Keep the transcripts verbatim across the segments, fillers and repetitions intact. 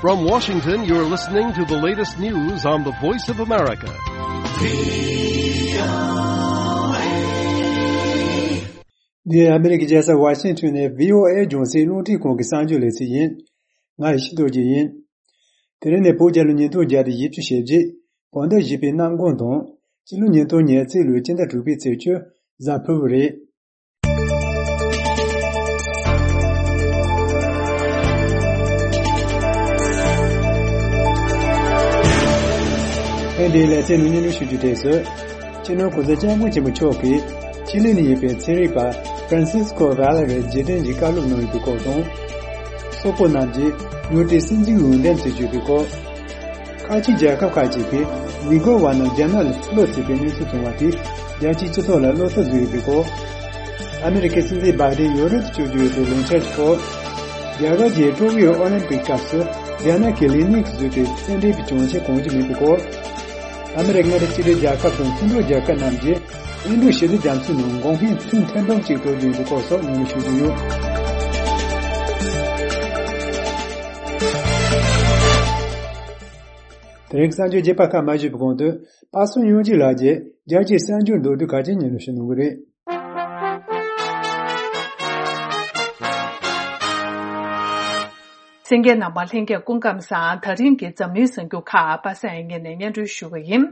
From Washington, you're listening to the latest news on the Voice of America. འདི་ཨ་མི་རི་ཀའི་རྒྱལ་ས་ཝ་ཤིང་ཊོན་ནས་བྷི་ཨོ་ཨེ་རྒྱང་སྲིང་རླུང་འཕྲིན་ཁང་གི་གསར་འགྱུར་ལེ་ཚན་ཡིན། ང་ཡེ་ཤེས་རྡོ་རྗེ་ཡིན། དེ་རིང་ནི་བོད་རྒྱལ་ལོ་ཉིས་སྟོང་བརྒྱ་དང་བཞི་བཅུ་ཞེ་བརྒྱད། བོད་ཟླ་བཞི་པའི་གནམ་གང་དང་། སྤྱི་ལོ་ཉིས་སྟོང་ཉེར་གཅིག་ལོའི་སྤྱི་ཟླ་དྲུག་པའི་ཚེས་བཅུ། གཟའ་ཕུར་བུ་རེད། ཐེངས་འདིའི་ལེ་ཚན་ནང་སྙན་སྒྲོན་ཞུ་རྒྱུ་དེ་ཚོ། སྤྱི་ནོར་གོང་ས་སྐྱབས་མགོན་ཆེན་པོ་མཆོག་གིས་ཅི་ལི་ནས་ཡིན་པའི་ཚན་རིག་པ་ཧྥ་རན་སིས་ཀོ་ཝེ་ལེ་རི་རྗེས་དྲན་གྱི་བཀའ་སློབ་གནང་ཡོད་པའི་སྐོར་དང་། སོག་པོ་རྣམས་ཀྱིས་ཡུལ་དེའི་སྲིད་འཛིན་འོས་འདེམས་བྱེད་བཅུག་པའི་སྐོར། ཁ་ཆེ་རྒྱལ་ཁབ་ཁག་ཅིག་གིས་ཝི་གོར་བ་རྣམས་རྒྱ་ནག་ལ་སློག་ཟེར་བའི་གནས་ཚུལ་བྱུང་བ་དེས་རྒྱལ་སྤྱིའི་སྤྱི་ཚོགས་ལ་བློ་འཚབ་བཟོས་ཡོད་པའི་སྐོར། ཨ་མི་རི་ཀའི་སྲིད་འཛིན་བྷའི་ཌེན་ཡོ་རོབ་ཏུ་བསྐྱོད་རྒྱུ་ཡོད་པའི་ལས་འཆར་གྱི་སྐོར། རྒྱ་གར་གྱི་ཀྲོ་ཀིའོ་ཨོ་ལིམ་པིག་སྐབས་སུ་རྒྱ་ནག་གི་ལི་ནིང་བཟོས་པའི་རྩེད་འགྲན་གྱི་གྱོང་ཆེན་གང་ཅི་མེད་པའི་སྐོར། ཨ་མི་རི་ཀ་མངའ་སྡེ་གཅིག་སྒྲིལ་རྒྱལ་ཁབ་དང་མཐུན་གྲོགས་རྒྱལ་ཁབ་རྣམས་ཀྱིས་ཨིན་རུ་ཞི་བདེ་རྒྱ་མཚོའི་ནང་འགོག་སྨན་ཐུན་ཐེར་འབུམ་གཅིག་སྤྲོད་རྒྱུ་ཡིན་པའི་སྐོར་སོགས་ཉུང་ཉུང་ཞུ་རྒྱུ་ཡོད། དེ་རིང་གསར་འགྱུར་རྒྱས་པ་ཁག་མ་ཞུས་པའི་གོང་དུ། པ་སངས་དབྱངས་སྐྱིད་ལགས་ཀྱིས་རྒྱལ་སྤྱིའི་གསར་འགྱུར་མདོར་བསྡུས་ཁག་ཅིག་སྙན་སྒྲོན་ཞུ་གནང་གི་རེད། གསན་མཁན་རྣམ་པ་ལྷན་རྒྱས་སྐུ་ཁམས་བཟང་། ད་རིང་གི་འཛམ་གླིང་གསར་འགྱུར་ཁག་པ་སངས་ངོས་ནས་སྙན་སྒྲོན་ཞུ་གི་ཡིན།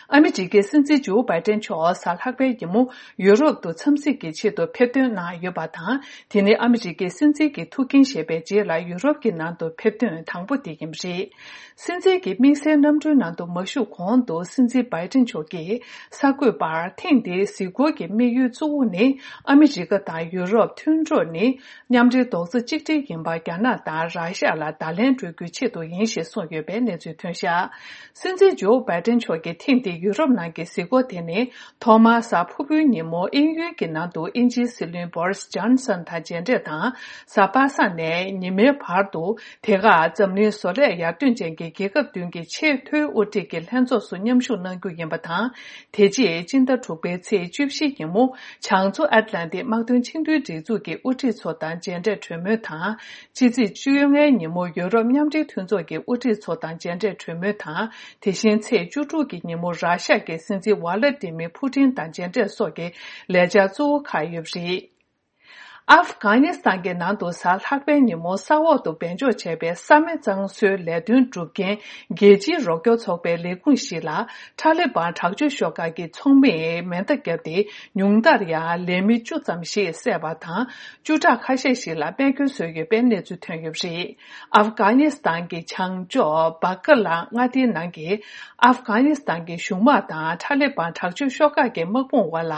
ཨ་མི་རི་ཀའི་སྲིད་འཛིན་ཇོ་བྷའི་ཏན་མཆོག་གཟའ་ལྷག་པའི་ཉིན་མོ་ཡུ་རོབ་ཏུ་འཚམས་གཟིགས་ཀྱི་ཆེད་དུ་ཕེབས་ཐོན་གནང་ཡོད་པ་དང་། དེ་ནི་ཨ་མི་རི་ཀའི་སྲིད་འཛིན་གྱི་ཐུགས་འགན་བཞེས་པའི་རྗེས་ལ་ཡུ་རོབ་ཀྱི་ནང་དུ་ཕེབས་ཐོན་དང་པོ་དེ་ཡིན་པ་རེད། སྲིད་འཛིན་གྱི་དམིགས་བསལ་གནམ་གྲུའི་ནང་དུ་མ་བཞུགས་གོང་དུ་སྲིད་འཛིན་བྷའི་ཏིན་མཆོག་གིས་གསར་འགོད་པར། ཐེངས་འདིའི་གཟིགས་སྐོར་གྱི་དམིགས་ཡུལ་གཙོ་བོ་ནི་ཨ་མི་རི་ཀ་དང་ཡུ་རོབ་མཐུན་གྲོགས་ནི་མཉམ་འབྲེལ་རྡོག་རྩ་གཅིག་སྒྲིལ་ཡིན་པ་རྒྱ་ནག་དང་ར་ཤ་ལ་བརྡ་ལན་སྤྲོད་རྒྱུའི་ཆེད་དུ་ཡིན་ཞེས་གསུངས་ཡོད་པའི་གནས་ཚུལ་ཐོན་བཞག་སྲིད་འཛིན་ཇོ་བྷའི་ཏིན་མཆོག་གི་ཐེངས་འདིའི་ཡུ་རོབ་ནང་གི་གཟིགས་སྐོར་དེ་ནི་ཐོག་མར་གཟའ་ཕུར་བུའི་ཉིན་མོ་དབྱིན་ཡུལ་གྱི་ནང་དུ་དབྱིན་ཇིའི་སྲིད་བློན་བོ་རིས་ཇོན་སན་དང་མཇལ་འཕྲད་དང་། གཟའ་པ་སངས་ནས་ཉི་མའི་བར་དུ། དེ་ག་འཛམ་གླིང་བཟོ་ལས་ཡར་ཐོན་ཅན་གྱི་རྒྱལ་ཁབ་བདུན་གྱི་ཆེས་མཐོའི་དབུ་ཁྲིད་ཀྱི་ལྷན་ཚོགས་སུ་མཉམ་ཞུགས་གནང་རྒྱུ་ཡིན་པ་དང་། དེ་རྗེས་སྤྱི་ཟླ་དྲུག་པའི་ཚེས་བཅུ་བཞི་ཉིན་མོ་བྱང་མཚོ་ཨེཊ་ལན་ཊིག་དམག་དོན་ཆིངས་དོན་སྒྲིག་འཛུགས་ཀྱི་དབུ་ཁྲིད་ཚོ་དང་མཇལ་འཕྲད་གྲོས་མོལ་དང་། ཕྱི་ཚེས་བཅོ་ལྔའི་ཉིན་མོ་ཡོ་རོབ་མཉམ་འབྲེལ་མཐུན་ཚོགས་ཀྱི་དབུ་ཁྲིད་ཚོ་དང་མཇལ་འཕྲད་གྲོས་མོལ་དང་། དེ་བཞིན་ཚེས་བཅུ་དྲུག་གི་ཉིན་མོ་ར་ཤ་ཡའི་སྲིད་འཛིན་ཝ་ལ་ཏི་མིར་ཕུ་ཏིན་དང་མཇལ་འཕྲད་སོགས་ཀྱི་ལས་འཆར་གཙོ་བོ་ཁག་ཡོད་པ་རེད། ཨབ་གྷ་ནི་སི་ཐན་གྱི་ནང་དུ་གཟའ་ལྷག་པའི་ཉིན་མོ་ས་འོག་ཏུ་སྦས་འཇོག་བྱས་པའི་ས་མེད་གཙང་བཟོའི་ལས་དོན་སྒྲུབ་མཁན་རྒྱལ་སྤྱིའི་རོགས་སྐྱོར་ཚོགས་པའི་ལས་ཁུངས་ཤིག་ལ་ཐ་ལི་བན་དྲག་སྤྱོད་ཤོག་ཁག་གི་ཚོགས་མིས་མེ་མདའ་བརྒྱབ་སྟེ་ཉུང་མཐར་ཡང་ལས་མི་བཅུ་ཙམ་ཞིག་བསད་པ་དང་། བཅུ་ཕྲག་ཁ་ཤས་ཤིག་ལ་རྨས་སྐྱོན་བཟོས་ཡོད་པའི་གནས་ཚུལ་ཐོན་ཡོད་པ་རེད། ཨབ་གྷ་ནི་སི་ཐན་གྱི་བྱང་ཕྱོགས་སྦག་ཀ་ལ་མངའ་སྡེའི་ནང་གི་ཨབ་གྷ་ནི་སི་ཐན་གྱི་གཞུང་དམག་དང་ཐ་ལི་བན་དྲག་སྤྱོད་ཤོག་ཁག་གི་དམག་དཔུང་དབར་ལ་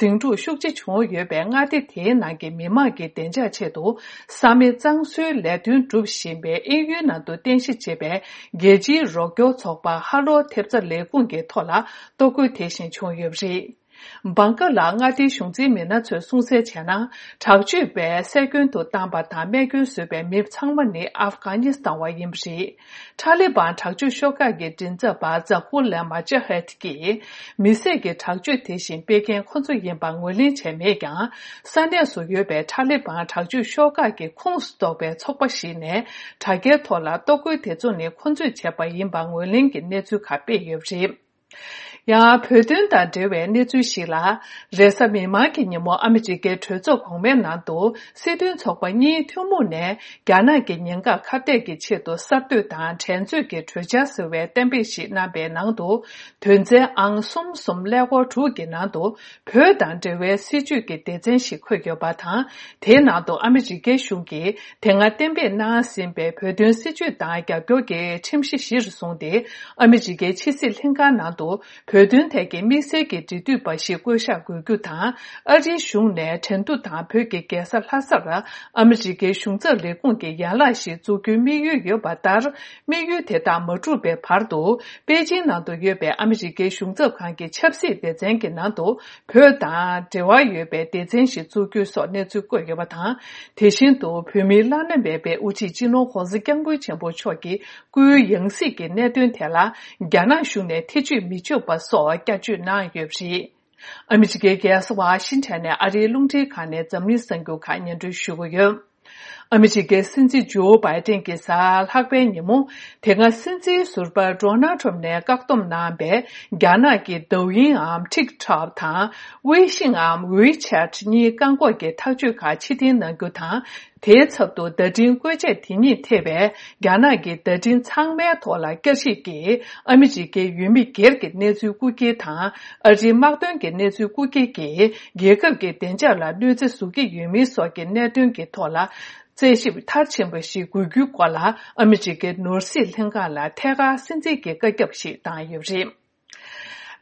ཟིང་འཁྲུག་ཤུགས་ཆེ་བྱུང་ཡོད་པའི་མངའ་སྡེ་དེའི་ནང་གི་མི་མང་གི་བདེ་འཇགས་ཆེད་དུ་ས་མེད་གཙང་བཟོའི་ལས་དོན་སྒྲུབ་བཞིན་པའི་དབྱིན་ཡུལ་ནང་དུ་རྟེན་གཞི་བྱས་པའི་རྒྱལ་སྤྱིའི་རོགས་སྐྱོར་ཚོགས་པ་ཧ་ལོ་ཐེབས་རྩ་ལས་ཁུངས་ཀྱི་ཐོག་ལ་གཏོར་རྒོལ་དེ་བཞིན་བྱུང་ཡོད་པ་རེད། སྦག་ཀ་ལ་མངའ་སྡེའི་གཞུང་འཛིན་མི་སྣ་ཚོས་གསུངས་གསལ་བྱས་ན། དྲག་སྤྱོད་པས་བསད་སྐྱོན་དུ་བཏང་པ་དང་རྨས་སྐྱོན་བཟོས་པའི་མི་ཚང་མ་ནི་ཨབ་གྷ་ནི་སི་ཐན་བ་ཡིན་པ་རེད། ཐ་ལི་བན་དྲག་སྤྱོད་ཤོག་ཁག་གི་མགྲིན་ཚབ་པ་ཛ་ཧུ་ལ་མ་ཇ་ཧད་ཀྱིས། མི་བསད་ཀྱི་དྲག་སྤྱོད་དེ་བཞིན་སྤེལ་མཁན་ཁོ་ཚོ་ཡིན་པ་ངོས་ལེན་བྱས་མེད་ཀྱང་། ས་གནས་སུ་ཡོད་པའི་ཐ་ལི་བན་དྲག་སྤྱོད་ཤོག་ཁག་གི་ཁོངས་སུ་གཏོགས་པའི་ཚོགས་པ་ཞིག་ནས་དྲ་རྒྱའི་ཐོག་ལ་གཏོར་རྒོལ་དེ་ཚོ་ནི་ཁོ་ཚོས་བྱས་པ་ཡིན་པ་ངོས་ལེན་གྱི་གནས་ཚུལ་ཁག་སྤེལ་ཡོད་པ་རེད། ཡང་བོད་དོན་དང་འབྲེལ་བའི་གནས་ཚུལ་ཞིག་ལ། རེས་གཟའ་མིག་དམར་གྱི་ཉིན་མོ་ཨ་མི་རི་ཀའི་གྲོས་ཚོགས་གོང་མའི་ནང་དུ་སྲིད་དོན་ཚོགས་པ་གཉིས་ཐུན་མོང་ནས་རྒྱ་ནག་གི་ཉེན་ཁ་ཁ་གཏད་ཀྱི་ཆེད་དུ་གསར་གཏོད་དང་འགྲན་རྩོད་ཀྱི་གྲོས་འཆར་ཟེར་བའི་གཏན་འབེབས་ཤིག་གནང་པའི་ནང་དུ། དོན་ཚན་ཨང་གསུམ་གསུམ་ཀླད་ཀོར་དྲུག་གི་ནང་དུ་བོད་དང་འབྲེལ་བའི་སྲིད་བྱུས་ཀྱི་སྡེ་ཚན་ཞིག་འཁོད་ཡོད་པ་དང་། དེའི་ནང་དུ་ཨ་མི་རི་ཀའི་གཞུང་གིས་དེ་སྔ་གཏན་འབེབས་གནང་ཟིན་པའི་བོད་དོན་སྲིད་བྱུས་དང་རྒྱབ་སྐྱོར་གྱི་ཁྲིམས་གཞི་གཞིར་བཟུང་སྟེ། ཨ་མི་རི་ཀའི་ཕྱི་སྲིད་ལྷན་ཁང་ནང་དུ་བོད་དོན་ཐད་ཀྱི་དམིགས་བསལ་གྱི་འབྲེལ་མཐུད་པ་ཞིག་བསྐོ་གཞག་དགོས་རྒྱུ་དང་། ཨ་རིའི་གཞུང་ནས་ཁྲེང་ཏུའུ་དང་བོད་ཀྱི་རྒྱལ་ས་ལྷ་སར་ཨ་མི་རི་ཀའི་གཞུང་ཚབ་ལས་ཁུངས་ཀྱི་ཡན་ལག་ཞིག་འཛུགས་རྒྱུའི་དམིགས་ཡུལ་ཡོད་པ་ལྟར། དམིགས་ཡུལ་དེ་དག་མ་འགྲུབ་པའི་བར་དུ། པེ་ཅིང་ནང་དུ་ཡོད་པའི་ཨ་མི་རི་ཀའི་གཞུང་ཚབ་ཁང་གི་ཆབ་སྲིད་སྡེ་ཚན་གྱི་ནང་དུ། བོད་དང་འབྲེལ་བ་ཡོད་པའི་སྡེ་ཚན་ཞིག་བཙུགས་རྒྱུ་སོགས་གནས་ཚུལ་བཀོད་ཡོད་པ་དང་། དེ་བཞིན་དུ་བོད་མིའི་བླ་ན་མེད་པའི་དབུ་ཁྲིད་སྤྱི་ནོར་༸གོང་ས་༸སྐྱབས་མགོན་ཆེན་པོ་མཆོག་གི་སྐུའི་ཡང་སྲིད་ཀྱི་གནད་དོན་ཐད་ལ་རྒྱ་ནག་གཞུང་ནས་ཐེ་བྱུས་མི་བྱུང་བ་སོགས་བསྐྱར་བཅོས་གནང་ཡོད་པ་རེད། ཨ་མི་རི་ཀའི་རྒྱལ་ས་ཝ་ཤིང་ཊོན་ནས་ཨ་རིའི་རླུང་འཕྲིན་ཁང་ནས་འཛམ་གླིང་གསར་འགྱུར་ཁག་སྙན་སྒྲོན་ཞུ་གི་ཡོད། ཨ་མི་རི་ཀའི་སྲིད་འཛིན་ཇོ་བྷའི་ཏན་གྱིས་གཟའ་ལྷག་པའི་ཉིན་མོ། དེ་སྔ་སྲིད་འཛིན་ཟུར་པ་ཌོ་ནལ་ཊམ་ནས་བཀག་སྡོམ་གནང་བའི་རྒྱ་ནག་གི་ཌའོ་ཡིན་འམ་ཊིག་ཊོག་དང་ཝེ་ཤིང་འམ་ཝེ་ཆེ་ཊི་གཉིས་བཀག་འགོག་གི་ཐག་གཅོད་ཁག་ཕྱིར་འཐེན་གནང་རྒྱུ་དང་། དེའི་ཚབ་ཏུ་བརྡ་འཕྲིན་བཀོལ་ཆས་དེ་ཉིད་ཐེ་བའི་རྒྱ་ནག་གི་བརྡ་འཕྲིན་ཚང་མའི་ཐོག་ལ་བསྐྱར་ཞིབ་ཀྱིས་ཨ་མི་རི་ཀའི་ཡུལ་མི་སྒེར་གྱི་གནས་ཚུལ་རྐུ་འཁྱེར་དང་། ཨ་རིའི་དམག་དོན་གྱི་གནས་ཚུལ་རྐུ་འཁྱེར་གྱིས་རྒྱལ་ཁབ་ཀྱི་བདེ་འཇགས་ལ་གནོད་འཚེ་བཟོ་གི་ཡོད་མིན་སོགས་ཀྱི་གནད་དོན་གྱི་ཐོག་ལ། རྩད་ཞིབ་མཐར་ཕྱིན་པ་ཞིག་དགོས་རྒྱུའི་སྐོར་ལ་ཨ་མི་རི་ཀའི་ནོར་སྲིད་ལྷན་ཁང་ལ་ཐད་ཀར་གསན་གཟིགས་ཀྱི་བཀའ་ཁྱབ་ཞིག་བཏང་ཡོད་པ་རེད།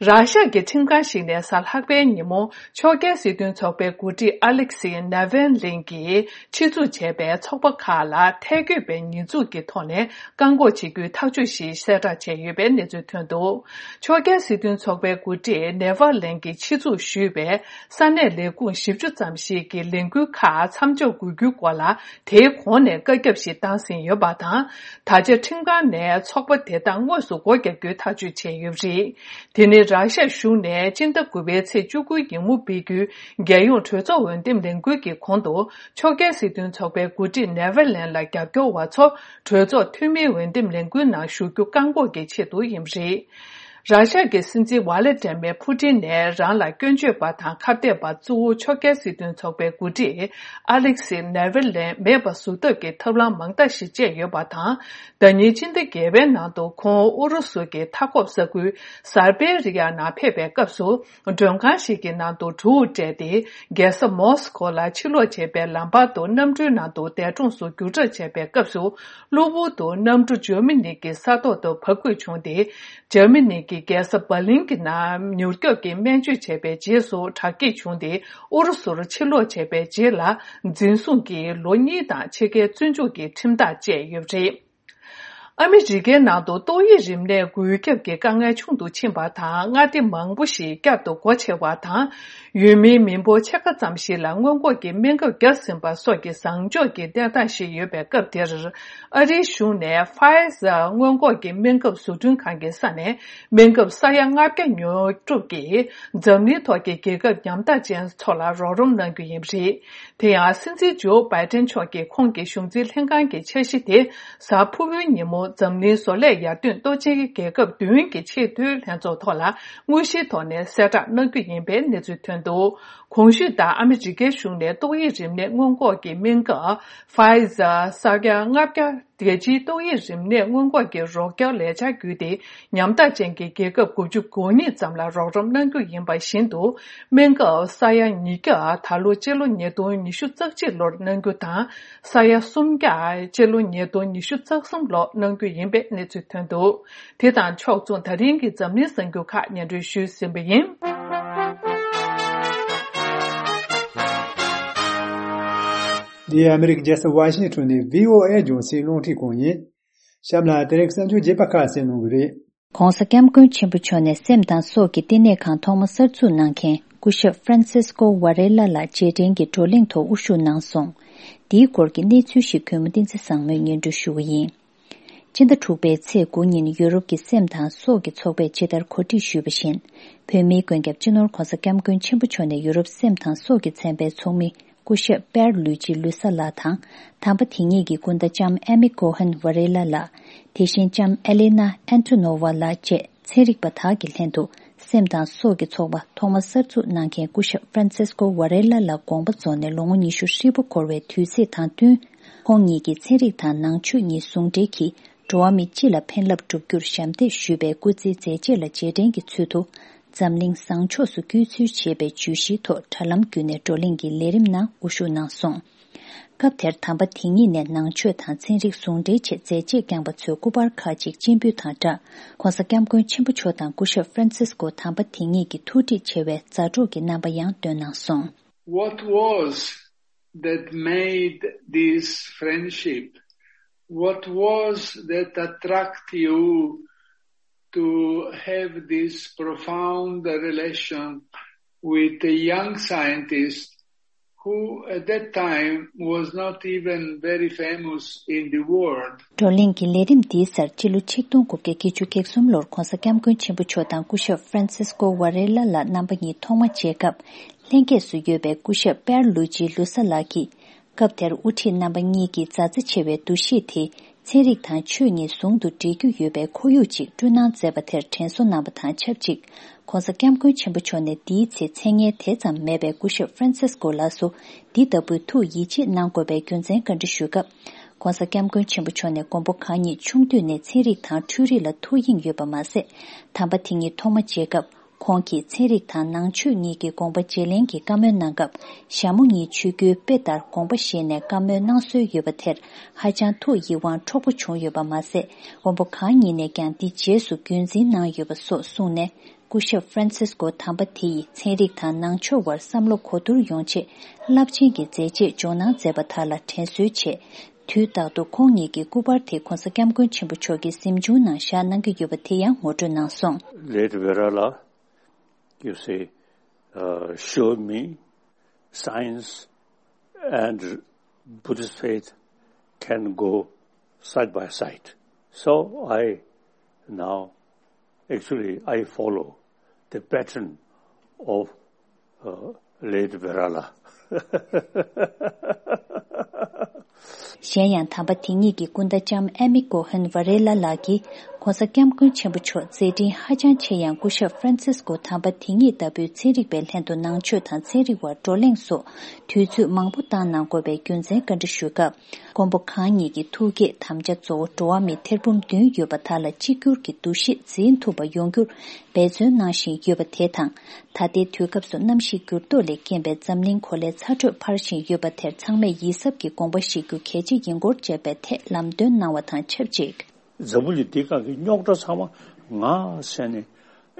ར་ཤ་གི་ཁྲིམས་ཁང་ཞིག་ནས་གཟའ་ལྷག་པའི་ཉིན་མོ། ཕྱོགས་འགལ་སྲིད་དོན་ཚོགས་པའི་འགོ་ཁྲིད་ཨ་ལེག་སི་ནེ་ཝེན་ལིན་གྱིས་ཆེད་འཛུགས་བྱས་པའི་ཚོགས་པ་ཁག་ལ་ཐལ་འགོད་པའི་ཉེས་འཛུགས་ཀྱི་ཐོག་ནས་བཀག་འགོག་བྱེད་རྒྱུའི་ཐག་གཅོད་ཞིག་གསལ་བསྒྲགས་བྱས་ཡོད་པའི་གནས་ཚུལ་ཐོན་འདུག་ཕྱོགས་འགལ་སྲིད་དོན་ཚོགས་པའི་འགོ་ཁྲིད་ནེ་ཝེན་ལིན་གྱིས་ཆེད་འཛུགས་ཞུས་པའི་ས་གནས་ལས་ཁུངས་བཞི་བཅུ་ཙམ་ཞིག་གི་ལས་འགུལ་ཁག་མཚམས་འཇོག་དགོས་རྒྱུའི་སྐོར་ལ། དེའི་གོང་ནས་བཀའ་ཁྱབ་ཞིག་བཏང་ཟིན་ཡོད་པ་དང་། ད་ཆ་ཁྲིམས་ཁང་ནས་ཚོགས་པ་དེ་དག་དངོས་སུ་སྒོ་བརྒྱབ་རྒྱུའི་ཐག་གཅོད་བྱས་ཡོད་པ་རེད། དེ་ནི་ར་ཤ་གཞུང་ནས་སྤྱི་ཟླ་དགུ་པའི་ཚེས་བཅུ་དགུ་ཉིན་མོ་སྤེལ་རྒྱུའི་རྒྱལ་ཡོངས་གྲོས་ཚོགས་འོས་འདེམས་ལས་འགུལ་གྱི་གོང་དུ། ཕྱོགས་འགལ་སྲིད་དོན་ཚོགས་པའི་འགོ་ཁྲིད་ནེ་ཝེ་ལན་ལ་རྒྱབ་སྐྱོར་བ་ཚོ་གྲོས་ཚོགས་འཐུས་མིའི་འོས་འདེམས་ལས་འགུལ་ནང་ཞུགས་རྒྱུ་བཀག་འགོག་གི་ཆེད་དུ་ཡིན་པ་རེད། ར་ཤ་གི་སྲིད་འཛིན་ཝ་ལེ་ཏྲེ་མེ་ཕུ་ཏིན་ནས་རང་ལ་སྐྱོན་བརྗོད་པ་དང་ཁ་གཏད་པ་གཙོ་བོ་ཕྱོགས་འགལ་སྲིད་དོན་ཚོགས་པའི་འགོ་ཁྲིད་ཨ་ལེག་སི་ནེ་ཝེ་ལན་མེད་པ་བཟོ་ཐབས་ཀྱི་ཐབས་ལམ་མང་དག་ཞིག་སྤྱད་ཡོད་པ་དང་། ཟླ་ཉིན་སྤྱི་ཟླ་བརྒྱད་པའི་ནང་དུ་ཁོང་ཨུ་རུ་སུ་གྱི་མཐའ་འཁོབ་ས་ཁུལ་སར་བེ་རི་ཡ་ནང་ཕེབས་པའི་སྐབས་སུ། མགྲོན་ཁང་ཞིག་གི་ནང་དུ་གྲུ་བོ་སྤྲད་དེ། རྒྱལ་ས་མོ་སི་ཁོ་ལ་ཕྱིར་ལོག་བྱེད་པའི་ལམ་བར་དུ་གནམ་གྲུའི་ནང་དུ་འདས་གྲོངས་སུ་བསྒྱུར་གྲབས་བྱས་པའི་སྐབས་སུ། གློ་བུར་དུ་གནམ་གྲུ་འཇར་མ་ནི་གི་ས་ཐོག་ཏུ་བབས་དགོས་བྱུང་སྟེ། འཇར་མ་ནི་གི་རྒྱལ་ས་འབར་ལིན་གྱི་ནང་མྱུར་སྐྱོབ་ཀྱི་སྨན་བཅོས་བྱས་པའི་རྗེས་སུ་དྲག་སྐྱེད་བྱུང་སྟེ། ཨུ་རུ་སུར་ཕྱིར་ལོག་བྱས་པའི་རྗེས་ལ། འཛིན་བཟུང་གིས་ལོ་གཉིས་དང་ཕྱེད་ཀའི་བཙོན་འཇུག་གི་ཁྲིམས་ཐག་བཅད་ཡོད་པ་རེད། ཨ་མི་རི་ཀའི་ནང་དུ་ཏོག་དབྱིབས་རིམས་ནད་འགོས་ཁྱབ་ཀྱི་དཀའ་ངལ་ཆུང་དུ་ཕྱིན་པ་དང་། མངའ་སྡེ་མང་པོ་ཞིག་བསྐྱར་དུ་སྒོ་ཕྱེ་བ་དང་། ཡུལ་མིའི་མི་འབོར་ཕྱེད་ཀ་ཙམ་ཞིག་ལ་སྔོན་འགོག་གི་སྨན་ཁབ་བརྒྱབ་ཟིན་པ་སོགས་ཀྱི་བཟང་ཕྱོགས་ཀྱི་གནས་སྟངས་ཤིག་ཡོད་པའི་སྐབས་དེར། ཨ་རིའི་གཞུང་ནས་ཕ་ཡི་ཟར་སྔོན་འགོག་གི་སྨན་ཁབ་བཟོ་སྐྲུན་ཁང་གི་ས་ནས། སྨན་ཁབ་ས་ཡ་ལྔ་བརྒྱ་ཉོ་སྒྲུབ་ཀྱིས། འཛམ་གླིང་ཐོག་གི་རྒྱལ་ཁབ་ཉམ་ཐག་ཅན་ཚོ་ལ་རོགས་རམ་གནང་རྒྱུ་ཡིན་པ་རེད། དེ་ཡང་། སྲིད་འཛིན་ཇོ་བྷའི་ཏན་མཆོག་གིས་ཁོང་གི་གཞུང་འཛིན་ལྷན་ཁང་གི་འཆར་གཞི་དེ། གཟའ་ཕུར་བུའི་ཉིན་མོ། འཛམ་གླིང་བཟོ་ལས་ཡར་ཐོན་སྟོབས་ཆེན་རྒྱལ་ཁབ་བདུན་གྱི་ཆེས་མཐོའི་ལྷན་ཚོགས་ཐོག་ལ། དངོས་གཞིའི་ཐོག་ནས་གསལ་བསྒྲགས་གནང་རྒྱུ་ཡིན་པའི་གནས་ཚུལ་ཐོན་འདུག་གོང་ཞུས་ལྟར། ཨ་མི་རི་ཀའི་གཞུང་ནས་ཏོག་དབྱིབས་རིམས་ནད་སྔོན་འགོག་གི་སྨན་ཁབ། ཕ་ཡི་ཟར་ས་ཡ་ལྔ་བརྒྱ། རྒྱལ་སྤྱིའི་ཏོག་དབྱིབས་རིམས་ནད་སྔོན་འགོག་གི་རོགས་སྐྱོར་ལས་འཆར་བརྒྱུད་དེ། ཉམ་ཐག་ཅན་གྱི་རྒྱལ་ཁབ་དགུ་བཅུ་གོ་གཉིས་ཙམ་ལ་རོགས་རམ་གནང་རྒྱུ་ཡིན་པ་བཞིན་དུ། སྨན་ཁབ་ས་ཡ་ཉིས་བརྒྱ། ད་ལོ་སྤྱི་ལོ་ཉིས་སྟོང་ཉི་ཤུ་རྩ་གཅིག་ལོར་གནང་རྒྱུ་དང་། ས་ཡ་སུམ་བརྒྱ། སྤྱི་ལོ་ཉིས་སྟོང་ཉི་ཤུ་རྩ་གསུམ་ལོར་གནང་རྒྱུ་ཡིན་པའི་གནས་ཚུལ་ཐོན་འདུག་དེ་དང་ཕྱོགས་མཚུངས། ད་རིང་གི་འཛམ་གླིང་གསར་འགྱུར་ཁག་སྙན་སྒྲོན་ཞུས་ཟིན་པ་ཡིན། འདི་ཨ་མི་རི་ཀའི་རྒྱལ་ས་ཝ་ཤིང་ཊོན་ནས་བྷི་ཨོ་ཨེ་རྒྱང་སྲིང་རླུང་འཕྲིན་ཁང་ཡིན། གཤམ་ལ་དེ་རིང་གསར་འགྱུར་རྒྱས་པ་ཁག་གསན་གནང་གི་རེད། ༸གོང་ས་༸སྐྱབས་མགོན་ཆེན་པོ་མཆོག་ནས་སེམས་དང་སྲོག་གི་བསྟི་གནས་ཁང་ཐོག་མ་གསར་འཛུགས་གནང་མཁན་སྐུ་ཞབས་ཧྥ་རན་སིས་ཀོ་ཝ་རེ་ལ་ལགས་རྗེས་དྲན་གྱི་བགྲོ་གླེང་ཐོག་དབུ་བཞུགས་གནང་སོང་། འདིའི་སྐོར་གྱི་གནས་ཚུལ་ཞིག་གུས་མོ་བསྟན་འཛིན་བཟང་མོས་སྙན་སྒྲོན་ཞུ་གི་ཡིན། སྤྱི་ཟླ་དྲུག་པའི་ཚེས་དགུ་ཉིན་ཡུ་རོབ་ཀྱི་སེམས་དང་སྲོག་གི་ཚོགས་པས་ཇི་ལྟར་གོ་སྒྲིག་ཞུས་པ་བཞིན། བོད་མིའི་མགོན་སྐྱབས་སྤྱི་ནོར་༸གོང་ས་༸སྐྱབས་མགོན་ཆེན་པོ་མཆོག་ནས་ཡུ་རོབ་སེམས་དང་སྲོག་གི་ཚན་པའི་ཚོགས་མི། སྐུ་ཞབས་པེར་ལུའི་ཇི་ལུ་ས་ལགས་དང་། དམ་པ་དེ་ཉིད་ཀྱི་སྐུ་ཟླ་ལྕམ་ཨེ་མི་ཀོ་ཧན་ཝ་རེ་ལ་ལགས། དེ་བཞིན་ལྕམ་ཨེ་ལེ་ན་ཨན་ཏོ་ནོ་ཝ་ལགས་བཅས་ཚན་རིག་པ་དག་གི་ལྷན་དུ། སེམས་དང་སྲོག་གི་ཚོགས་པ་ཐོག་མ་གསར་འཛུགས་གནང་མཁན་སྐུ་ཞབས་ཧྥ་རན་སིས་ཀོ་ཝ་རེ་ལ་ལགས་དགོངས་པ་རྫོགས་ནས་ལོ་ངོ་ཉི་ཤུ་ཧྲིལ་པོ་འཁོར་བའི་དུས་ཚིགས་དང་བསྟུན། ཁོང་ཉིད་ཀྱིས་ཚན་རིག་དང་ནང་ཆོས་གཉིས་ཟུང་འབྲེལ་གྱིས། འགྲོ་བ་མི་སྤྱི་ལ་ཕན་རླབས་སྒྲུབ་རྒྱུར་ཞབས་འདེགས་ཞུས་པའི་སྐུ་ཚེའི་མཛད་རྗེས་ལ་རྗེས་དྲན་གྱི་ཚུལ་དུ། འཛམ་གླིང་བཟང་ཕྱོགས་སུ་བསྐྱོད་ཚུལ་ཞེས་པའི་བརྗོད་གཞིའི་ཐོག་དྲ་ལམ་བརྒྱུད་ནས་བགྲོ་གླེང་གི་ལས་རིམ་ནང་དབུ་བཞུགས་གནང་སོང་། སྐབས་དེར་དམ་པ་དེ་ཉིད་ནས་ནང་ཆོས་དང་ཚན་རིག་ཟུང་འབྲེལ་ཆེད་མཛད་རྗེས་བསྐྱངས་པ་ཚོའི་སྐུ་པར་ཁག་ཅིག་སྤྱན་འབུལ་དང་སྦྲགས། ༸གོང་ས་༸སྐྱབས་མགོན་ཆེན་པོ་མཆོག་དང་སྐུ་ཞབས་ཧྥ་རན་སིས་ཀོ་དམ་པ་དེ་ཉིད་ཀྱི་ཐུགས་འདྲིས་ཆེ་བའི་མཛའ་གྲོགས་ཀྱི་རྣམ་པ་ཡང་སྟོན་གནང་སོང་། What was that made this friendship? What was that attract you to have this profound relation with a young scientist who at that time was not even very famous in the world? བགྲོ་གླེང་གི་ལས་རིམ་འདིའི་སར་སྤྱི་ལོ་ཆིག་སྟོང་དགུ་བརྒྱ་བརྒྱད་ཅུ་གྱ་གསུམ་ལོར་༸གོང་ས་༸སྐྱབས་མགོན་ཆེན་པོ་མཆོག་དང་སྐུ་ཞབས་ཧྥ་རན་སིས་ཀོ་ཝ་རེ་ལ་ལགས་རྣམ་པ་གཉིས་ཐོག་མ་མཇལ་སྐབས། ལྷན་རྒྱས་སུ་ཡོད་པའི་སྐུ་ཞབས་པེར་ལུ་ཇི་ལུ་ས་ལགས་ཀྱིས། སྐབས་དེར་དབུ་ཁྲིད་རྣམ་པ་གཉིས་ཀྱིས་མཛའ་བརྩེ་ཆེ་བའི་འདུ་ཤེས་དེ་ཚན་རིག་དང་ཆོས་གཉིས་ཟུང་དུ་འབྲེལ་རྒྱུ་ཡོད་པའི་ཁོར་ཡུག་ཅིག་བསྐྲུན་གནང་མཛད་པ་དེར་དྲན་གསོ་གནང་བ་དང་ཆབས་ཅིག ྋགོང་ས་ྋསྐྱབས་མགོན་ཆེན་པོ་མཆོག་ནས་འདིའི་ཚེ་མཚན་སྙན་དེ་ཙམ་མེད་པའི་སྐུ་ཞབས་ཧྥ་རན་སིས་ཀོ་ལགས་སུ་འདི་ལྟ་བུའི་ཐུགས་ཡིད་ཆེས་གནང་དགོས་པའི་རྒྱུ་མཚན་བཀའ་འདྲི་ཞུས་སྐབས། ྋགོང་ས་ྋསྐྱབས་མགོན་ཆེན་པོ་མཆོག་ནས་མགོན་པོ་གང་ཉིད་ཆུང་དུས་ནས་ཚན་རིག་དང་འཕྲུལ་རིག་ལ་ཐུགས་གཡེང་ཡོད་པ་མ་ཟད། དམ་པ་དེ་ཉིད་ཐོག་མ་མཇལ་སྐབས། ཁོང་གིས་ཚན་རིག་དང་ནང་ཆོས་གཉིས་ཀྱི་དགོངས་པ་བརྗེ་ལེན་གྱི་བཀའ་མོལ་གནང་སྐབས། ཞྭ་མོ་གཉིས་ཆོས་བརྒྱུད་དཔེ་ལྟར་དགོངས་པ་བཞེས་ནས་བཀའ་མོལ་གནང་སྲོལ་ཡོད་པ་དེར་ཧ་ཅང་ཐུགས་ཡིད་དབང་འཕྲོག་པོ་བྱུང་ཡོད་པ་མ་ཟད། མགོན་པོ་གང་ཉིད་ནས་ཀྱང་འདི་རྗེས་སུ་རྒྱུན་འཛིན་གནང་ཡོད་པ་སོགས་གསུངས་ནས། སྐུ་ཞབས་ཧྥ་རན་སིས་ཀོ་དམ་པ་དེ་ཡིས་ཚན་རིག་དང་ནང་ཆོས་དབར་བསམ་བློ་གོ་བསྡུར་ཡོང་ཆེད་རླབས་ཆེན་གྱི་མཛད་རྗེས་འཇོག་གནང་མཛད་པ་དག་ལ་དྲན་གསོའི་ཆེད། དུས་རྟག་ཏུ་ཁོང་ཉིད་ཀྱི་སྐུ་པར་དེ་ྋགོང་ས་ྋསྐྱབས་མགོན་ཆེན་པོ་མཆོག་གི་གཟིམ་ཆུང་ནང་བཞག་གནང་གི་ཡོད་པ་དེ་ཡང་ངོ་སྤྲོད་གནང་སོང་། Late Varela, you see, uh, showed me science and Buddhist faith can go side by side. So I now, actually, I follow the pattern of uh, late Varela. གཞན་ཡང་དམ་པ་དེ་ཉིད་ཀྱི་སྐུ་ཟླ་ལྕམ་ཨེ་མི་ཀོ་ཧན་ཝ་རེ་ལ་ལགས་ཀྱིས་ྋགོང་ས་ྋསྐྱབས་མགོན་ཆེན་པོ་མཆོག་མཛད་འཕྲིན་ཧ་ཅང་ཆེ་ཡང་སྐུ་ཞབས་ཧྥ་རན་སིས་ཀོ་དམ་པ་དེ་ཉིད་ལྟ་བུའི་ཚན་རིག་པའི་ལྷན་དུ་ནང་ཆོས་དང་ཚན་རིག་དབར་བགྲོ་གླེང་སོགས་དུས་ཚོད་མང་པོ་བཏང་གནང་དགོས་པའི་རྒྱུ་མཚན་བཀའ་འདྲི་ཞུས་སྐབས། མགོན་པོ་གང་ཉིད་ཀྱི་ཐུགས་བསྐྱེད་དམ་བཅའ་གཙོ་བོ་འགྲོ་བ་མི་ཐེར་འབུམ་བདུན་ཡོད་པ་དག་ལ་གཅིག་གྱུར་གྱི་འདུ་ཤེས་འཛིན་ཐུབ་པ་ཡོང་རྒྱུར་འབད་བརྩོན་གནང་བཞིན་ཡོད་པ་དེ་དང་། ད་ལྟའི་དུས་སྐབས་སུ་གནམ་གཤིས་འགྱུར་ལྡོག་ལས་རྐྱེན་པས་འཛམ་གླིང་གོ་ལའི་ཚ་དྲོད་འཕར་བཞིན་ཡོད་པ་དེར་ཚང་མས་ཡིད་གཟབ་ཀྱིས་དགོངས་པ་བཞེས་རྒྱུ་གལ་ཆེ་ཡིན་སྐོར་བཅས་པའི་ཐད་ལམ་སྟོན་གནང་བ་དང་ཆབས་ཅིག་འཛམ་བུ་གླིང་འདི་སྒང་གི་རྙོག་དྲ་ཚང་མ་ང་ཟེར་ནས་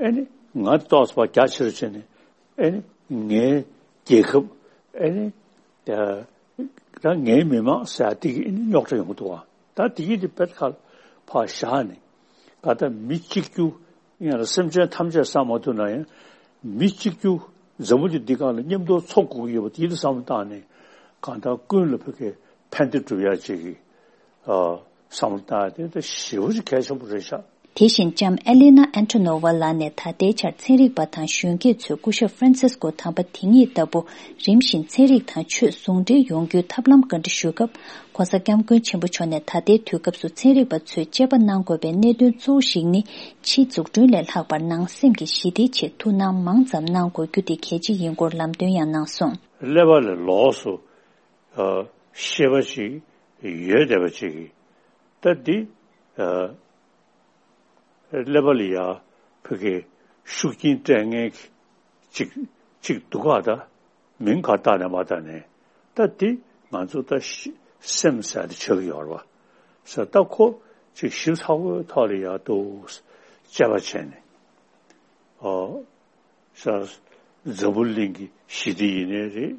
ཨེ་ནི་ང་ཏོག་ཙམ་རྒྱ་ཆེར་བྱས་ནས། ཨེ་ནི་ངའི་རྒྱལ་ཁབ། ཨེ་ནི་ད་ད་ངའི་མི་མང་ཟེར་ཡ་དེ་གི་ཨེ་ནི་རྙོག་དྲ་ཡོང་གི་འདུག་བ། ད་དེ་གི་དེ་པད་ཁ་ཕར་བཞག་ནས་ག་ད་མི་གཅིག་གྱུར་ཡང་ལ་སེམས་ཅན་ཐམས་ཅད་བསམ་མ་ཐུབ་ན་ཡང་མི་གཅིག་གྱུར་འཛམ་བུ་གླིང་འདི་སྒང་ལ་མཉམ་དུ་འཚོ་དགོས་ཀྱི་ཡོད་པ་དེ་ཡིད་དུ་བསམ་བློ་བཏང་ནས་གང་ལྟར་ཀུན་ལ་ཕ་གི་ཕན་བདེ་སྒྲུབ་ཡ་ཅིག་གི་བསམ་བློ་བཏང་ཡ་དེ་ད་ཞེ་པོ་ཅིག་གལ་ཆེན་པོ་རེད་ཤག་དེ་བཞིན་ལྕམ་ཨེ་ལི་ན་ཨན་ཐོ་ནོ་ཝ་ལགས་ནས་ད་ལྟའི་ཆར་ཚན་རིག་པ་དང་གཞོན་སྐྱེས་ཚོས་སྐུ་ཞབས་ཧྥ་རན་སིས་ཀོ་དམ་པ་དེ་ཉིད་ལྟ་བུ་རིམ་བཞིན་ཚན་རིག་དང་ཆོས་ཟུང་འབྲེལ་ཡོང་རྒྱུའི་ཐབས་ལམ་བཀའ་འདྲི་ཞུས་སྐབས། ྋགོང་ས་ྋསྐྱབས་མགོན་ཆེན་པོ་མཆོག་ནས་ད་ལྟའི་དུས་སྐབས་སུ་ཚན་རིག་པ་ཚོས་དཔྱད་པ་གནང་དགོས་པའི་གནད་དོན་གཙོ་བོ་ཞིག་ནི་ཕྱིའི་འཛུགས་སྐྲུན་ལས་ལྷག་པར་ནང་སེམས་ཀྱི་ཞི་བདེའི་ཆེད་ཐུགས་སྣང་མང་ཙམ་གནང་དགོས་རྒྱུ་དེ་གལ་ཆེ་ཡིན་སྐོར་ལམ་སྟོན་ཡང་གནང་སོང་། ཀླད་པ་ལ་ལོགས་སུ་ཤེས་པ་ཅིག་ཡོད་བསྡད་པ་ཅིག་གིས་ད་འདི། ཀླད་པ་ལ་ཡ་ཕ་གི་ཤུགས་རྐྱེན་སྤྲད་མཁན་གཅིག་གཅིག་འདུག་ག་ད་མིང་ག་བཏགས་ནས་མ་བཏགས་ནས་ད་དེ་ང་ཚོ་ད་ཤི་སེམས་ཟེར་དེ་ཆགས་ཀྱི་ཡོད་རེད་བ། ས་ད་ཁོ་ཅིག་ཞིབ་ཚགས་པོའི་ཐོག་ལ་ཡ་འདུག་དཔྱད་པ་བྱས་ནས་ཨོ། ས་འཛམ་བུ་གླིང་གི་ཞི་བདེ་ཡིན་ནའི་རེད།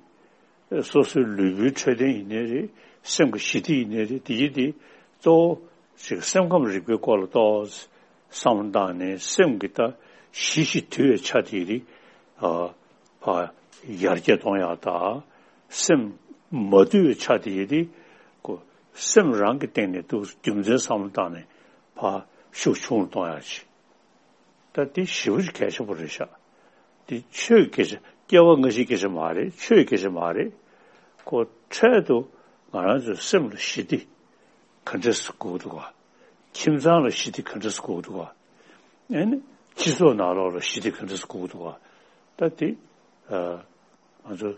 སོ་སོའི་ལུས་པོའི་འཕྲོད་བསྟེན་ཡིན་ནའི་རེད། སེམས་ཀྱི་ཞི་བདེ་ཡིན་ནའི་རེད། དེ་ཡིན་དེ་གཙོ་བོ་ཞིག་སེམས་ཁམས་རིག་པའི་སྐོར་ལ་ཏོག་ཙམ་བསམ་བློ་བཏང་ནས་སེམས་ཀྱི་ད་ཞི་ཞིང་དུལ་བའི་ཆ་དེ་རིགས་ཨ་ཕ་ཡར་རྒྱས་གཏོང་ཡག་དང་། སེམས་མ་དུལ་བའི་ཆ་དེ་རིགས་ཀོ་སེམས་རང་གི་སྟེང་ནས་ཏོག་ཙམ་རྒྱུ་མཚན་བསམ་བློ་བཏང་ནས་ཕ་ཤུགས་ཆུང་རུ་གཏོང་ཡག་ཅིག་ད་འདི་ཞེ་པོ་ཅིག་གལ་ཆེན་པོ་རེད་ཤག་འདི་ཆོས་ཀྱི་སྐད་ཆ་སྐྱེ་བ་སྔ་ཕྱིའི་སྐད་ཆ་མ་རེད། ཆོས་ཀྱི་སྐད་ཆ་མ་རེད། ཁོ་འཕྲལ་དུ་ང་རང་ཚོའི་སེམས་ལ་ཞི་བདེ་ག་འདྲས་སེ་དགོས་འདུག་ག་ཁྱིམ་ཚང་ལ་ཞི་བདེ་ག་འདྲས་སེ་དགོས་འདུག་ག་ཨེ་ནི་སྤྱི་ཚོགས་ནང་ལོགས་ལ་ཞི་བདེ་ག་འདྲས་སེ་དགོས་འདུག་ག་ད་འདི་ང་ཚོ་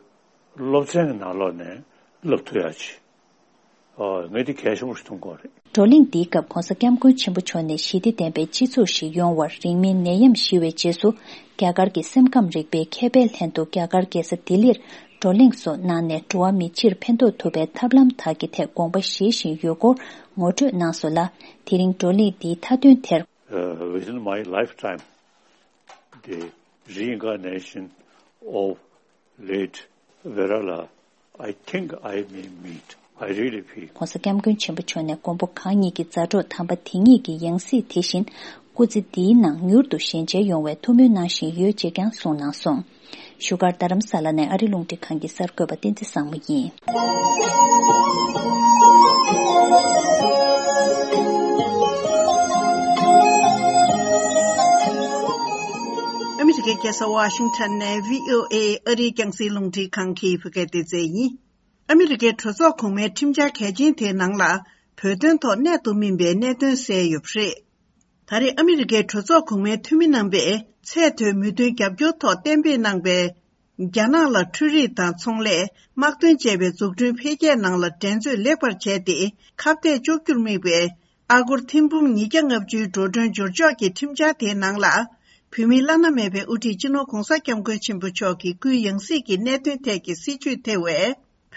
སློབ་ཚན་གྱི་ནང་ལོགས་ནས་བསླབ་ཐུབ་ཡག་ཅིག་ཨོ། ངས་འདི་གལ་ཆེན་པོ་ཞིག་མཐོང་གི་རེད། བགྲོ་གླེང་འདིའི་སྐབས་ྋགོང་ས་ྋསྐྱབས་མགོན་ཆེན་པོ་མཆོག་ནས་ཞི་བདེ་ལྡན་པའི་སྤྱི་ཚོགས་ཤིག་ཡོང་བར་རིང་མིན་ནད་ཡམས་ཞི་བའི་རྗེས་སུ་རྒྱ་གར་གྱི་སེམས་ཁམས་རིག་པའི་མཁས་པའི་ལྷན་དུ་རྒྱ་གར་རྒྱལ་ས་ལྡི་ལིར་བགྲོ་གླེང་སོགས་གནང་ནས་འགྲོ་བ་མི་སྤྱིར་ཕན་ཐོགས་ཐུབ་པའི་ཐབས་ལམ་དག་གི་ཐད་དགོངས་པ་བཞེས་བཞིན་ཡོད་སྐོར་ངོ་སྤྲོད་གནང་སོང་ལ། དེ་རིང་བགྲོ་གླེང་འདིའི་མཐའ་དོན་དེར། Uh, within my lifetime, the reincarnation of late Varela, I think I may meet. I really feel. ྋགོང་ས་ྋསྐྱབས་མགོན་ཆེན་པོ་མཆོག་ནས་མགོན་པོ་གང་ཉིད་ཀྱི་མཛའ་གྲོགས་དམ་པ་དེ་ཉིད་ཀྱི་ཡང་སྲིད་དེ་བཞིན་སྐུ་ཚེ་འདིའི་ནང་མྱུར་དུ་ཞལ་མཇལ་ཡོང་བའི་ཐུགས་སྨོན་གནང་བཞིན་ཡོད་ཅེས་ཀྱང་གསུངས་གནང་སོང་། བཞུགས་སྒར་རྡ་རམ་ས་ལ་ནས་ཨ་རི་རླུང་འཕྲིན་ཁང་གི་གསར་འགོད་པ་བསྟན་འཛིན་བཟང་མོ་ཡིན། ཨ་མི་རི་ཀའི་རྒྱལ་ས་ཝ་ཤིང་ཊོན་ནས་བྷི་ཨོ་ཨེ་ཨ་རིའི་རྒྱང་སྲིང་རླུང་འཕྲིན་ཁང་གི་བོད་སྐད་སྡེ་ཚན་ཡིན། ཨ་མི་རི་ཀའི་གྲོས་ཚོགས་གོང་མའི་ཁྲིམས་འཆར་གལ་ཆེན་དེའི་ནང་ལ་བོད་དོན་ཐོག་གནད་དུ་སྨིན་པའི་གནད་དོན་གསལ་ཡོད་པ་རེད། ད་རེས་ཨ་མི་རི་ཀའི་གྲོས་ཚོགས་གོང་མའི་འཐུས་མི་རྣམ་པས་ཚད་མཐོའི་མོས་མཐུན་རྒྱབ་སྐྱོར་ཐོག་གཏན་འབེབས་གནང་པའི་རྒྱ་ནག་ལ་འཕྲུལ་རིག་དང་ཚོང་ལས། དམག་དོན་བཅས་པའི་འཛུགས་སྐྲུན་འཕེལ་རྒྱས་ནང་ལ་འགྲན་རྩོད་ལེགས་པར་བྱས་ཏེ་ཁ་གཏད་གཅོག་རྒྱུར་དམིགས་པའི་ཨ་སྒོར་ཐེར་འབུམ་ཉིས་བརྒྱ་ལྔ་བཅུའི་འགྲོ་གྲོན་འབྱོར་ཕྱོགས་ཀྱི་ཁྲིམས་འཆར་དེའི་ནང་ལ། བོད་མིའི་བླ་ན་མེད་པའི་དབུ་ཁྲིད་སྤྱི་ནོར་༧གོང་ས་༧སྐྱབས་མགོན་ཆེན་པོ་མཆོག་གི་སྐུའི་ཡང་སྲིད་ཀྱི་གནད་དོན་ཐད་ཀྱི་སྲིད་བྱུས་ཐེ་བའི་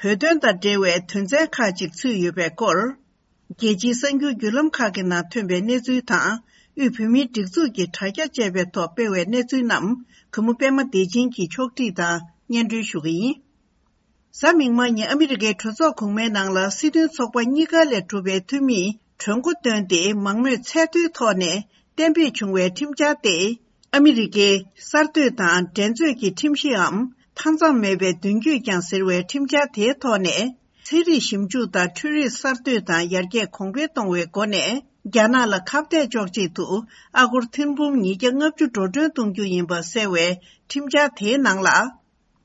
བོད་དོན་དང་འབྲེལ་བའི་དོན་ཚན་ཁག་ཅིག་ཚུད་ཡོད་པའི་སྐོར། རྒྱལ་སྤྱིའི་གསར་འགྱུར་བརྒྱུད་ལམ་ཁག་གི་ནང་ཐོན་པའི་གནས་ཚུལ་དང་། དབུས་བོད་མིའི་སྒྲིག་འཛུགས་ཀྱི་དྲ་རྒྱ་བཅས་པའི་ཐོག་སྤེལ་བའི་གནས་ཚུལ་རྣམས་གུས་མོ་པད་མ་བདེ་ཆེན་གྱིས་ཕྱོགས་སྒྲིག་དང་སྙན་སྒྲོན་ཞུ་གི་ཡིན། གཟའ་མིག་དམར་ཉིན་ཨ་མི་རི་ཀའི་གྲོས་ཚོགས་གོང་མའི་ནང་ལ་སྲིད་དོན་ཚོགས་པ་གཉིས་ཀ་ལས་གྲུབ་པའི་འཐུས་མིས་གྲོས་འགོ་བཏོན་ཏེ་མང་མོས་ཚད་མཐོའི་ཐོག་ནས་གཏན་འབེབས་བྱུང་བའི་ཁྲིམས་འཆར་ཏེ། ཨ་མི་རི་ཀའི་གསར་གཏོད་དང་འགྲན་རྩོད་ཀྱི་ཁྲིམས་གཞིའམ་མཐའ་མཚམས་མེད་པའི་མདུན་སྐྱོད་ཀྱང་ཟེར་བའི་ཁྲིམས་འཆར་དེའི་ཐོག་ནས། ཚན་རིག་ཞིབ་འཇུག་དང་འཕྲུལ་རིག་གསར་གཏོད་དང་ཡར་རྒྱས་གོང་འཕེལ་གཏོང་བའི་སྒོ་ནས། རྒྱ་ནག་ལ་ཁ་གཏད་གཅོག་ཆེད་དུ་ཨ་སྒོར་ཐེར་འབུམ་ཉིས་བརྒྱ་ལྔ་བཅུ་འགྲོ་གྲོན་གཏོང་རྒྱུ་ཡིན་པ་གསལ་བའི་ཁྲིམས་འཆར་དེའི་ནང་ལ།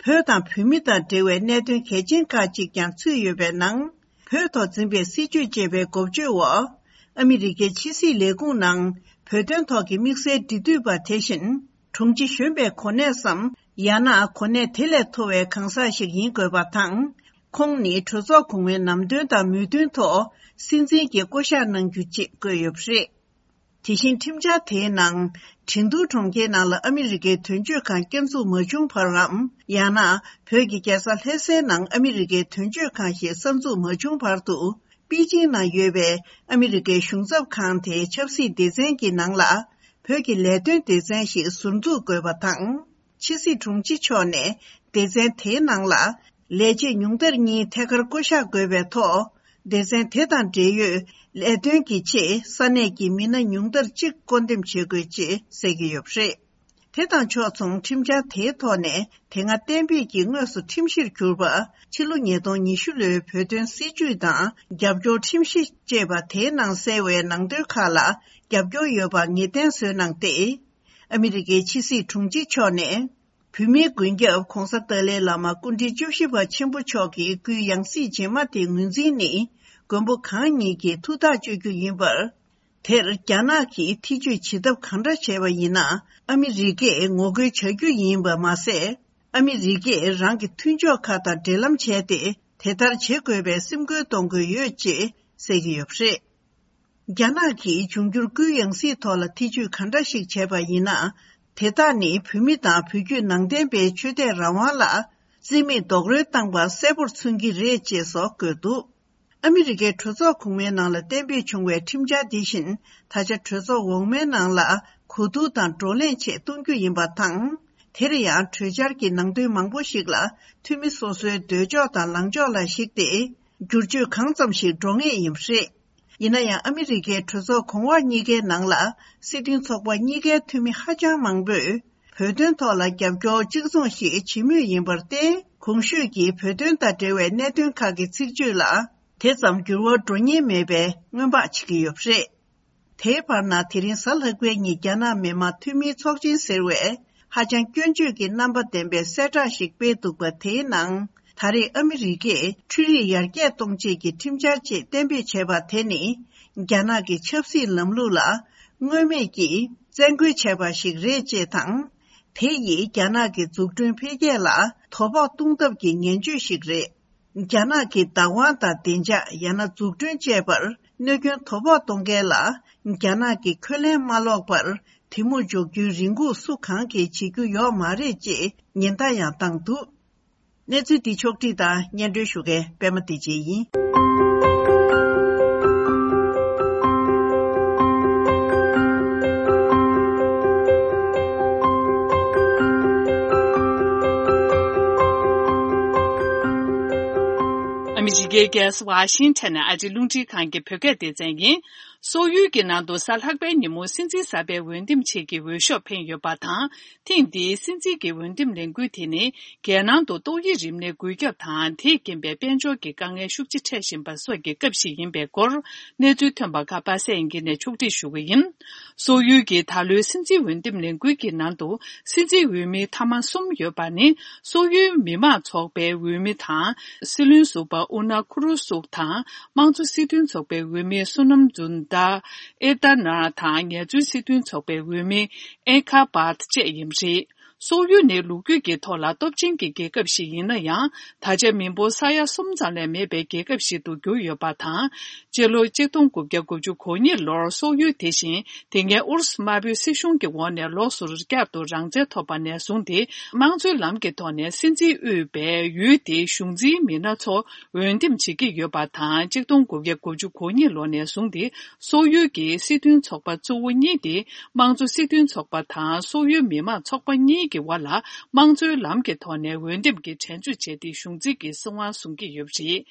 བོད་དང་བོད་མི་དང་འབྲེལ་བའི་གནད་དོན་གལ་ཆེན་ཁག་ཅིག་ཀྱང་ཚུད་ཡོད་པའི་ནང་། བོད་ཐོག་འཛིན་པའི་སྲིད་བྱུས་ཅེས་པའི་འགོ་བརྗོད་འོག་ཨ་མི་རི་ཀའི་ཕྱི་སྲིད་ལས་ཁུངས་ནང་བོད་དོན་ཐོག་གི་དམིགས་བསལ་འབྲེལ་མཐུད་པ་དེ་བཞིན། དྲུང་ཆེ་གཞོན་པའི་གོ་གནས་སམ། ཡང་ན་གོ་གནས་དེ་ལས་མཐོ་བའི་གང་ཟག་ཞིག་ཡིན་དགོས་པ་དང་། ཁོང་ནི་གྲོས་ཚོགས་གོང་མའི་ནམ་དོན་དང་མོས་མཐུན་ཐོག་སྲིད་འཛིན་གྱི་བསྐོ་གཞག་གནང་རྒྱུ་ཅེས་བཀོད་ཡོད་པ་རེད། དེ་བཞིན་ཁྲིམས་འཆར་དེའི་ནང་། ཁྲིན་ཏུའུ་གྲོང་ཁྱེར་ནང་ལ་ཨ་མི་རི་ཀའི་དོན་གཅོད་ཁང་བསྐྱར་འཛུགས་མ་བྱུང་བར་འམ། ཡང་ན་བོད་ཀྱི་རྒྱལ་ས་ལྷ་སའི་ནང་ཨ་མི་རི་ཀའི་དོན་གཅོད་ཁང་ཞིག་གསར་འཛུགས་མ་བྱུང་བར་དུ། པེ་ཅིང་ནང་ཡོད་པའི་ཨ་མི་རི་ཀའི་གཞུང་ཚབ་ཁང་དེའི་ཆབ་སྲིད་སྡེ་ཚན་གྱི་ནང་ལ། བོད་ཀྱི་ལས་དོན་སྡེ་ཚན་ཞིག་ཟུར་འཛུགས་དགོས་པ་དང་། ཕྱི་སྲིད་དྲུང་ཆེ་མཆོག་ནས་སྡེ་ཚན་དེའི་ནང་ལ། ལས་བྱེད་ཉུང་མཐར་གཉིས་ཐད་ཀར་བསྐོ་གཞག་དགོས་པའི་ཐོག་སྡེ་ཚན་དེ་དང་འབྲེལ་ཡོད་ལས་དོན་གྱི་ཆེད་ས་གནས་ཀྱི་མི་སྣ་ཉུང་མཐར་གཅིག་བསྐོ་འདེམས་བྱེད་དགོས་ཅེས་གསལ་གྱི་ཡོད་པ་རེད། དེ་དང་ཕྱོགས་མཚུངས་ཁྲིམས་འཆར་དེའི་ཐོག་ནས་དེ་སྔ་གཏན་འབེབས་ཀྱིས་དངོས་སུ་ཁྲིམས་གཞིར་གྱུར་པ། ཕྱི་ལོ་ཉིས་སྟོང་ཉི་ཤུ་ལོའི་བོད་དོན་སྲིད་བྱུས་དང་རྒྱབ་སྐྱོར་ཁྲིམས་གཞི་ཅེས་པ་དེའི་ནང་གསལ་བའི་ནང་དོན་ཁག་ལ་རྒྱབ་སྐྱོར་ཡོད་པ་ངེས་གཏན་བཟོས་གནང་སྟེ། ཨ་མི་རི་ཀའི་ཕྱི་སྲིད་དྲུང་ཆེ་མཆོག་ནས། བོད་མིའི་མགོན་སྐྱབས་༧གོང་ས་ཏཱ་ལའི་བླ་མ་སྐུ་ཕྲེང་བཅུ་བཞི་པ་ཆེན་པོ་མཆོག་གི་སྐུའི་ཡང་སྲིད་རྗེས་མ་དེའི་ངོས་འཛིན་ནི། མགོན་པོ་གང་ཉིད་ཀྱི་ཐུགས་ཐག་གཅོད་རྒྱུ་ཡིན་པར། དེར་རྒྱ་ནག་གིས་ཐེ་བྱུས་བྱེད་ཐབས་གང་འདྲ་བྱས་པ་ཡིན་ན། ཨ་མི་རི་ཀས་ངོ་རྒོལ་བྱ་རྒྱུ་ཡིན་པ་མ་ཟད། ཨ་མི་རི་ཀས་རང་གི་མཐུན་ཕྱོགས་ཁག་དང་འབྲེལ་ལམ་བྱས་ཏེ། དེ་ལྟར་བྱེད་དགོས་པའི་སེམས་ཁུར་གཏོང་དགོས་ཡོད་ཅེས་གསལ་གྱི་ཡོད་པ་རེད། རྒྱ་ནག་གིས་འབྱུང་འགྱུར་སྐུའི་ཡང་སྲིད་ཐོག་ལ་ཐེ་བྱུས་ག་འདྲ་ཞིག་བྱས་པ་ཡིན་ན། དེ་དག་ནི་བོད་མི་དང་བོད་བརྒྱུད་ནང་བསྟན་པའི་ཆོས་དད་རང་དབང་ལ་རྩིས་མེད་རྡོག་རོལ་བཏང་པ་གསལ་པོར་མཚོན་གྱི་རེད་ཅེས་སོགས་བཀོད་འདུག་ཨ་མི་རི་ཀའི་གྲོས་ཚོགས་གོང་མའི་ནང་ལ་གཏན་འབེབས་བྱུང་བའི་ཁྲིམས་འཆར་འདི་བཞིན། ད་ཆ་གྲོས་ཚོགས་འོག་མའི་ནང་ལ་གོ་བསྡུར་དང་བགྲོ་གླེང་ཆེད་གཏོང་རྒྱུ་ཡིན་པ་དང་། དེར་ཡང་གྲོས་འཆར་གྱི་ནང་དོན་མང་པོ་ཞིག་ལ་འཐུས་མི་སོ་སོའི་འདོད་ཕྱོགས་དང་ལངས་ཕྱོགས་ལ་གཞིགས་ཏེ། བསྒྱུར་བཅོས་གང་ཙམ་ཞིག་འགྲོ་ངེས་ཡིན་པ་རེད། ཡིན་ན་ཡང་ཨ་མི་རི་ཀའི་གྲོས་ཚོགས་གོང་འོག་གཉིས་ཀའི་ནང་ལ་སྲིད་དོན་ཚོགས་པ་གཉིས་ཀའི་འཐུས་མི་ཧ་ཅང་མང་པོས་བོད་དོན་ཐོག་ལ་རྒྱབ་སྐྱོར་གཅིག་མཚུངས་ཤིག་བྱེད་མུས་ཡིན་པར་བརྟེན། གོང་ཞུས་ཀྱི་བོད་དོན་དང་འབྲེལ་བའི་གནད་དོན་ཁག་གི་ཚིག་བརྗོད་ལ་དེ་ཙམ་འགྱུར་བ་འགྲོ་ཉེན་མེད་པའི་སྔོན་དཔག་བྱེད་ཀྱི་ཡོད་པ་རེད། དེའི་བར་ན་དེ་རིང་གཟའ་ལྷག་པའི་ཉིན་རྒྱ་ནག་མི་དམངས་འཐུས་མིའི་ཚོགས་ཆེན་ཟེར་བས་ཧ་ཅང་སྐྱོན་བརྗོད་ཀྱི་རྣམ་པ་ལྡན་པའི་གསལ་བསྒྲགས་ཤིག་སྤེལ་འདུག་པ། དེའི་ནང་ད་རེས་ཨ་མི་རི་ཀས་འཕྲུལ་རིག་ཡར་རྒྱས་གཏོང་ཆེད་ཀྱི་ཁྲིམས་འཆར་ཅིག་གཏན་འབེབས་བྱས་པ་དེ་ནི། རྒྱ་ནག་གི་ཆབ་སྲིད་ལམ་ལུགས་ལ་མངོན་མེད་ཀྱིས་བཙན་རྒོལ་བྱས་པ་ཞིག་རེད་ཅེས་དང་། དེ་ཡིས་རྒྱ་ནག་གི་འཛུགས་སྐྲུན་འཕེལ་རྒྱས་ལ་དོ་ཕོག་གཏོང་ཐབས་ཀྱི་ངན་བྱུས་ཤིག་རེད། རྒྱ་ནག་གི་བདག་དབང་དང་བདེ་འཇགས་ཡང་ན་འཛུགས་སྐྲུན་བཅས་པར་གནོད་སྐྱོན་དོ་ཕོག་གཏོང་མཁན་ལ་རྒྱ་ནག་གིས་འཁོན་ལན་མ་སློག་པར་དེ་མུར་འཇོག་རྒྱུའི་རེ་སྒུག་སུ་གང་གིས་བྱེད་རྒྱུ་ཡོད་མ་རེད་ཅེས་ཉེན་བརྡ་ཡང་བཏང་འདུག་གནས་ཚུལ་འདི་ཕྱོགས་བསྒྲིགས་དང་སྙན་སྒྲོན་ཞུ་མཁན་པད་མ་བདེ་ཆེན་ཡིན། ཨ་མི་རི་ཀའི་རྒྱལ་ས་ཝ་ཤིང་ཊོན་ནས་ཨ་རིའི་རླུང་འཕྲིན་ཁང་གི་བོད་སྐད་སྡེ་ཚན་ཡིན། སོག་ཡུལ་གྱི་ནང་དུ་གཟའ་ལྷག་པའི་ཉིན་མོ་སྲིད་འཛིན་གསར་པའི་འོས་འདེམས་ཆེད་ཀྱི་འོས་ཤོག་འཕེན་ཡོད་པ་དང་། ཐེངས་འདིའི་སྲིད་འཛིན་གྱི་འོས་འདེམས་ལས་འགུལ་དེ་ནི། རྒྱལ་ནང་དུ་ཏོག་དབྱིབས་རིམས་ནད་འགོས་ཁྱབ་དང་། དེས་རྐྱེན་པས་དཔལ་འབྱོར་གྱི་དཀའ་ངལ་ཤུགས་ཆེ་འཕྲད་བཞིན་པ་སོགས་ཀྱི་སྐབས་ཤིག་ཡིན་པའི་སྐོར། གནས་ཚུལ་ཐོན་པ་ཁག་པ་སངས་དབྱངས་སྐྱིད་ནས་ཕྱོགས་སྒྲིག་ཞུ་གི་ཡིན། སོག་ཡུལ་གྱི་ད་ལོའི་སྲིད་འཛིན་འོས་འདེམས་ལས་འགུལ་གྱི་ནང་དུ། སྲིད་འཛིན་འོས་མི་མཐའ་མ་གསུམ་ཡོད་པ་ནི། སོག་ཡུལ་མི་དམངས་ཚོགས་པའི་འོས་མི་དང་། སྲིད་བློན་ཟུར་པ་ཨུ་ན་ཁུ་རུ་སུག་དང་། དམངས་གཙོ་སྲིད་དོན་ཚོགས་པའི་འོས་མི་བསོད་ནམས་ཛུན་ཏཱ་ཨེ་ཏ་ན་དང་། ངལ་རྩོལ་སྲིད་དོན་ཚོགས་པའི་འོས་མི་ཨེ་ཁ་བཱད་བཅས་ཡིན་པ་རེད། སོག་ཡུལ་ནི་ལོ་རྒྱུས་ཀྱི་ཐོག་ལ་སྟོབས་ཆེན་གྱི་རྒྱལ་ཁབ་ཞིག་ཡིན་ན་ཡང་། ད་ཆ་མི་འབོར་ས་ཡ་གསུམ་ཙམ་ལས་མེད་པའི་རྒྱལ་ཁབ་ཞིག་ཏུ་གྱུར་ཡོད་པ་དང་། སྤྱི་ལོ་ཆིག་སྟོང་དགུ་བརྒྱ་དགུ་བཅུ་གོ་གཉིས་ལོར་སོག་ཡུལ་དེ་བཞིན་དེ་སྔའི་ཨུ་རུ་སུ་དམར་པོའི་སྲིད་གཞུང་གི་འོག་ནས་ལོགས་སུ་བསྐྱར་དུ་རང་བཙན་ཐོབ་པ་ནས་བཟུང་སྟེ། དམངས་གཙོའི་ལམ་གྱི་ཐོག་ནས་སྲིད་འཛིན་དབུས་པའི་ཡུལ་དེའི་གཞུང་འཛིན་མི་སྣ་ཚོ་འོས་འདེམས་བྱེད་ཀྱི་ཡོད་པ་དང་། ཆིག་སྟོང་དགུ་བརྒྱ་དགུ་བཅུ་གོ་གཉིས་ལོ་ནས་བཟུང་སྟེ། སོག་ཡུལ་གྱི་སྲིད་དོན་ཚོགས་པ་གཙོ་བོ་གཉིས་ཏེ། དམངས་གཙོ་སྲིད་དོན་ཚོགས་པ་དང་སོག་ཡུལ་མི་དམངས་ཚོགས་པ་གཉིས་ཀྱི་དབར་ལ་དམངས་གཙོའི་ལམ་གྱི་ཐོག་ནས་འོས་འདེམས་ཀྱི་དྲན་གཅོད་བྱས་ཏེ། གཞུང་འཛིན་གྱི་སྲིད་དབང་བཟུང་གི་ཡོད་པ་རེད།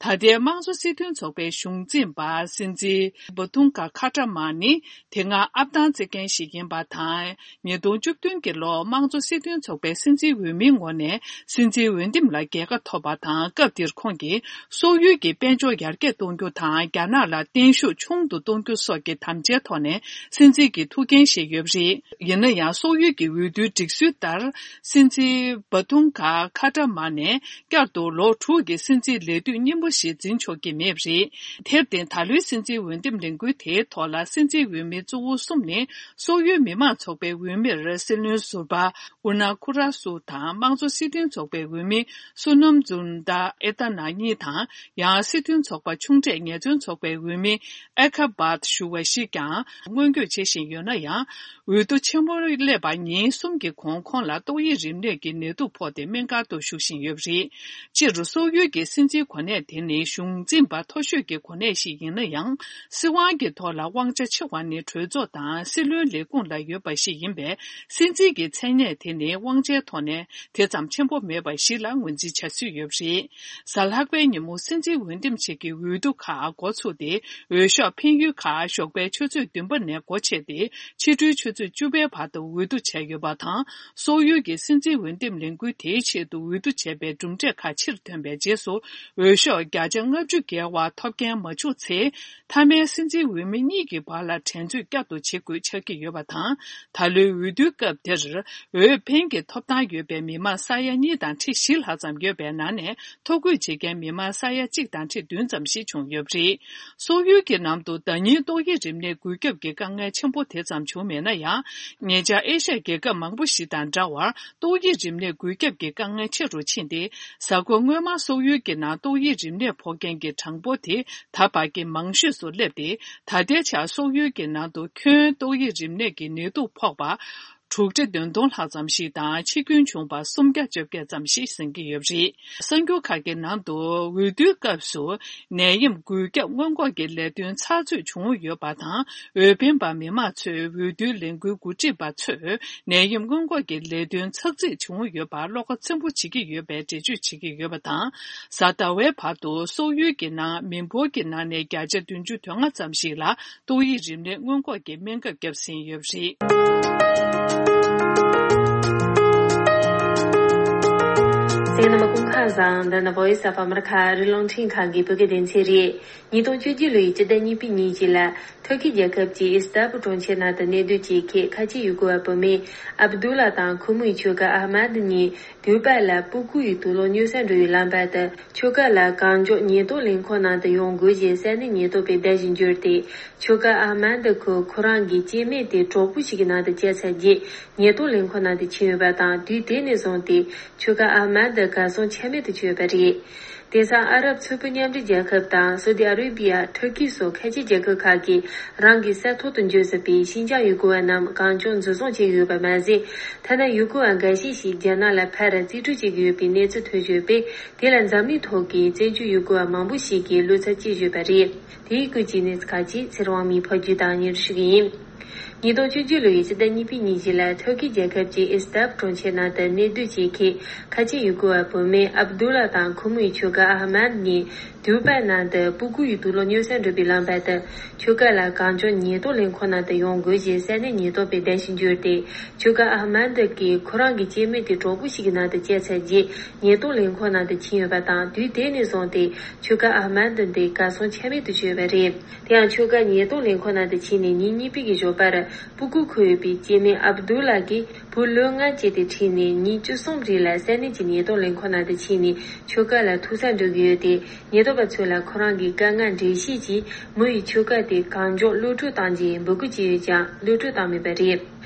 ད་ལྟའི་དམངས་གཙོ་སྲིད་དོན་ཚོགས་པའི་གཞུང་འཛིན་པ་སྲིད་འཛིན་བ་ཐུང་ག་ཁ་ཏྲ་མ་ནི། དེ་སྔ་ཨབ་ཏང་རྩེད་མཁན་ཞིག་ཡིན་པ་དང་། ཉིས་སྟོང་བཅུ་བདུན་གྱི་ལོར་དམངས་གཙོ་སྲིད་དོན་ཚོགས་པའི་སྲིད་འཛིན་འོས་མིའི་ངོས་ནས་སྲིད་འཛིན་འོས་འདེམས་ལ་རྒྱལ་ཁ་ཐོབ་པ་དང་། སྐབས་དེར་ཁོང་གིས་སོག་ཡུལ་གྱི་དཔལ་འབྱོར་ཡར་རྒྱས་གཏོང་རྒྱུ་དང་། རྒྱ་ནག་ལ་བརྟན་ཤུགས་ཆུང་དུ་གཏོང་རྒྱུ་སོགས་ཀྱི་དམ་བཅའི་ཐོག་ནས་སྲིད་འཛིན་གྱི་ཐུགས་འགན་བཞེས་ཡོད་པ་རེད། ཡིན་ན་ཡང་། སོག་ཡུལ་གྱི་འོས་བསྡུའི་སྒྲིག་སྲོལ་ལྟར། སྲིད་འཛིན་བ་ཐུང་ག་ཁ་ཏྲ་མ་ནས་བསྐྱར་དུ་ལོ་དྲུག་གི་སྲིད་འཛིན་ལས་དུས་རྙིང་པ་ཞིག་འཛིན་ཆོག་གི་མེད་པ་རེད། དེར་བརྟེན། ད་ལོའི་སྲིད་འཛིན་འོས་འདེམས་ལས་འགུལ་དེའི་ཐོག་ལ། སྲིད་འཛིན་འོས་མི་གཙོ་བོ་གསུམ་ནི། སོག་ཡུལ་མི་དམངས་ཚོགས་པའི་འོས་མིར་སྲིད་བློན་ཟུར་པ་ཨུ་ན་ཁུ་ར་སུ་དང་། དམངས་གཙོ་སྲིད་དོན་ཚོགས་པའི་འོས་མི་བསོད་ནམས་ཛུན་ཏཱ་ཨེ་ཏ་ན་གཉིས་དང་། ཡང་སྲིད་དོན་ཚོགས་པ་ཆུང་གྲས་ངལ་རྩོལ་ཚོགས་པའི་འོས་མི་ཨེ་ཁ་བཱད་ཞུ་བ་ཞིག་ཀྱང་སྔོན་འགོད་བྱེད་བཞིན་ཡོད་ན་ཡང་། འོས་བསྡུ་ཆེན་མོ་སླེབས་པ་ཉིན་གསུམ་གྱི་གོང་ཁོང་ལ་ཏོག་དབྱིབས་རིམས་ནད་ཀྱི་ནད་དུག་ཕོག་སྟེ་སྨན་ཁང་དུ་བཞུགས་བཞིན་ཡོད་པ་རེད། སྤྱིར། སོག་ཡུལ་གྱི་སྲིད་འཛིན་གོ་གནས་དེ་ནི་གཞུང་འཛིན་པ་མཐོ་ཤོས་ཀྱི་གོ་གནས་ཤིག་ཡིན་ན་ཡང་། སྲིད་དབང་གི་ཐོག་ལ་དབང་ཆ་ཆེ་བ་ནི་གྲོས་ཚོགས་དང་སྲིད་བློན་ལས་ཁུངས་ལ་ཡོད་པ་ཞིག་ཡིན་པས། སྲིད་འཛིན་གྱི་མཚན་གནས་དེ་ནི་དབང་ཆའི་ཐོག་ནས་དེ་ཙམ་ཆེན་པོ་མེད་པ་ཞིག་ལ་ངོས་འཛིན་བྱ་སྲོལ་ཡོད་པ་རེད། གཟའ་ལྷག་པའི་ཉིན་མོ་སྲིད་འཛིན་འོས་འདེམས་བྱེད་ཀྱི་འོས་བསྡུ་ཁག་འགོ་ཚུགས་ཏེ། འོས་ཤོག་འཕེན་ཡུལ་ཁག་ཞོགས་པའི་ཆུ་ཚོད་བདུན་པ་ནས་སྒོ་ཕྱེ་སྟེ། ཕྱི་དྲོའི་ཆུ་ཚོད་བཅུ་པའི་བར་དུ་འོས་བསྡུ་བྱས་ཡོད་པ་དང་། སོག་ཡུལ་གྱི་སྲིད་འཛིན་འོས་འདེམས་ལས་འགུལ་དེའི་ཆེད་དུ་འོས་བསྡུ་བྱས་པའི་གྲུབ་འབྲས་ཁག་ཕྱིར་ཐོན་པའི་རྗེས་སུ། འོས་ཤོག་བརྒྱ་ཆ་ལྔ་བཅུ་བརྒལ་བ་ཐོབ་མཁན་མ་བྱུང་ཚེ། མཐའ་མའི་སྲིད་འཛིན་འོས་མི་གཉིས་ཀྱི་བར་ལ་འགྲན་རྩོད་བསྐྱར་དུ་བྱེད་དགོས་ཆགས་ཀྱི་ཡོད་པ་དང་། ད་ལོའི་འོས་བསྡུའི་སྐབས་དེར། འོས་འཕེན་གྱི་ཐོབ་ཐང་ཡོད་པའི་མི་མང་ས་ཡ་གཉིས་དང་ཁྲི་བཞི་ལྷག་ཙམ་ཡོད་པའི་ནང་ནས། ཐོ་འགོད་བྱེད་མཁན་མི་མང་ས་ཡ་གཅིག་དང་ཁྲི་བདུན་ཙམ་ཞིག་བྱུང་ཡོད་པ་རེད། སོག་ཡུལ་གྱི་ནང་དུ་ཟླ་ཉིན་ཏོག་དབྱིབས་རིམས་ནད་འགོས་ཁྱབ་ཀྱི་དཀའ་ངལ་ཆེན་པོ་དེ་ཙམ་བྱུང་མེད་ན་ཡང་། ཉེ་ཆར་ཨེ་ཤ་ཡའི་རྒྱལ་ཁབ་མང་པོ་ཞིག་དང་འདྲ་བར། ཏོག་དབྱིབས་རིམས་ནད་འགོས་ཁྱབ་ཀྱི་དཀའ་ངལ་ཆེ་རུ་ཕྱིན་ཏེ། གཟའ་འཁོར་སྔོན་མ་སོག་ཡུལ་གྱི་ནང་ཏོག་དབྱིབས་རིམས་ནད་ཕོག་མཁན་གྱི་གྲངས་འབོར་དེ་ད་བར་གྱི་མང་ཤོས་སུ་སླེབས་ཏེ། ད་ལྟའི་ཆར་སོག་ཡུལ་གྱི་ནང་དུ་ཁྱོན་ཏོག་དབྱིབས་རིམས་ནད་ཀྱི་ནད་དུག་ཕོག་པ། དྲུག་ཁྲི་བདུན་སྟོང་ལྷག་ཙམ་ཞིག་དང་། འཆི་སྐྱོན་བྱུང་བ་སུམ་བརྒྱ་བཅོ་བརྒྱད་ཙམ་ཞིག་ཟིན་གྱི་ཡོད་པ་རེད། གསར་འགྱུར་ཁག་གི་ནང་དུ། འོས་བསྡུའི་སྐབས་སུ་ནད་ཡམས་འགོས་ཁྱབ་སྔོན་འགོག་གི་ལས་དོན་ཚགས་ཚུད་བྱུང་ཡོད་པ་དང་། འོས་འཕེན་པ་མི་མང་ཚོས་འོས་བསྡུའི་ལས་འགུལ་འགོ་ཁྲིད་པ་ཚོས་ནད་ཡམས་སྔོན་འགོག་གི་ལས་དོན་ཚགས་ཚུད་བྱུང་ཡོད་པར་བློ་ཁ་ཚིམ་པོ་བྱེད་ཀྱི་ཡོད་པའི་འགྲེལ་བརྗོད་བྱེད་ཀྱི་ཡོད་པ་དང་། གཟའ་ཟླ་བའི་བར་དུ་སོག་ཡུལ་གྱི་ནང་མི་འབོར་གྱི་ནང་ནས་བརྒྱ་ཆ་བདུན་ཅུ་དོན་ལྔ་ཙམ་ཞིག་ལ། ཏོག་དབྱིབས་རིམས་ནད་སྔོན་འགོག་གི་སྨན་ཁབ་བརྒྱབ་ཟིན་ཡོད་པ་རེད། གསན་མཁན་རྣམ་པ་སྐུ་ཁམས་བཟང་། འདི་ནི་Voice of America ཨ་རིའི་རླུང་འཕྲིན་ཁང་གི་བོད་སྐད་སྡེ་ཚན་རེད། ཉིས་སྟོང་བཅུ་བཞི་ལོའི་སྤྱི་ཟླ་གཉིས་པའི་ཉིན་གཅིག་ལ། ཐུར་ཁེ་རྒྱལ་ཁབ་ཀྱི་ཨི་སི་ཏན་བུལ་གྲོང་ཁྱེར་ནང་དུ་གནས་སྡོད་བྱེད་མཁན་ཁ་ཆེ་ཡུལ་སྐོར་བ་བུད་མེད་ཨབ་དུ་ལ་དང་ཁོ་མོའི་ཁྱོ་ག་ཨ་མད་གཉིས། དུས་པ་ལ་སྤུ་གུ་ཡི་དུག་ལོག་སྨྱོ་ས་འགྲོ་བའི་ལམ་བར་དུ། ཁྱོ་ག་ལ་གངས་ལྗོངས་ཉེན་རྟོག་ལས་ཁུངས་ནང་དུ་ཡོང་དགོས་ཞེས་ས་གནས་ཉེན་རྟོག་པས་བརྡ་ཞིག་བསྒྱུར་ཏེ། ཁྱོ་ག་ཨ་མན་དི་ཁོ་ཁོ་རང་གི་སྐྱེ་དམན་དེ་གྲོགས་པོ་ཞིག་གི་ནང་དུ་བསྐྱལ་ཚར་རྗེས། ཉེན་རྟོག་ལས་ཁུངས་ནང་དུ་ཕྱིན་ཡོད་པ་དང་། དུས་དེ་ནས་བཟུང་སྟེ་ཁྱོ་ག་ཨ་མན་དི་གར་སོང་ཆ་མེད་དུ་གྱུར་ཡོད་པ་རེད། དེང་སང་ཨ་རབ་ཚོ་པའི་མཉམ་འབྲེལ་རྒྱལ་ཁབ་དང་སོ་ཏི་ཨ་རེ་བི་ཡ། ཐུར་ཁེ་སོགས་ཁ་ཆེ་རྒྱལ་ཁབ་ཁག་གིས་རང་གི་ས་ཐོག་ཏུ་འབྱོར་ཟིན་པའི་ཤིན་ཅང་ཡུལ་སྐོར་བ་རྣམས་གང་བྱུང་འཛིན་བཟུང་བྱེད་ཀྱི་ཡོད་པ་མ་ཟད། ཐ་ན་ཡུལ་སྐོར་བ་འགའ་ཤས་ཤིག་རྒྱ་ནག་ལ་ཕར་རྩིས་སྤྲོད་བྱེད་ཀྱི་ཡོད་པའི་གནས་ཚུལ་ཐོན་བཞིན་ཡོད་པས། དེ་ལ་འཛམ་གླིང་ཐོག་གི་བཙན་བྱོལ་ཡུལ་སྐོར་བ་མང་པོ་ཞིག་གིས་བློ་འཚབ་སྐྱེས་བཞིན་ཡོད་པ་རེད། དེའི་སྐོར་གྱི་གནས་ཚུལ་ཁག་ཅིག་ཚེ་རིང་དབང་མོས་ཕབ་སྒྱུར་དང་སྙན་སྒྲོན་ཞུ་གི་ཡིན། ཉིས་སྟོང་བཅུ་གཅིག་ལོའི་ཕྱི་ཟླ་གཉིས་པའི་ཉིན་བཞིན་ལ་ཐུར་ཁེ་རྒྱལ་ཁབ་ཀྱི་ཨི་སི་ཏབ་གྲོང་ཁྱེར་ནང་དུ་གནས་སྡོད་བྱེད་མཁན་ཁ་ཆེ་ཡུལ་སྐོར་བ་བུད་མེད་ཨབ་དུ་ལ་དང་ཁོ་མོའི་ཁྱོ་ག་ཨ་ཧ་མད་གཉིས། དུ་བྷའི་ནང་དུ་སྤུ་གུ་ཡི་དུག་ལོག་སྨྱོ་སར་འགྲོ་བའི་ལམ་བར་དུ། ཁྱོ་ག་ལ་གངས་ལྗོངས་ཉེན་རྟོག་ལས་ཁུངས་ནང་དུ་ཡོང་དགོས་ཞེས་ས་གནས་ཉེན་རྟོག་པས་གདན་ཞུ་བྱས་ཏེ། ཁྱོ་ག་ཨ་ཧ་མད་ཀྱིས་ཁོ་རང་གི་སྐྱེ་དམན་དེ་གྲོགས་པོ་ཞིག་གི་ནང་དུ་བསྐྱལ་ཚར་རྗེས་ཉེན་རྟོག་ལས་ཁུངས་ནང་དུ་ཕྱིན་ཡོད་པ་དང་། དུས་དེ་ནས་བཟུང་སྟེ་ཁྱོ་ག་ཨ་ཧ་མད་འདི་གར་སོང་ཆ་མེད་དུ་གྱུར་ཡོད་པ་རེད། དེ་ཡང་ཁྱོ་ག་ཉེན་རྟོག་ལས་ཁུངས་ནང་དུ་ཕྱིན་ནས་ཉིན་གཉིས་པའི་གི་ཞོགས་པར་སྤུ་གུ་འཁུར་ཡོད་པའི་སྐྱེ་དམན་ཨབ་དུ་ལ་གིས་བུ་ལོ་ལྔ་བཅས་དེ་ཁྲིད་ནས་ཉིན་བཅུ་གསུམ་རིང་ལ་ས་གནས་ཀྱི་ཉེན་རྟོག་ལས་ཁུངས་ནང་དུ་ཕྱིན་ནས་ཁྱོ་ག་ལ་ཐུག་སར་འགྲོ་གི་ཡོད་དེ། ཉེན་རྟོག་པ་ཚོ་ལ་ཁོ་རང་གིས་དཀའ་ངལ་འགྲེལ་བཤད་ཀྱིས་མོ་ཡི་ཁྱོ་ག་དེ་གངས་ལྗོངས་གློད་བཀྲོལ་བཏང་རྗེས་འབོད་སྐུལ་བྱས་ཡོད་ཀྱང་གློད་བཀྲོལ་བཏང་མེད་པ་རེད།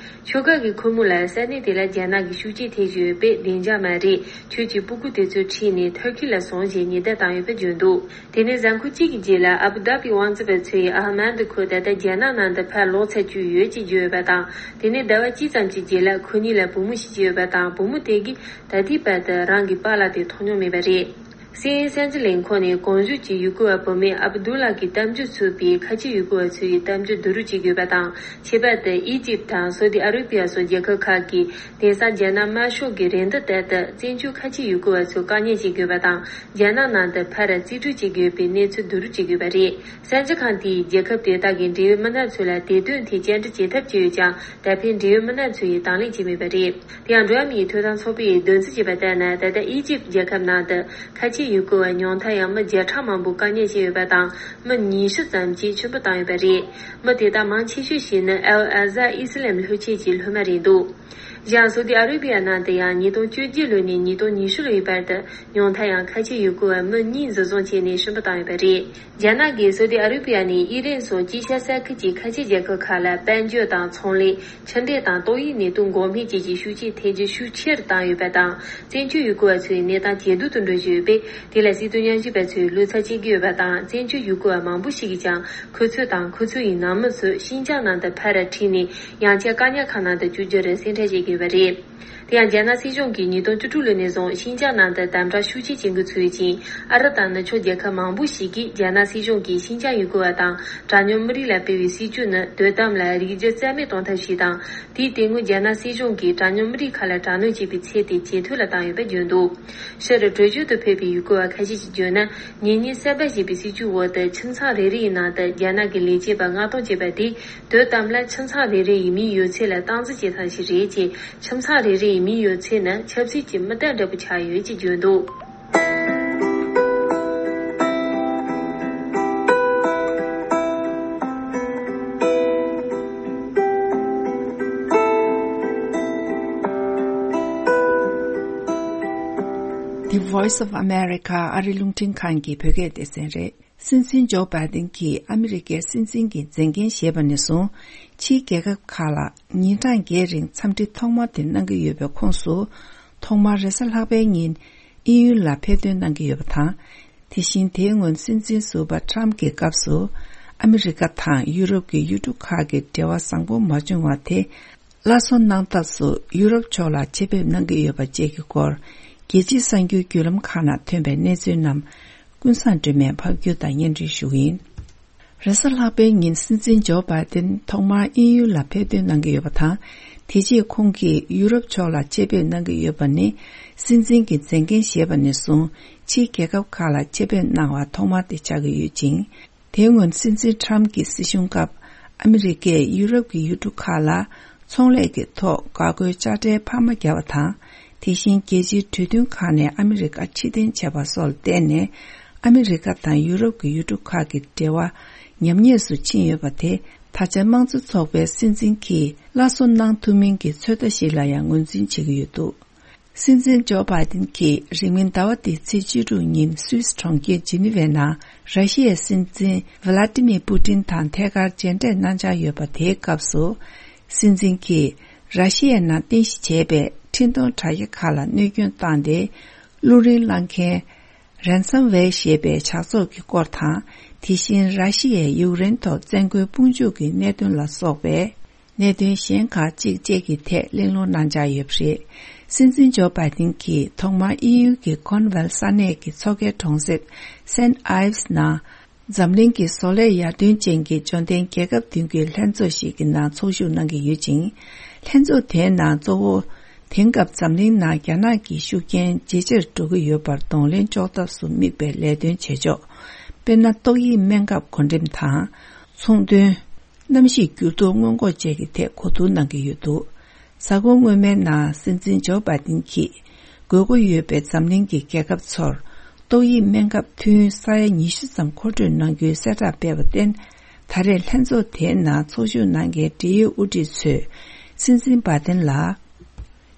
ཁྱོ་ག་གི་ཁོར་མོ་ལ་ས་གནས་དེ་ལ་རྒྱ་ནག་གི་ཤུགས་རྐྱེན་ཐེབས་བཞིན་ཡོད་པས་བདེ་འཇགས་མ་རེད། ཁྱོད་ཀྱི་སྤུ་གུ་དེ་ཚོ་ཁྲིད་ནས་ཐུར་ཁེ་ལ་སོང་ཞེས་ཉེན་བརྡ་བཏང་ཡོད་པ་བརྗོད་འདུག་དེ་ནས་གཟའ་འཁོར་གཅིག་གི་རྗེས་ལ་ཨ་བུ་དྷ་བིའི་དབང་འཛིན་པ་ཚོས་ཨ་ཧ་མད་ཁོ་ད་ལྟ་རྒྱ་ནག་ནང་དུ་ཕར་ལོག་ཚར་རྒྱུ་ཡོད་ཅེས་བརྗོད་ཡོད་པ་དང་། དེ་ནས་ཟླ་བ་གཅིག་ཙམ་གྱི་རྗེས་ལ་ཁོ་གཉིས་ལ་བུ་མོ་ཞིག་སྐྱེས་ཡོད་པ་དང་། བུ་མོ་དེ་གིས་ད་ལྟའི་བར་དུ་རང་གི་པཱ་ལགས་དེ་མཐོང་མྱོང་མེད་པ་རེད། སི་ཨེན་ཨེན་གསར་འགྱུར་ལས་ཁུངས་ནས་གོང་བརྗོད་ཀྱི་ཡུལ་སྐོར་བ་བུད་མེད་ཨབ་དུ་ལ་གི་གཏམ་རྒྱུད་ཚུད་པའི་ཁ་ཆེ་ཡུལ་སྐོར་བ་ཚོ་ཡི་གཏམ་རྒྱུད་བསྡུ་རུབ་བྱེད་དགོས་པ་དང་། ཁྱད་པར་དུ་ཨི་ཇིབ་དང་སོ་ཏི་ཨ་རི་བི་ཡ་སོགས་རྒྱལ་ཁབ་ཁག་གིས་དེང་སང་རྒྱ་ནག་དམར་ཤོག་གི་རེ་འདུན་ལྟར་དུ་བཙན་བྱོལ་ཁ་ཆེ་ཡུལ་སྐོར་བ་ཚོ་བཀག་ཉར་བྱེད་དགོས་པ་དང་། རྒྱ་ནག་ནང་དུ་ཕར་རྩིས་སྤྲོད་བྱེད་དགོས་པའི་གནས་ཚུལ་བསྡུ་རུབ་བྱེད་དགོས་པ་རེད། གསར་འགྱུར་ཁང་དེས་རྒྱལ་ཁབ་དེ་དག་གི་འབྲེལ་ཡོད་མི་སྣ་ཚོ་ལ་དེ་དོན་ཐད་བཅར་འདྲི་བྱེད་ཐབས་བྱས་ཡོད་ཀྱང་། ད་ཕན་འབྲེལ་ཡོད་མི་སྣ་ཚོ་ཡིས་དང་ལེན་བྱས་མེད་པ་རེད། དེ་ཡང་འགྲོ་བ་མིའི་ཐོབ་ཐང་ཚོགས་པས་འདོན་རྩིས་བྱས་པ་ལྟར་ན། ད་ལྟ་ཨི་ཇིབ་རྒྱལ་ཁབ་ནང་དུ་ཁ་ཆེ་ཡུལ་སྐོར་བ་ཉུང་མཐའ་ཡང་མི་བརྒྱ་ཕྲག་མང་པོ་བཀག་ཉར་བྱས་ཡོད་པ་དང་། མི་ཉི་ཤུ་ཙམ་གྱིས་ཆུད་པ་བཏང་ཡོད་པ་རེད། མི་དེ་དག་མང་ཆེ་ཤོས་ཤིག་ནི་ཨལ་ཨ་ཛར་ཨི་སི་ལམ་ལྷོ་ཆས་ཀྱི་སློབ་མ་རེད་འདུག་གཞན་སོ་ཏི་ཨ་རི་བི་ཡ་ནང་དུ་ཡང་ཉིས་སྟོང་བཅོ་བརྒྱད་ལོ་ནས་ཉིས་སྟོང་ཉི་ཤུ་ལོའི་བར་དུ་ཉུང་མཐའ་ཡང་ཁ་ཆེ་ཡུལ་སྐོར་བ་མི་གཉིས་འཛིན་བཟུང་བྱས་ནས་ཤི་འཕོ་བཏང་ཡོད་པ་རེད། རྒྱ་ནག་གིས་སོ་ཏི་ཨ་རི་བི་ཡ་ནས་ཨི་རན་སོགས་དཀྱིལ་ཤར་ས་ཁུལ་གྱི་ཁ་ཆེ་རྒྱལ་ཁབ་ཁག་ལ་དཔལ་འབྱོར་དང་ཚོང་ལས། ཕྱི་འབྲེལ་དང་ཏོག་དབྱིབས་ནད་དུག་འགོག་སྨན་བཅས་ཀྱི་ཤུགས་རྐྱེན་ཐེབས་རྒྱུ་ཤུགས་ཆེ་རུ་བཏང་ཡོད་པ་དང་། བཙན་བྱོལ་ཡུལ་སྐོར་བ་ཚོའི་གནས་སྟངས་ཇེ་སྡུག་ཏུ་འགྲོ་བཞིན་ཡོད་པས། དེ་ལ་སྲིད་དོན་ཉམས་ཞིབ་པ་ཚོས་བློ་འཚབ་བྱེད་ཀྱི་ཡོད་པ་དང་། བཙན་བྱོལ་ཡུལ་སྐོར་བ་མང་པོ་ཞིག་གིས་ཀྱང་ཁོ་ཚོ་དང་ཁོ་ཚོ་ཡི་ནང་མི་ཚོ་ཤིན་ཅང་ནང་དུ་ཕར་ཁྲིད་ནས་ཡང་བསྐྱར་བཀག་ཉར་ཁང་ནང་དུ་བཅུག་རྒྱུར་སེམས་ཁྲལ་བྱེད་ཀྱི་ཡོད་པ་རེད། དེ་ཡང་རྒྱ་ནག་སྲིད་གཞུང་གིས་ཉིས་སྟོང་བཅུ་དྲུག་ལོ་ནས་བཟུང་ཤིན་ཅང་ནང་དུ་དམ་དྲག་ཤུགས་ཆེ་བྱེད་འགོ་ཚུགས་ཡོད་ཅིང་། ཨ་རི་དང་ནུབ་ཕྱོགས་རྒྱལ་ཁབ་མང་པོ་ཞིག་གིས་རྒྱ་ནག་སྲིད་གཞུང་གིས་ཤིན་ཅང་ཡུལ་སྐོར་བ་དང་གྲངས་ཉུང་མི་རིགས་ལ་སྤེལ་བའི་སྲིད་ཇུས་ནི་དོན་དམ་ལ་རིགས་རྒྱུད་རྩ་མེད་གཏོང་ཐབས་ཤིག་དང་། དེའི་སྟེང་ངོས་རྒྱ་ནག་སྲིད་གཞུང་གིས་གྲངས་ཉུང་མི་རིགས་ཁག་ལ་དྲག་གནོན་བྱེད་པའི་ཚད་དེ་ཇེ་མཐོ་ལ་བཏང་ཡོད་པ་བརྗོད་འདུག་ཕྱིར་བྲོས་བྱོལ་དུ་ཕེབས་པའི་ཡུལ་སྐོར་བ་ཁ་ཤས་ཀྱིས་བརྗོད་ན། ཉེ་གཉིས་གསར་པ་ཞེས་པའི་སྲིད་ཇུས་འོག་ཏུ་ཁྱིམ་ཚང་རེ་རེ་ཡི་ནང་དུ་རྒྱ་ནག་གི་ལས་བྱེད་པ་མངགས་གཏོང་བྱས་པ་དེས། དོན་དམ་ལ་ཁྱིམ་ཚང་རེ་རེ་ཡི་མིའི་ཡོད་ཚད་ལ་སྟངས་འཛིན་བྱེད་སྟངས་ཤིག་རེད་ཅེས། ཁྱིམ་ཚང་རེ་རེ་ཡི་མིའི་ཡོད་ཚད་ནི་ཆབ་སྲིད་ཀྱི་མི་རྟགས་འདྲ་པོ་ཆགས་ཡོད་ཅེས་བརྗོད་འདུག The Voice of America ཨ་རི་རླུང་འཕྲིན་ཁང་གི་བོད་སྐད་སྡེ་ཚན་རེད། སྲིད་འཛིན་ཇོ་བྷའི་ཏིན་གྱིས་ཨ་མི་རི་ཀའི་སྲིད་འཛིན་གྱི་མཛད་འགན་བཞེས་པ་ནས་བཟུང་། ཕྱིའི་རྒྱལ་ཁབ་ཁག་ལ་ཉིན་གྲངས་བརྒྱད་རིང་འཚམས་འདྲི་ཐོག་མ་དེ་གནང་གི་ཡོད་པའི་ཁོངས་སུ། ཐོག་མར་རེས་གཟའ་ལྷག་པའི་ཉིན་དབྱིན་ཡུལ་ལ་ཕེབས་ཐོན་གནང་གི་ཡོད་པ་དང་། དེ་བཞིན་དེའི་སྔོན་སྲིད་འཛིན་ཟུར་པ་ཊམ་གྱི་སྐབས་སུ། ཨ་མི་རི་ཀ་དང་ཡུ་རོབ་ཀྱི་ཡུལ་གྲུ་ཁག་གི་འབྲེལ་བ་བཟང་པོ་མ་བྱུང་བ་དེ། སླར་གསོ་གནང་ཐབས་སུ་ཡུ་རོབ་ཕྱོགས་ལ་ཆེད་ཕེབས་གནང་གི་ཡོད་པ་བཅས་ཀྱི་སྐོར། རྒྱལ་སྤྱིའི་གསར་འགྱུར་བརྒྱུད་ལམ་ཁག་ནང་ཐོན་པའི་གནས་ཚུལ་རྣམས། ཀུན་བཟང་སྒྲོལ་མས་ཕབ་སྒྱུར་དང་སྙན་སྒྲོན་ཞུ་གི་ཡིན། རེས་གཟའ་ལྷག་པའི་ཉིན་སྲིད་འཛིན་ཇོ་བྷའི་ཏིན་ཐོག་མར་དབྱིན་ཡུལ་ལ་ཕེབས་ཐོན་གནང་གི་ཡོད་པ་དང་། དེ་རྗེས་ཁོང་གིས་ཡུ་རོབ་ཕྱོགས་ལ་ཆེད་ཕེབས་གནང་གི་ཡོད་པ་ནི། སྲིད་འཛིན་གྱི་མཛད་འགན་བཞེས་པ་ནས་བཟུང་ཕྱིའི་རྒྱལ་ཁབ་ཁག་ལ་ཆེད་ཕེབས་གནང་བ་ཐོག་མ་དེ་ཆགས་ཀྱི་ཡོད་ཅིང་། དེའི་སྔོན་སྲིད་འཛིན་ཊམ་གྱི་སྲིད་གཞུང་སྐབས། ཨ་མི་རི་ཀས་ཡུ་རོབ་ཀྱི་ཡུལ་གྲུ་ཁག་ལ་ཚོང་ལས་ཀྱི་ཐོག་འགག་སྒོའི་དཔྱ་ཁྲལ་འཕར་མ་བརྒྱབ་པ་དང་། དེ་བཞིན་རྒྱལ་སྤྱིའི་གྲོས་མཐུན་ཁག་ནས་ཨ་མི་རི་ཀ་ཕྱིར་འཐེན་བྱས་པ་སོགས་ལ་བརྟེན་ནས། ཨ་མི་རི་ཀ་དང་ཡུ་རོབ་ཀྱི་ཡུལ་གྲུ་ཁག་གི་འབྲེལ་བ་ཉམས་ཉེས་སུ་ཕྱིན་ཡོད་པ་དེ། ད་ཆ་དམངས་གཙོ་ཚོགས་པའི་སྲིད་འཛིན་གྱིས་སླར་གསོ་གནང་ཐུབ་མིན་གྱི་ཚོད་ལྟ་ཞིག་ལ་ཡང་ངོས་འཛིན་བྱེད་ཀྱི་ཡོད་འདུག་སྲིད་འཛིན་ཇོ་བྷའི་ཏིན་གྱིས་རིང་མིན་ཟླ་བ་འདིའི་ཚེས་བཅུ་དྲུག་ཉིན་སུད་སི་གྲོང་ཁྱེར་ཇི་ནི་ཝའི་ནང་ར་ཤི་ཡའི་སྲིད་འཛིན་ཝི་ལ་ཏི་མིར་པུ་ཏིན་དང་ཐད་ཀར་མཇལ་འཕྲད་གནང་འཆར་ཡོད་པ་དེའི་སྐབས་སུ། སྲིད་འཛིན་གྱིས་ར་ཤི་ཡའི་ནང་རྟེན་གཞི་བྱས་པའི་འཕྲིན་གཏོང་དྲ་རྒྱ་ཁག་ལ་གནོད་སྐྱོན་བཏང་སྟེ། རླུང་རིན་བསླང་མཁན་རན་སམ་ཝེར་ཞེས་པའི་ཇག་ཚོགས་ཀྱི་སྐོར་དང་། དེ་བཞིན་ར་ཤི་ཡས་ཡུཀ་རེན་ཐོག་བཙན་རྒོལ་དཔུང་འཇུག་གི་གནད་དོན་ལ་སོགས་པའི། གནད་དོན་གཞན་ཁག་ཅིག་བཅས་ཀྱི་ཐད་གླེང་སློང་གནང་འཆར་ཡོད་པ་རེད། སྲིད་འཛིན་ཇོ་བྷའི་ཏིན་གྱིས་ཐོག་མར་དབྱིན་ཡུལ་གྱི་ཀོརན་ཝལ་ས་གནས་ཀྱི་མཚོ་ཁའི་གྲོང་གསེབ་སེན་ཨའིབས་ནང་ འཛམ་གླིང་གི་བཟོ་ལས་ཡར་ཐོན་ཅན་གྱི་འབྱོར་ལྡན་རྒྱལ་ཁབ་བདུན་གྱི་ལྷན་ཚོགས་ཤིག་གི་ནང་ཚོགས་ཞུགས་གནང་གི་ཡོད་ཅིང་། ལྷན་ཚོགས་དེའི་ནང་གཙོ་བོ། དེང་སྐབས་འཛམ་གླིང་ནང་རྒྱ་ནག་གི་ཤུགས་རྐྱེན་ཇེ་ཆེར་འགྲོ་གི་ཡོད་པར་གདོང་ལེན་གཅོག་ཐབས་སུ་དམིགས་པའི་ལས་དོན་བྱེད་ཕྱོགས། དཔེར་ན། ཏོག་དབྱིབས་སྨན་ཁབ་བགོ་འགྲེམས་དང་། ཚོང་དོན། གནམ་གཤིས་འགྱུར་ལྡོག་སྔོན་འགོག་བཅས་ཀྱི་ཐད་གོ་བསྡུར་གནང་གི་ཡོད་འདུག་གཟའ་འཁོར་སྔོན་མའི་ནང་སྲིད་འཛིན་ཇོ་བྷའི་ཏིན་གྱིས། དགོས་མཁོ་ཡོད་པའི་འཛམ་གླིང་གི་རྒྱལ་ཁབ་ཚོར། ཏོག་དབྱིབས་སྨན་ཁབ་ཐུན་ས་ཡ་ཉི་ཤུ་ཙམ་མཁོ་སྤྲོད་གནང་རྒྱུའི་གསལ་བསྒྲགས་སྤེལ་བར་བརྟེན། ད་རེས་ལྷན་ཚོགས་དེའི་ནང་ཚོགས་ཞུགས་གནང་མཁན་འབྲེལ་ཡོད་དབུ་ཁྲིད་ཚོས། སྲིད་འཛིན་བྷའི་ཏིན་ལ།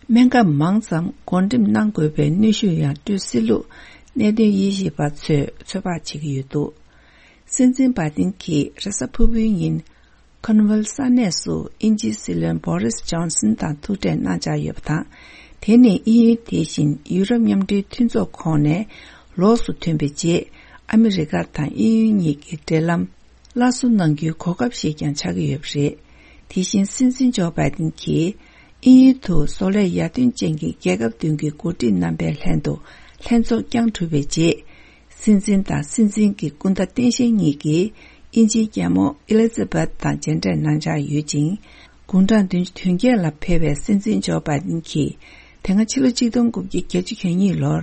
སྨན་ཁབ་མང་ཙམ་བགོ་འགྲེམས་གནང་དགོས་པའི་གནོན་ཤུགས་ཡང་སྤྲོད་སྲིད་ལུགས། གནད་དོན་དབྱེ་ཞིབ་པ་ཚོས་ཚོད་དཔག་བྱེད་ཀྱི་ཡོད་འདུག་སྲིད་འཛིན་བྷའི་ཏིན་གྱིས་རེས་གཟའ་ཕུར་བུའི་ཉིན། ཁོར་ནི་ཝལ་ས་གནས་སུ་དབྱིན་ཇིའི་སྲིད་བློན་བྷོ་རིས་ཇོན་སན་དང་ཐུག་འཕྲད་གནང་འཆར་ཡོད་པ་དང་། དེ་ནི་དབྱིན་ཡུལ་དེ་བཞིན་ཡུ་རོབ་མཉམ་འབྲེལ་མཐུན་ཚོགས་ཁོངས་ནས་ལོགས་སུ་ཐོན་པའི་རྗེས། ཨ་མི་རི་ཀ་དང་དབྱིན་ཡུལ་གཉིས་ཀྱི་འབྲེལ་ལམ་སླར་གསོ་གནང་རྒྱུའི་གོ་སྐབས་ཤིག་ཀྱང་ཆགས་ཀྱི་ཡོད་པ་རེད། དེ་བཞིན་སྲིད་འཛིན་ཇོ་བྷའི་ཏིན་གྱིས། དབྱིན་ཡུལ་དུ་བཟོ་ལས་ཡར་ཐོན་ཅན་གྱི་རྒྱལ་ཁབ་བདུན་གྱི་འགོ་ཁྲིད་རྣམ་པའི་ལྷན་དུ་ལྷན་ཚོགས་བསྐྱངས་གྲུབ་པའི་རྗེས། སྲིད་འཛིན་དང་སྲིད་འཛིན་གྱི་སྐུ་ཟླ་སྟངས་དཔྱལ་གཉིས་ཀྱིས་དབྱིན་ཇིའི་རྒྱལ་མོ་ཨེ་ལི་ཛ་བྷེཐ་དང་མཇལ་འཕྲད་གནང་འཆར་ཡོད་ཅིང་། དགུང་གྲངས་བདུན་ཅུ་དོན་བརྒྱད་ལ་ཕེབས་པའི་སྲིད་འཛིན་ཇོ་བྷའི་ཏིན་གྱིས། དེ་སྔ་ཕྱི་ལོ་ཆིག་སྟོང་དགུ་བརྒྱ་བརྒྱད་ཅུ་གྱ་གཉིས་ལོར་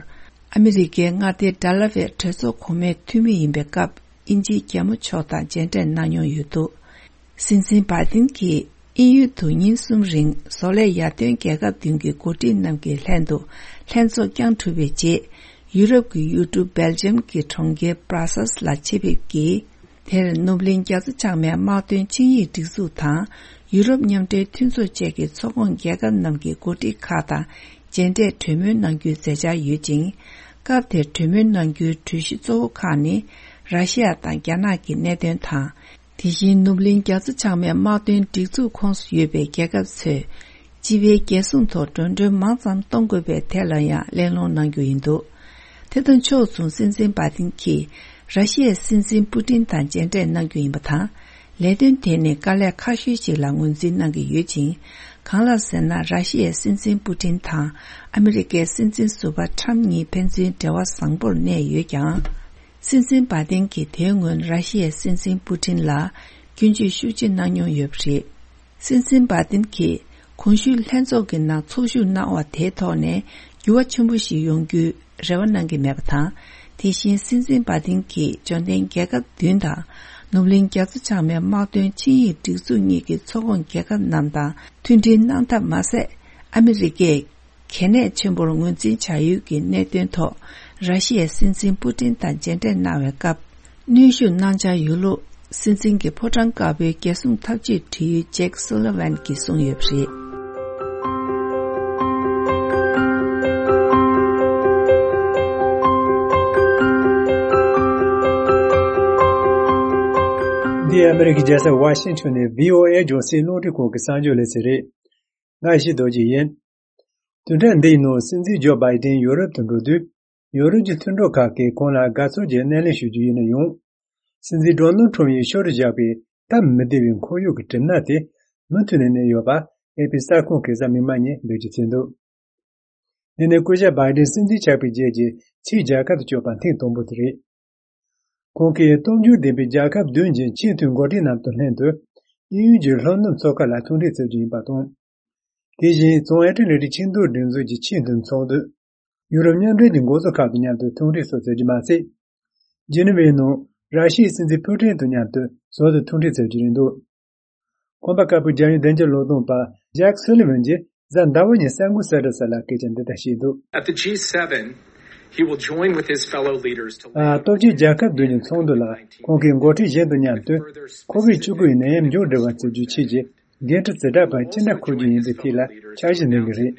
ཨ་མི་རི་ཀའི་མངའ་སྡེ་ཌལ་ཝེར་གྲོས་ཚོགས་གོང་མའི་འཐུས་མི་ཡིན་པའི་སྐབས་དབྱིན་ཇིའི་རྒྱལ་མོ་མཆོག་དང་མཇལ་འཕྲད་གནང་མྱོང་ཡོད་འདུག་སྲིད་འཛིན་བྷའི་ཏིན་གྱིས་དབྱིན་ཡུལ་དུ་ཉིན་གསུམ་རིང་བཟོ་ལས་ཡར་ཐོན་རྒྱལ་ཁབ་བདུན་གྱི་འགོ་ཁྲིད་རྣམས་ཀྱི་ལྷན་དུ་ལྷན་ཚོགས་བསྐྱངས་གྲུབ་པའི་རྗེས། ཡུ་རོབ་ཀྱི་ཡུལ་གྲུ་སྦེལ་ཇམ་གྱི་གྲོང་ཁྱེར་བྷ་ར་སལ་ལ་ཆེད་ཕེབས་ཀྱིས། དེར་ནུབ་གླིང་རྒྱ་མཚོ་བྱང་མའི་དམག་དོན་ཆིངས་ཡིག་སྒྲིག་འཛུགས་དང་། ཡུ་རོབ་མཉམ་འབྲེལ་མཐུན་ཚོགས་བཅས་ཀྱི་ཚོགས་ཁོངས་རྒྱལ་ཁབ་རྣམས་ཀྱི་འགོ་ཁྲིད་ཁག་དང་མཇལ་འཕྲད་གྲོས་མོལ་གནང་རྒྱུའི་མཛད་འཆར་ཡོད་ཅིང་། སྐབས་དེར་གྲོས་མོལ་གནང་རྒྱུའི་གྲོས་གཞི་གཙོ་བོ་ཁག་ནི། ར་ཤི་ཡ་དང་རྒྱ་ནག་གི་གནད་དོན་དང་། དེ་བཞིན་ནུབ་གླིང་རྒྱ་མཚོ་བྱང་མའི་དམག་དོན་སྒྲིག་འཛུགས་ཁོངས་སུ་ཡོད་པའི་རྒྱལ་ཁབ་ཚོས། སྤྱི་པའི་རྒྱལ་སྲུང་ཐོག་འགྲོ་གྲོན་མང་ཙམ་གཏོང་དགོས་པའི་ཐད་ལ་ཡང་གླེང་སློང་གནང་རྒྱུ་ཡིན་འདུག་དེ་དང་ཕྱོགས་མཚུངས་སྲིད་འཛིན་བྷ་ཏིན་གྱིས་ར་ཤི་ཡའི་སྲིད་འཛིན་པུ་ཏིན་དང་མཇལ་འཕྲད་གནང་རྒྱུ་ཡིན་པ་དང་། ལས་དོན་དེ་ནི་དཀའ་ལས་ཁག་ཤོས་ཤིག་ལ་ངོས་འཛིན་གནང་གི་ཡོད་ཅིང་། གང་ལགས་ཟེར་ན། ར་ཤི་ཡའི་སྲིད་འཛིན་པུ་ཏིན་དང་ཨ་མི་རི་ཀའི་སྲིད་འཛིན་ཟུར་པ་ཁྲམ་གཉིས་ཕན་ཚུན་འབྲེལ་བ་བཟང་པོར་གནས་ཡོད་ཀྱང་། སྲིད་འཛིན་བྷ་ཏིན་གྱིས་དེའི་སྔོན་ར་ཤི་ཡའི་སྲིད་འཛིན་པུ་ཏིན་ལ་སྐྱོན་བརྗོད་ཤུགས་ཆེ་གནང་མྱོང་ཡོད་པ་རེད། སྲིད་འཛིན་བྷ་ཏིན་གྱིས་གོང་ཞུས་ལྷན་ཚོགས་ཀྱི་ནང་ཚོགས་ཞུགས་གནང་བ་དེའི་ཐོག་ནས་འགྱུར་བ་ཆེན་པོ་ཞིག་ཡོང་རྒྱུའི་རེ་བ་གནང་གི་མེད་པ་དང་། དེ་བཞིན་སྲིད་འཛིན་བྷ་ཏིན་གྱིས་འབྱོར་ལྡན་རྒྱལ་ཁབ་བདུན་དང་ནུབ་གླིང་རྒྱ་མཚོ་བྱང་མའི་དམག་དོན་ཆིངས་ཡིག་སྒྲིག་འཛུགས་གཉིས་ཀྱི་ཚོགས་ཁོངས་རྒྱལ་ཁབ་རྣམས་དང་མཐུན་སྒྲིལ་གནང་ཐབས་མ་ཟད། ཨ་མི་རི་ཀས་གལ་གནད་ཆེན་པོར་ངོས་འཛིན་བྱ་ཡུལ་གྱི་གནད་དོན་ཐོག་ར་ཤི་ཡའི་སྲིད་འཛིན་པུ་ཏིན་དང་མཇལ་འཕྲད་གནང་བའི་སྐབས། གནོན་ཤུགས་གནང་འཆར་ཡོད་ལུགས། སྲིད་འཛིན་གྱི་ཕོ་བྲང་དཀར་པོའི་རྒྱལ་སྲུང་ཐབས་ཇུས་དྲི་ཡུལ་ཇེག་སུ་ལི་ཝན་གྱིས་གསུངས་ཡོད་པ་རེད། འདི་ཨ་མི་རི་ཀའི་རྒྱལ་ས་ཝ་ཤིང་ཊོན་ནས་བྷི་ཨོ་ཨེ་རྒྱང་སྲིང་རླུང་འཕྲིན་ཁང་གི་གསར་འགྱུར་ལེ་ཚན་རེད། ང་ཡེ་ཤེས་རྡོ་རྗེ་ཡིན། བདུན་ཕྲག་འདིའི་ནང་སྲིད་འཛིན་ཇོ་བྷའི་ཏིན་ཡོ་རོབ་ཏུ་འགྲོ་དུས། ཡོ་རོབ་ཀྱི་མཐུན་གྲོགས་ཁག་གིས་ཁོང་ལ་དགའ་ཚོར་གྱི་སྣེ་ལེན་ཞུ་རྒྱུ་ཡིན་ན་ཡང་། སྲིད་འཛིན་ཌོ་ནལ་ཁྲོམ་ཡིས་ཤོར་བཞག་པའི་སྟབས་མི་བདེ་བའི་ཁོར་ཡུག་གི་གྲིབ་ནག་དེ་མུ་མཐུད་ནས་གནས་ཡོད་པ་ཨེ་པི་གསར་ཁང་གིས་གཟའ་མིག་དམར་ཉིན་འགྲེལ་བརྗོད་བྱས་འདུག་འདི་ནི་སྐུ་ཞབས་བྷའི་ཏིན་སྲིད་འཛིན་ཆགས་པའི་རྗེས་ཀྱི་ཕྱིའི་རྒྱལ་ཁབ་ཏུ་བསྐྱོད་པ་ཐེངས་དང་པོ་དེ་རེད། ཁོང་གིས་སྟོབས་འབྱོར་ལྡན་པའི་རྒྱལ་ཁབ་བདུན་གྱི་ཆེས་མཐོའི་འགོ་ཁྲིད་རྣམས་དང་ལྷན་དུ་དབྱིན་ཡུལ་གྱི་ལྷོ་ནུབ་མཚོ་ཁ་ལ་ཐུག་འཕྲད་མཛད་རྒྱུ་ཡིན་པ་དང་། དེ་བཞིན་བྱང་ཨེ་ཊ་ལན་ཊིག་ཆིངས་འདུལ་སྒྲིག་འཛུགས་ཀྱི་ཆེས་མཐོའི་ཚོགས་འདུ། ཡུ་རོབ་མཉམ་འབྲེལ་གྱི་འགོ་གཙོ་ཁག་དང་མཉམ་དུ་ཐུག་འཕྲད་སོགས་མཛད་རྒྱུ་མ་ཟད། ཇི་ནི་ཝའི་ནང་ར་ཤི་ཡའི་སྲིད་འཛིན་ཕུ་ཀྲིན་དང་མཉམ་དུ་ཟུར་དུ་ཐུག་འཕྲད་མཛད་རྒྱུ་རེད་འདུག་གོམ་པ་དཀར་པོའི་རྒྱལ་ཡོངས་བདེ་འཇགས་བློས་གཏོང་པ་ཇེག་སུ་ལི་ཝན་གྱིས་གཟའ་ཟླ་བ་ཉིན་གསར་འགོད་གསལ་བསྒྲགས་གསར་ལ་སྐད་ཆ་འདི་ལྟར་བཤད་འདུག At the G seven, he will join with his fellow leaders to ཨ། སྟོབས་ཆེན་རྒྱལ་ཁབ་བདུན་གྱི་ཚོགས་འདུ་ལ་ཁོང་གིས་འགོ་ཁྲིད་གཞན་དང་མཉམ་དུ་ཁོ་བིཌ་བཅུ་དགུ་ཡི་ནད་ཡམས་མཇུག་སྒྲིལ་བ་བརྩི་རྒྱུའི་ཆེད་ཀྱི་འགན་འཁྲི་ཛ་དྲག་པ་ཅི་འདྲ་འཁུར་རྒྱུ་ཡིན་པའི་ཐད་ལ་འཆར་གཞི་འདོན་གྱི་རེད།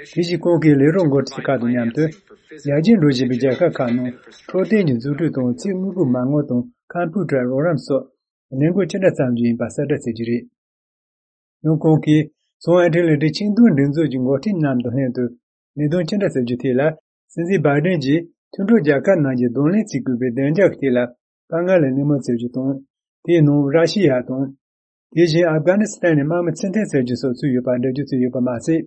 དེ་བཞིན་ཁོང་གིས་ལས་རོགས་འགོ་ཁྲིད་ཁག་དང་མཉམ་དུ་ཡར་རྒྱས་འགྲོ་བཞིན་པའི་རྒྱལ་ཁབ་ཁག་ནང་འཕྲོད་བསྟེན་གྱི་འཛུགས་སྐྲུན་དང་ཚིག་དངོས་པོའི་མ་དངུལ་དང་ཁམ་ཕུ་ཊར་རོགས་རམ་སོགས་ལས་འགུལ་ཅི་འདྲ་བརྩམ་རྒྱུ་ཡིན་པ་གསལ་བསྒྲགས་བྱེད་རྒྱུ་རེད། ཡང་ཁོང་གིས་བྱང་ཨེ་ཊ་ལན་ཊིག་ཆིངས་འདུལ་སྒྲིག་འཛུགས་ཀྱི་འགོ་ཁྲིད་རྣམས་དང་ལྷན་དུ་ལས་དོན་ཅི་འདྲ་བྱ་རྒྱུ་ཐད་ལ། སྲིད་འཛིན་བྷའི་ཏིན་གྱིས་མཐུན་གྲོགས་རྒྱལ་ཁབ་རྣམས་ཀྱིས་གདོང་ལེན་བྱེད་དགོས་པའི་བདེ་འཇགས་ཀྱི་ཐད་ལ་དཀའ་ངལ་ལ་གླེང་མོལ་བྱ་རྒྱུ་དང་། དེའི་ནང་ར་ཤི་ཡ་དང་། དེ་བཞིན་ཨབ་གྷ་ནི་སི་ཐན་ནས་དམག་མི་ཕྱིར་འཐེན་བྱ་རྒྱུ་སོགས་ཚུད་ཡོད་པ་འགྲེལ་བརྗོད་བྱས་ཡོད་པ་མ་ཟད།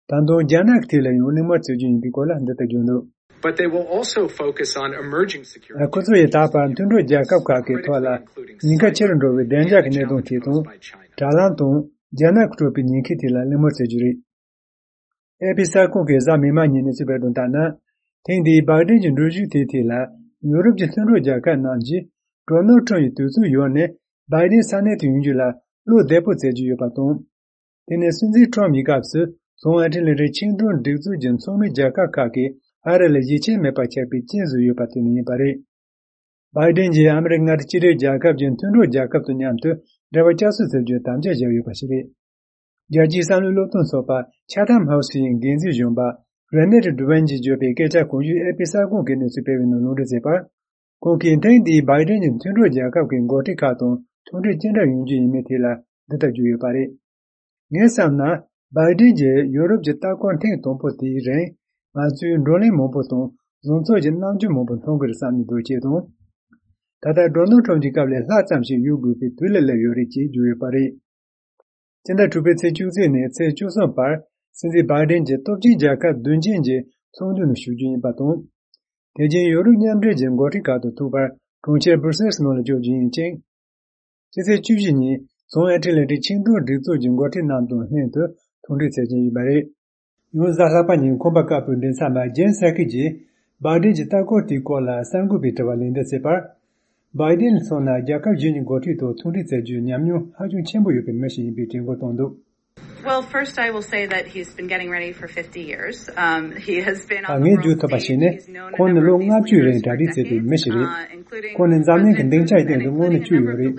ད་དུང་རྒྱ་ནག་གི་ཐད་ལ་ཡང་གླེང་མོལ་བྱ་རྒྱུ་ཡིན་པའི་སྐོར་ལ་འདི་ལྟར་བརྗོད་འདུག But they will also focus on emerging security. ཁོ་ཚོ་ཡིས་ད་བར་མཐུན་གྲོགས་རྒྱལ་ཁབ་ཁག་གི་ཐོག་ལ་ཉེན་ཁ་ཆེ་རུ་འགྲོ་བའི་བདེ་འཇགས་ཀྱི་གནད་དོན་དེ་དང་། དྲ་ལམ་དང་རྒྱ་ནག་གིས་སྤྲད་པའི་ཉེན་ཁའི་ཐད་ལ་གླེང་མོལ་བྱེད་རྒྱུ་རེད། ཨེ་པི་གསར་ཁང་གིས་གཟའ་མིག་དམར་ཉིན་ནས་གསུངས་པར་དང་ལྟར་ན། ཐེངས་འདིའི་བྷའི་ཌེན་གྱི་འགྲུལ་བཞུད་དེའི་ཐད་ལ་ཡུ་རོབ་ཀྱི་མཐུན་གྲོགས་རྒྱལ་ཁབ་རྣམས་ཀྱིས་ཌོ་ནལ་ཁྲམ་ཡི་དུས་ཚོད་ཡོལ་ནས་བྷའི་ཌེན་ས་གནས་དུ་ཡོང་རྒྱུ་ལ་བློ་བདེ་པོ་བྱེད་ཀྱི་ཡོད་པ་དང་། དེ་ནས་སྲིད་འཛིན་ཁྲམ་ཡི་སྐབས་སུ་བྱང་ཨེཊ་ལན་ཊིག་ཆིངས་གྲོང་སྒྲིག་འཛུགས་ཀྱི་ཚོགས་མི་རྒྱལ་ཁབ་ཁག་གིས་ཨ་རི་ལ་ཡིད་ཆེས་མེད་པ་ཆགས་པའི་རྐྱེན་བཟོས་ཡོད་པ་དེ་ནི་ཡིན་པ་རེད། བྷའི་ཌེན་གྱིས་ཨ་མི་རི་ཀ་མངའ་སྡེ་གཅིག་སྒྲིལ་རྒྱལ་ཁབ་ཀྱི་མཐུན་གྲོགས་རྒྱལ་ཁབ་དང་མཉམ་དུ་འབྲེལ་བ་བསྐྱར་གསོ་བྱེད་རྒྱུའི་དམ་བཅའ་བཞག་ཡོད་པ་ཞིག་རེད། རྒྱལ་སྤྱིའི་བསམ་བློའི་སློབ་སྟོན་ཚོགས་པ་ཆ་ཐམ་ཧའུ་སི་ཡི་འགན་འཛིན་གཞོན་པ་རེ་ནེ་ཏི་ཌུ་ཝན་གྱིས་བརྗོད་པའི་སྐད་ཆ་གོང་ཞུས་ཨེ་པི་གསར་ཁང་གིས་གནས་ཚུལ་སྤེལ་བའི་ནང་ལུང་འདྲེན་བྱས་པར། ཁོང་གིས་ཐེངས་འདིའི་བྷའི་ཌེན་གྱི་མཐུན་གྲོགས་རྒྱལ་ཁབ་ཀྱི་འགོ་ཁྲིད་ཁག་དང་ཐུག་འཕྲད་ཅི་འདྲ་ཡོང་རྒྱུ་ཡིན་མིན་ཐད་ལ་འདི་ལྟར་བརྗོད་ཡོད་པ་རེད། ངས་བསམ་ན། བྷའི་ཌེན་གྱིས་ཡུ་རོབ་ཀྱི་ལྟ་སྐོར་ཐེངས་དང་པོ་དེའི་རིང་། ང་ཚོས་བགྲོ་གླེང་མང་པོ་དང་བཟང་ཕྱོགས་ཀྱི་རྣམ་འགྱུར་མང་པོ་མཐོང་གི་རེད་བསམ་གྱི་འདུག་ཅེས་དང་། ད་ལྟ་ཌོ་ནལ་ཁྲམ་གྱི་སྐབས་ལས་ལྷག་ཙམ་ཞིག་ཡོང་དགོས་པའི་དུས་ལ་སླེབས་ཡོད་རེད་ཅེས་བརྗོད་ཡོད་པ་རེད། སྤྱི་ཟླ་དྲུག་པའི་ཚེས་བཅུ་གཅིག་ནས་ཚེས་བཅུ་གསུམ་བར་སྲིད་འཛིན་བྷའི་ཌེན་གྱིས་སྟོབས་ཆེན་རྒྱལ་ཁབ་བདུན་ཅན་གྱི་ཚོགས་འདུ་ནང་ཞུགས་རྒྱུ་ཡིན་པ་དང་། དེ་རྗེས་ཡུ་རོབ་མཉམ་འབྲེལ་གྱི་འགོ་ཁྲིད་ཁག་དང་ཐུག་པར་གྲོང་ཁྱེར་སྦུར་སེལ་སི་ནང་ལ་འབྱོར་རྒྱུ་ཡིན་ཅིང་། སྤྱི་ཚེས་བཅུ་བཞི་ཉིན་བྱང་ཨེཊ་ལན་ཊིག་ཆིངས་གྲོང་སྒྲིག་འཛུགས་ཀྱི་འགོ་ཁྲིད་རྣམས་དང་ལྷན་དུ་ཐུག་འཕྲད་བྱེད་ཀྱི་ཡོད་པ་རེད། ཡང་གཟའ་ལྷག་པ་ཉིན་ཁོམ་པ་དཀར་པོའི་མགྲིན་ཚབ་པ་ཇེན་སར་ཀི་ཡིས་བྷའི་ཌེན་གྱི་ལྟ་སྐོར་དེའི་སྐོར་ལ་གསར་འགོད་པའི་དྲི་བར་ལན་འདེབས་བྱས་པར། བྷའི་ཌེན་ལ་མཚོན་ན་རྒྱལ་ཁབ་གཞན་གྱི་འགོ་ཁྲིད་དང་ཐུག་འཕྲད་བྱ་རྒྱུའི་ཉམས་མྱོང་ཧ་ཅང་ཆེན་པོ་ཡོད་པའི་མི་ཞིག་ཡིན་པའི་དྲན་སྐུལ་བཏང་འདུག Well, first I will say that he's been getting ready for fifty years. Um, he has been on the world stage. ད་ངས་བརྗོད་ཐུབ་པ་ཞིག་ནི། ཁོང་ནི་ལོ་ལྔ་བཅུའི་རིང་གྲ་སྒྲིག་བྱས་པའི་མི་ཞིག་རེད། ཁོང་ནི་འཛམ་གླིང་གི་སྡིངས་ཆའི་སྟེང་དུ་སྔོན་ནས་བསྐྱོད་ཡོད་རེད།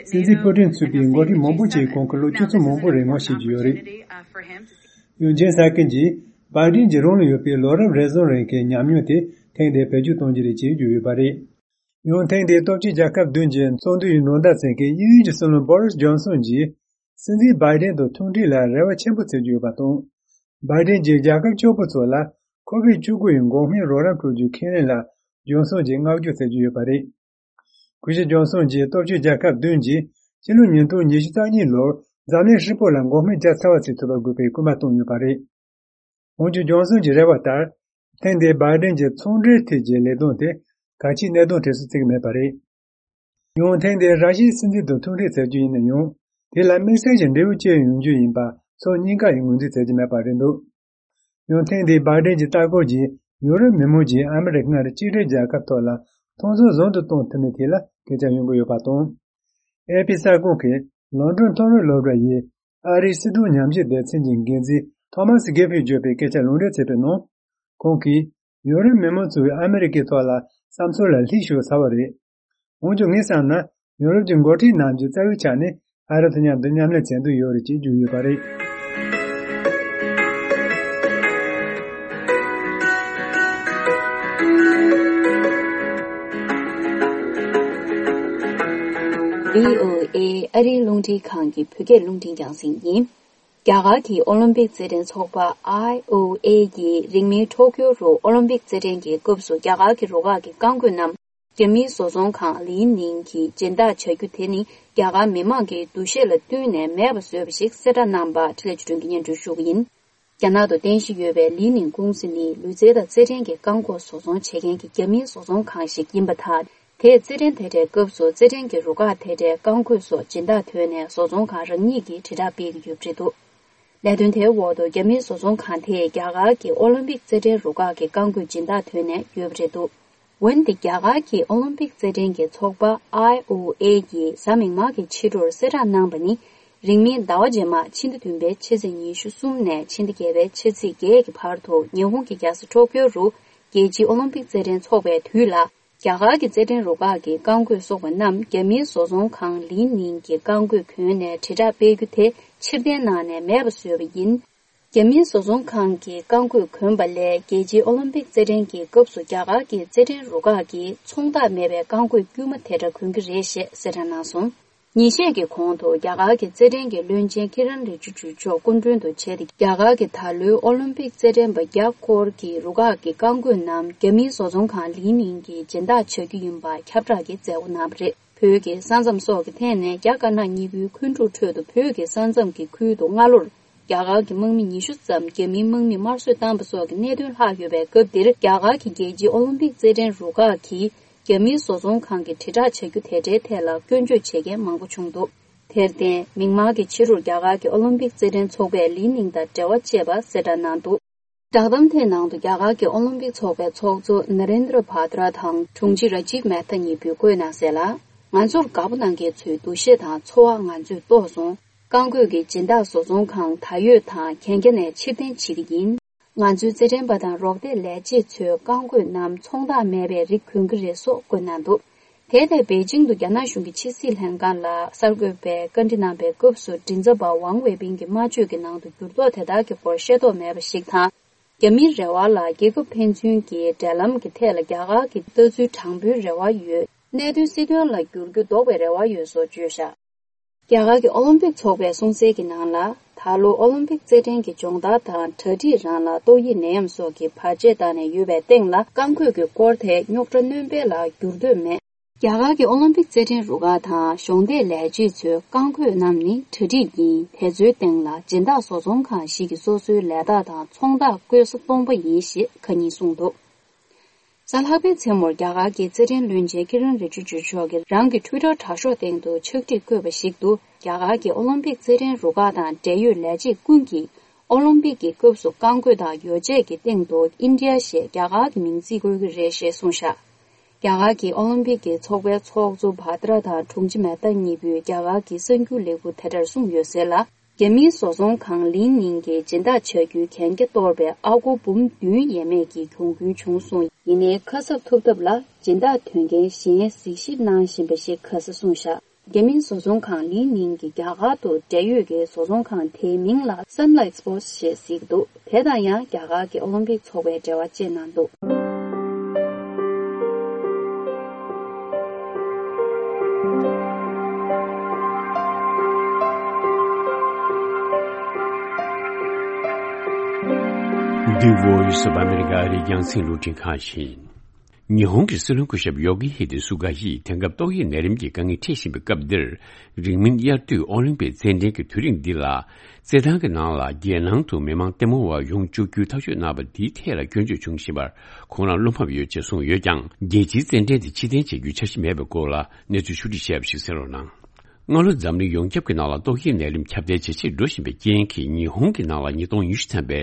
སྲིད་འཛིན་པུ་ཏིན་ཚུད་པའི་འགོ་ཁྲིད་མང་པོ་ཞིག་ཁོང་གི་ལོ་ཆུ་ཚོད་མང་པོ་རིང་མོ་ཤེས་ཀྱི་ཡོད་རེད། ཡང་ཇེན་སར་ཀི་ཡིས་བྷའི་ཌེན་གྱིས་རང་ལ་ཡོད་པའི་ལོ་རབས་རེ་ཟུང་རིང་གི་ཉམས་མྱོང་དེ་ཐེངས་འདིར་བེད་སྤྱོད་གཏོང་རྒྱུ་རེད་ཅེས་བརྗོད་ཡོད་པ་རེད། ཡང་ཐེངས་འདིའི་སྟོབས་ཆེན་རྒྱལ་ཁབ་བདུན་གྱི་ཚོགས་འདུ་ཡི་ནང་བརྡ་མཚོན་མཁན་དབྱིན་ཡུལ་གྱི་སྲིད་བློན་བོ་རིས་ཇོན་སོན་གྱིས་སྲིད་འཛིན་བྷའི་ཌེན་དང་ཐུག་འཕྲད་ལ་རེ་བ་ཆེན་པོ་བྱེད་ཀྱི་ཡོད་པ་དང་། བྷའི་ཌེན་གྱིས་རྒྱལ་ཁབ་སྐྱོ་པོ་ཚོ་ལ་ཁོ་བིཌ་བཅུ་དགུ་ཡི་འགོག་སྨན་རོགས་རམ་སྤྲོད་རྒྱུའི་ཁས་ལེན་ལ་ཇོན་སོན་གྱིས་བསྔགས་བརྗོད་བྱེད་ཀྱི་ཡོད་པ་རེད། གུས་ཞབས་ཇོན་སོན་གྱིས་སྟོབས་ཆེན་རྒྱལ་ཁབ་བདུན་གྱིས་སྤྱི་ལོ་ཉིས་སྟོང་ཉི་ཤུ་རྩ་གཉིས་ལོར་འཛམ་གླིང་ཧྲིལ་པོ་ལ་འགོག་སྨན་རྒྱག་ཚར་བ་བྱེད་ཐུབ་པ་དགོས་པའི་སྐུལ་མ་བཏང་ཡོད་པ་རེད། འོན་ཀྱང་ཇོན་སོན་གྱི་རེ་བ་ལྟར། ཐེངས་འདིའི་བྷའི་ཌེན་གྱི་ཚོང་འབྲེལ་ཐད་ཀྱི་ལས་དོན་དེ་གལ་ཆེའི་གནད་དོན་གྲས་སུ་བརྩིས་མེད་པ་རེད། ཡང་ཐེངས་འདིར་ར་ཤི་ཡའི་སྲིད་འཛིན་དང་ཐུག་འཕྲད་བྱ་རྒྱུ་ཡིན་ན་ཡང་། དེ་ལ་དམིགས་བསལ་གྱི་འབྲས་བུ་ཅི་ཡོང་རྒྱུ་ཡིན་པ་ཕྱོགས་གཉིས་ཀ་ཡིས་ངོས་འཛིན་བྱེད་ཀྱི་མེད་པ་རེད་འདུག་ཡང་ཐེངས་འདིའི་བྷའི་ཌེན་གྱི་ལྟ་སྐོར་གྱིས་ཡུ་རོབ་མི་མང་གྱིས་ཨ་མི་རི་ཀ་མངའ་སྡེ་གཅིག་སྒྲིལ་རྒྱལ་ཁབ་ཐོག་ལ་མཐོང་ཆུང་ཟུང་དུ་གཏོང་ཐུབ་མིན་ཐད་ལ་སྐད་ཆ་ཡོང་གི་ཡོད་པ་དང་། ཨེ་པི་གསར་ཁང་གིས་ལོན་ཌོན་ཐོ་རེན་སློབ་གྲྭ་ཡི་ཨ་རིའི་སྲིད་དོན་ཉམས་ཞིབ་སྡེ་ཚན་གྱི་འགན་འཛིན་ཐོ་མཱ་སི་གྷེ་ཕིལ་བརྗོད་པའི་སྐད་ཆ་ལུང་འདྲེན་བྱས་པའི་ནང་། ཁོང་གིས་ཡུ་རོབ་མི་མང་ཚོས་ཨ་མི་རི་ཀའི་ཐོག་ལ་བསམ་ཚུལ་ལ་ལྷིང་ཤོར་ཚར་བ་རེད། འོན་ཀྱང་ངས་བསམ་ན་ཡུ་རོབ་ཀྱི་འགོ་ཁྲིད་རྣམས་ཀྱིས་རྩ་བའི་ཆ་ནས་ཨ་རི་དང་མཉམ་དུ་མཉམ་ལས་བྱེད་འདོད་ཡོད་རེད་ཅེས་བརྗོད་ཡོད་པ་རེད། བྷི་ཨོ་ཨེ་ཨ་རིའི་རླུང་འཕྲིན་ཁང་གི་བོད་སྐད་རླུང་འཕྲིན་རྒྱང་སྲིང་ཡིན། རྒྱ་གར་གྱི་ཨོ་ལིམ་པིག་རྩེད་འགྲན་ཚོགས་པ་ཨའི་ཨོ་ཨེ་ཡིས་རིང་མིན་ཊོ་ཀྱོ་རུ་ཨོ་ལིམ་པིག་རྩེད་འགྲན་གྱི་སྐབས་སུ་རྒྱ་གར་གྱི་རུ་ཁག་གི་རྐང་རྒོད་རྣམས་རྒྱ་མིའི་བཟོ་ཚོང་ཁང་ལི་ནིང་གིས་སྦྱིན་བདག་བྱ་རྒྱུ་དེ་ནི་རྒྱ་གར་མི་མང་གི་འདུ་ཤེས་ལ་བསྟུན་ནས་མེད་པ་བཟོས་པ་ཞིག་གསལ་བསྒྲགས་གནང་པ་འཕྲིན་ལས་བརྒྱུད་འཕྲིན་གྱིས་སྙན་སྒྲོན་ཞུ་གི་ཡིན། རྒྱ་ནག་ཏུ་རྟེན་གཞི་ཡོད་པའི་ལི་ནིང་ཀུང་སི་ནི་ལུས་རྩལ་དང་རྩེད་འགྲན་གྱི་རྐང་རྒོད་བཟོ་ཚོང་བྱེད་མཁན་གྱི་རྒྱ་མིའི་བཟོ་ཚོང་ཁང་ཞིག་ཡིན་པ་དང་། དེས་རྩེད་འགྲན་དེ་འདྲའི་སྐབས་སུ་རྩེད་འགྲན་གྱི་རུ་ཁག་དེ་འདྲའི་རྐང་རྒོད་སོགས་སྦྱིན་བདག་ཐོན་ནས་བཟོ་ཚོང་ཁང་རང་ཉིད་ཀྱིས་དྲིལ་བསྒྲགས་སྤེལ་གྱི་ཡོད་པ་རེད་འདུག་ལས་དོན་དེའི་འོག་ཏུ་རྒྱ་མིའི་བཟོ་ཚོང་ཁང་དེས་རྒྱ་གར་གྱི་ཨོ་ལིམ་པིག་རྩེད་འགྲན་རུ་ཁག་གི་རྐང་རྒོད་སྦྱིན་བདག་ཐོན་ནས་ཡོད་པ་རེད་འདུག་འོན་ཏེ་རྒྱ་གར་གྱི་ཨོ་ལིམ་པིག་རྩེད་འགྲན་གྱི་ཚོགས་པ་ཨའི་ཨོ་ཨེ་ཡིས་གཟའ་མིག་དམར་གྱི་ཕྱི་དྲོར་གསལ་བསྒྲགས་གནང་པ་ནི། རིང་མིན་ཟླ་བ་རྗེས་མ་ཕྱི་ཟླ་བདུན་པའི་ཕྱི་ཚེས་ཉི་ཤུ་གསུམ་ནས་ཕྱི་ཟླ་བརྒྱད་པའི་ཕྱི་ཚེས་བརྒྱད་ཀྱི་བར་དུ་ཉི་ཧོང་གི་རྒྱལ་ས་ཊོ་ཀྱོ་རུ་རྒྱལ་སྤྱིའི་ཨོ་ལིམ་པིག་རྩེད་འགྲན་འཚོགས་པའི་དུས་ལ། རྒྱ་གར་གྱི་རྩེད་འགྲན་རུ་ཁག་གི་རྐང་རྒོད་སོགས་པ་རྣམས་རྒྱ་མིའི་བཟོ་ཚོང་ཁང་ལི་ནིང་གི་རྐང་རྒོད་གྱོན་ནས་དྲིལ་བསྒྲགས་སྤེལ་རྒྱུ་དེ་ཕྱིར་འཐེན་གནང་ནས་མེད་པ་བཟོས་པ་ཡིན། རྒྱ་མིའི་བཟོ་ཚོང་ཁང་གི་རྐང་རྒོད་གྱོན་པ་ལས་རྒྱལ་སྤྱིའི་ཨོ་ལིམ་པིག་རྩེད་འགྲན་གྱི་སྐབས་སུ་རྒྱ་གར་གྱི་རྩེད་འགྲན་རུ་ཁག་གིས་ཚོང་རྟགས་མེད་པའི་རྐང་རྒོད་དཀྱུས་མ་དེ་འདྲ་གྱོན་གྱི་རེད་ཞེས་གསལ་བསྒྲགས་གནང་སོང་། ཉིན་ཤས་ཀྱི་གོང་དུ་རྒྱ་གར་གྱི་རྩེད་འགྲན་གྱི་བློན་ཆེན་ཀི་རན་རི་ཇི་ཇུ་མཆོག་སྐུ་མགྲོན་དུ་བྱས་ཏེ། རྒྱ་གར་གྱི་ད་ལོའི་ཨོ་ལིམ་པིག་རྩེད་འགྲན་པ་བརྒྱ་སྐོར་གྱི་རུ་ཁག་གི་རྐང་རྒོད་རྣམས་རྒྱ་མིའི་བཟོ་ཚོང་ཁང་ལི་ནིང་གི་སྦྱིན་བདག་བྱ་རྒྱུ་ཡིན་པ་ཁྱབ་བསྒྲགས་ཀྱི་མཛད་སྒོ་གནང་བ་རེད། བོད་ཀྱི་ས་མཚམས་སོགས་ཀྱི་ཐད་ནས་རྒྱ་དཀར་ནག་གཉིས་པོའི་མཁོན་འགྲུལ་ཁྲོད་དུ་བོད་ཀྱི་ས་མཚམས་ཀྱི་ཁུལ་དུ་སྔ་ལོར། རྒྱ་གར་གྱི་དམག་མི་ཉི་ཤུ་ཙམ་རྒྱ་མིའི་དམག་མིས་དམར་གསོད་བཏང་པ་སོགས་ཀྱི་གནད་དོན་ལྷག་ཡོད་པའི་སྐབས་འདིར། རྒྱ་གར་གྱི་རྒྱལ་སྤྱིའི་ཨོ་ལིམ་པིག་རྩེད་འགྲན་རུ་ཁག་གིས་རྒྱ་མིའི་བཟོ་ཚོང་ཁང་གི་དྲིལ་བསྒྲགས་བྱ་རྒྱུ་དེ་འདྲའི་ཐད་ལ་སྐྱོན་བརྗོད་བྱེད་མཁན་མང་པོ་བྱུང་འདུག་དེར་བརྟེན། མིག་དམར་གྱི་ཕྱི་རུ་རྒྱ་གར་གྱི་ཨོ་ལིམ་པིག་རྩེད་འགྲན་ཚོགས་པས་ལི་ནིང་དང་འབྲེལ་བ་བཅད་པ་གསལ་བསྒྲགས་གནང་འདུག་བསྒྲགས་གཏམ་དེའི་ནང་དུ། རྒྱ་གར་གྱི་ཨོ་ལིམ་པིག་ཚོགས་པའི་ཚོགས་གཙོ་ན་རེན་དྲ་བྷ་དྲ་དང་དྲུང་ཆེ་ར་ཇིབ་མེ་ཐ་གཉིས་པོས་བཀོད་གནང་གསལ་ལ། ང་ཚོར་དགའ་པོ་གནང་མཁན་ཚོའི་འདུ་ཤེས་དང་ཚོར་བ་ང་ཚོས་རྟོགས་སོང་། རྐང་རྒོད་ཀྱི་སྦྱིན་བདག་བཟོ་ཚོང་ཁང་ད་ཡོད་དང་གན་རྒྱ་ནས་ཕྱིར་འཐེན་བྱེད་ཀྱི་ཡིན། ང་ཚོའི་རྩེད་འགྲན་པ་དང་རོགས་འདེགས་ལས་བྱེད་ཚོས་རྐང་རྒོད་རྣམས་ཚོང་རྟགས་མེད་པའི་རིགས་གོན་གྱི་རེད་སོགས་བཀོད་གནང་འདུག་དེ་ལྟར་པེ་ཅིང་དུ་རྒྱ་ནག་གཞུང་གི་ཕྱི་སྲིད་ལྷན་ཁང་ལ་གསར་འགོད་པས་བཀའ་འདྲི་གནང་པའི་སྐབས་སུ། མགྲིན་ཚབ་པ་ཝང་ཝེ་པིན་གྱིས་སྨྲ་བརྗོད་ཀྱི་ནང་དུ་འགྱུར་ལྡོག་དེ་དག་གི་སྐོར་ཤེས་རྟོགས་མེད་པ་ཞིག་དང་། རྒྱ་མིའི་རེ་བ་ལ་རྒྱལ་ཁབ་ཕན་ཚུན་གྱི་འབྲེལ་ལམ་གྱི་ཐད་ལ་རྒྱ་གར་གྱི་ལྟ་ཚུལ་དྲང་པོའི་རེ་བ་ཡོད། གནད་དོན་སྲིད་དོན་ལ་བསྒྱུར་རྒྱུ་ལྡོག་པའི་རེ་བ་ཡོད་སོགས་བརྗོད་བཞག་རྒྱ་གར་གྱི་ཨོ་ལིམ་པིག་ཚོགས་པས་གསུངས་གསལ་གྱི་ནང་ལ། ད་ལོ་ཨོ་ལིམ་པིག་རྩེད་འགྲན་གྱི་སྦྱོང་བརྡར་དང་གྲ་སྒྲིག་རང་ལ་ཏོག་དབྱིབས་ནད་ཡམས་སོགས་ཀྱིས་བར་ཆད་བཏང་ནས་ཡོད་པའི་སྟེང་ལ། རྐང་རྒོད་ཀྱི་སྐོར་དེ་རྙོག་དྲ་སྣོན་སྤེལ་ལ་འགྱུར་འདོད་མེད། རྒྱ་གར་གྱི་ཨོ་ལིམ་པིག་རྩེད་འགྲན་རུ་ཁག་དང་གཞོགས་འདེགས་ལས་བྱེད་ཚོའི་རྐང་རྒོད་རྣམས་ནི་གྲ་སྒྲིག་ཡིན། དེ་ཚོའི་སྟེང་ལ་སྦྱིན་བདག་བཟོ་ཚོང་ཁང་ཞིག་གིས་སོ་སོའི་ལས་རྟགས་དང་ཚོང་རྟགས་བཀོད་ས་སྟོང་པ་ཡིན་ཞེས་ཁ་ཉིན་གསུངས་འདུག་གཟའ་ལྷག་པའི་མཚན་མོར་རྒྱ་གར་གྱི་རྩེད་འགྲན་བློན་ཆེན་ཀི་རན་རི་ཇི་ཇུ་མཆོག་གིས་རང་གི་ཊུའི་ཊར་དྲ་ཤོག་སྟེང་དུ་ཕྱག་བྲིས་བཀོད་པ་ཞིག་ཏུ། རྒྱ་གར་གྱི་ཨོ་ལིམ་པིག་རྩེད་འགྲན་རུ་ཁག་དང་འབྲེལ་ཡོད་ལས་བྱེད་ཀུན་གྱིས་ཨོ་ལིམ་པིག་གི་སྐབས་སུ་རྐང་རྒོད་དང་ཡོ་བྱད་ཀྱི་སྟེང་དུ་ཨིན་ཌི་ཡ་ཞེས་རྒྱ་གར་གྱི་མིང་བརྩི་དགོས་ཀྱི་རེད་ཞེས་གསུངས་བཞག་རྒྱ་གར་གྱི་ཨོ་ལིམ་པིག་གི་ཚོགས་པའི་ཚོགས་གཙོ་བྷ་དྲ་དང་དྲུང་ཆེ་མེ་ཐ་གཉིས་པོས་རྒྱ་གར་གྱི་གསར་འགྱུར་ལས་ཁུངས་དེ་ལྟར་གསུངས་ཡོད་ཟེར་ལ། རྒྱ་མིའི་བཟོ་ཚོང་ཁང་ལི་ནིང་གིས་སྦྱིན་བདག་བྱ་རྒྱུའི་གན་རྒྱ་གཏོར་བའི་ཨ་སྒོར་འབུམ་བདུན་ཡས་མས་ཀྱི་གྱོང་གུན་བྱུང་སོང་། ཡིན་ནའི་ཁ་གསབ་ཐོབ་ཐབས་ལ་སྦྱིན་བདག་དོན་རྐྱེན་གཞན་གཟིགས་ཞིབ་གནང་བཞིན་པ་ཞིག་ཁ་ས་གསུངས་བཞག་རྒྱ་མིའི་བཟོ་ཚོང་ཁང་ལི་ནིང་གིས་རྒྱ་གར་དུ་འབྲེལ་ཡོད་ཀྱི་བཟོ་ཚོང་ཁང་དེའི་མིང་ལ་Sunlight Sports ཞེས་གཟིགས་འདུག་དེ་དང་ཡང་རྒྱ་གར་གྱི་ཨོ་ལིམ་པིག་ཚོགས་པས་འབྲེལ་བ་བཅད་གནང་འདུག The Voice of America ཨ་རིའི་རྒྱང་སྲིང་རླུང་འཕྲིན་ཁང་ཡིན། ཉི་ཧོང་གི་སྲིད་བློན་སྐུ་ཞབས་ཡོ་གི་ཧི་དེ་སུ་ག་ཡིས་དེང་སྐབས་ཏོག་དབྱིབས་ནད་རིམས་ཀྱི་དཀའ་ངལ་འཕྲད་བཞིན་པའི་སྐབས་འདིར། རིང་མིན་དབྱར་དུས་ཨོ་ལིམ་པིག་རྩེད་འགྲན་གྱི་དུས་རིང་འདི་ལ། རྩེད་ཐང་གི་ནང་ལ་རྒྱལ་ནང་དུ་མི་མང་ལྟད་མོ་བ་ཡོང་བཅུག་རྒྱུའི་ཐག་གཅོད་གནང་བ་འདིའི་ཐད་ལ་སྐྱོན་བརྗོད་བྱུང་བཞིན་པར་ཁོང་རང་བློ་ཕམ་ཡོད་ཅེས་གསུངས་ཡོད་ཀྱང་། རྒྱལ་སྤྱིའི་རྩེད་འགྲན་དེ་ཕྱིར་འཐེན་བྱེད་རྒྱུའི་འཆར་གཞི་མེད་པའི་སྐོར་ལ་གནས་ཚུལ་ཕྱོགས་བསྒྲིགས་བྱས་པ་ཞིག་གསན་རོགས་གནང་། སྔ་ལོ་འཛམ་གླིང་ཡོངས་ཁྱབ་ཀྱི་ནང་ལ་ཏོག་དབྱིབས་ནད་རིམས་ཁྱབ་གདལ་ཇེ་ཆེར་འགྲོ་བཞིན་པའི་རྐྱེན་གྱིས། ཉི་ཧོང་གི་ནང་ལ་ཉིས་སྟོང་ཉི་ཤུ་ཐམ་པའི་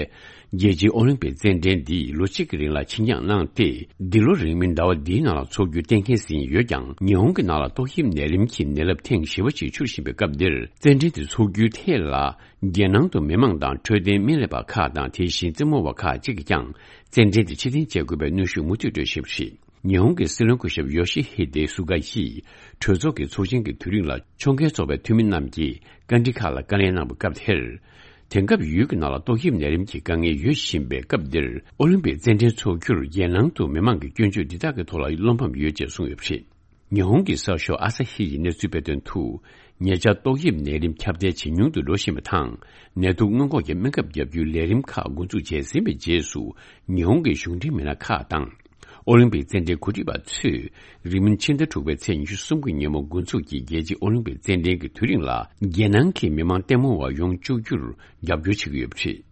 རྒྱལ་སྤྱིའི་ཨོ་ལིམ་པིག་རྩེད་འགྲན་འདི་ལོ་གཅིག་གི་རིང་ལ་ཕྱིར་འགྱངས་གནང་སྟེ། འདི་ལོ་རིང་མིན་ཟླ་བ་འདིའི་ནང་ལ་འཚོགས་རྒྱུ་གཏན་འཁེལ་ཟིན་ཡོད་ཀྱང་། ཉི་ཧོང་གི་ནང་ལ་ཏོག་དབྱིབས་ནད་རིམས་ཀྱི་ནད་རླབས་ཐེངས་བཞི་པ་ཞིག་འཕྱུར་བཞིན་པའི་སྐབས་འདིར། རྩེད་འགྲན་དེ་འཚོགས་རྒྱུའི་ཐད་ལ། རྒྱལ་ནང་དུ་མི་མང་དང་འཕྲོད་བསྟེན་སྨན་ལས་པ་ཁག་དང་། དེ་བཞིན་རྩེད་མོ་བ་ཁག་ཅིག་གིས་ཀྱང་། རྩེད་འགྲན་དེ་ཕྱིར་འཐེན་བྱེད་དགོས་པའི་གནོན་ཤུགས་མུ་མཐུད་སྤྲོད་བཞིན་པ་རེད། ཉི་ཧོང་གི་སྲིད་བློན་སྐུ་ཞབས་ཡོ་ཤི་ཧི་དེ་སུ་ག་ཡིས་གྲོས་ཚོགས་ཀྱི་ཚོགས་ཆེན་གྱི་དུས་རིང་ལ་ཕྱོགས་འགལ་ཚོགས་པའི་འཐུས་མི་རྣམས་ཀྱིས་བཀའ་འདྲི་ཁག་ལ་བཀའ་ལན་གནང་བའི་སྐབས་དེར། དེང་སྐབས་ཡུལ་གྱི་ནང་ལ་ཏོག་དབྱིབས་ནད་རིམས་ཀྱི་དཀའ་ངལ་ཡོད་བཞིན་པའི་སྐབས་འདིར། ཨོ་ལིམ་པིག་རྩེད་འགྲན་འཚོགས་རྒྱུར་རྒྱལ་ནང་དུ་མི་མང་གི་སྐྱོན་བརྗོད་འདི་དག་གི་ཐོག་ལ་བློ་ཕམ་ཡོད་ཅེས་གསུངས་ཡོད་པ་རེད། ཉི་ཧོང་གི་གསར་ཤོག་ཨ་ས་ཧི་ཡི་གནས་ཚུལ་སྤེལ་དོན་དུ། ཉེ་ཆར་ཏོག་དབྱིབས་ནད་རིམས་ཁྱབ་གདལ་ཇེ་ཉུང་དུ་འགྲོ་བཞིན་པ་དང་། ནད་དུག་སྔོན་འགོག་གི་སྨན་ཁབ་བརྒྱབ་རྒྱུའི་ལས་རིམ་ཁག་འགོ་འཛུགས་བྱས་ཟིན་པའི་རྗེས་སུ། ཉི་ཧོང་གི་གཞུང་འབྲེལ་མི་སྣ་ཁག་དང་། ཨོ་ལིམ་པིག་རྩེད་འགྲན་གོ་སྒྲིག་པ་ཚོས། རིང་མིན་ཕྱི་ཟླ་དྲུག་པའི་ཚེས་ཉི་ཤུ་གསུམ་གྱི་ཉིན་མོ་འགོ་འཛུགས་ཀྱི་རྒྱལ་སྤྱིའི་ཨོ་ལིམ་པིག་རྩེད་འགྲན་གྱི་དུས་རིང་ལ། རྒྱལ་ནང་གི་མི་མང་ལྟད་མོ་བ་ཡོང་བཅུག་རྒྱུར་རྒྱབ་སྐྱོར་བྱེད་ཀྱི་ཡོད་པ་རེད།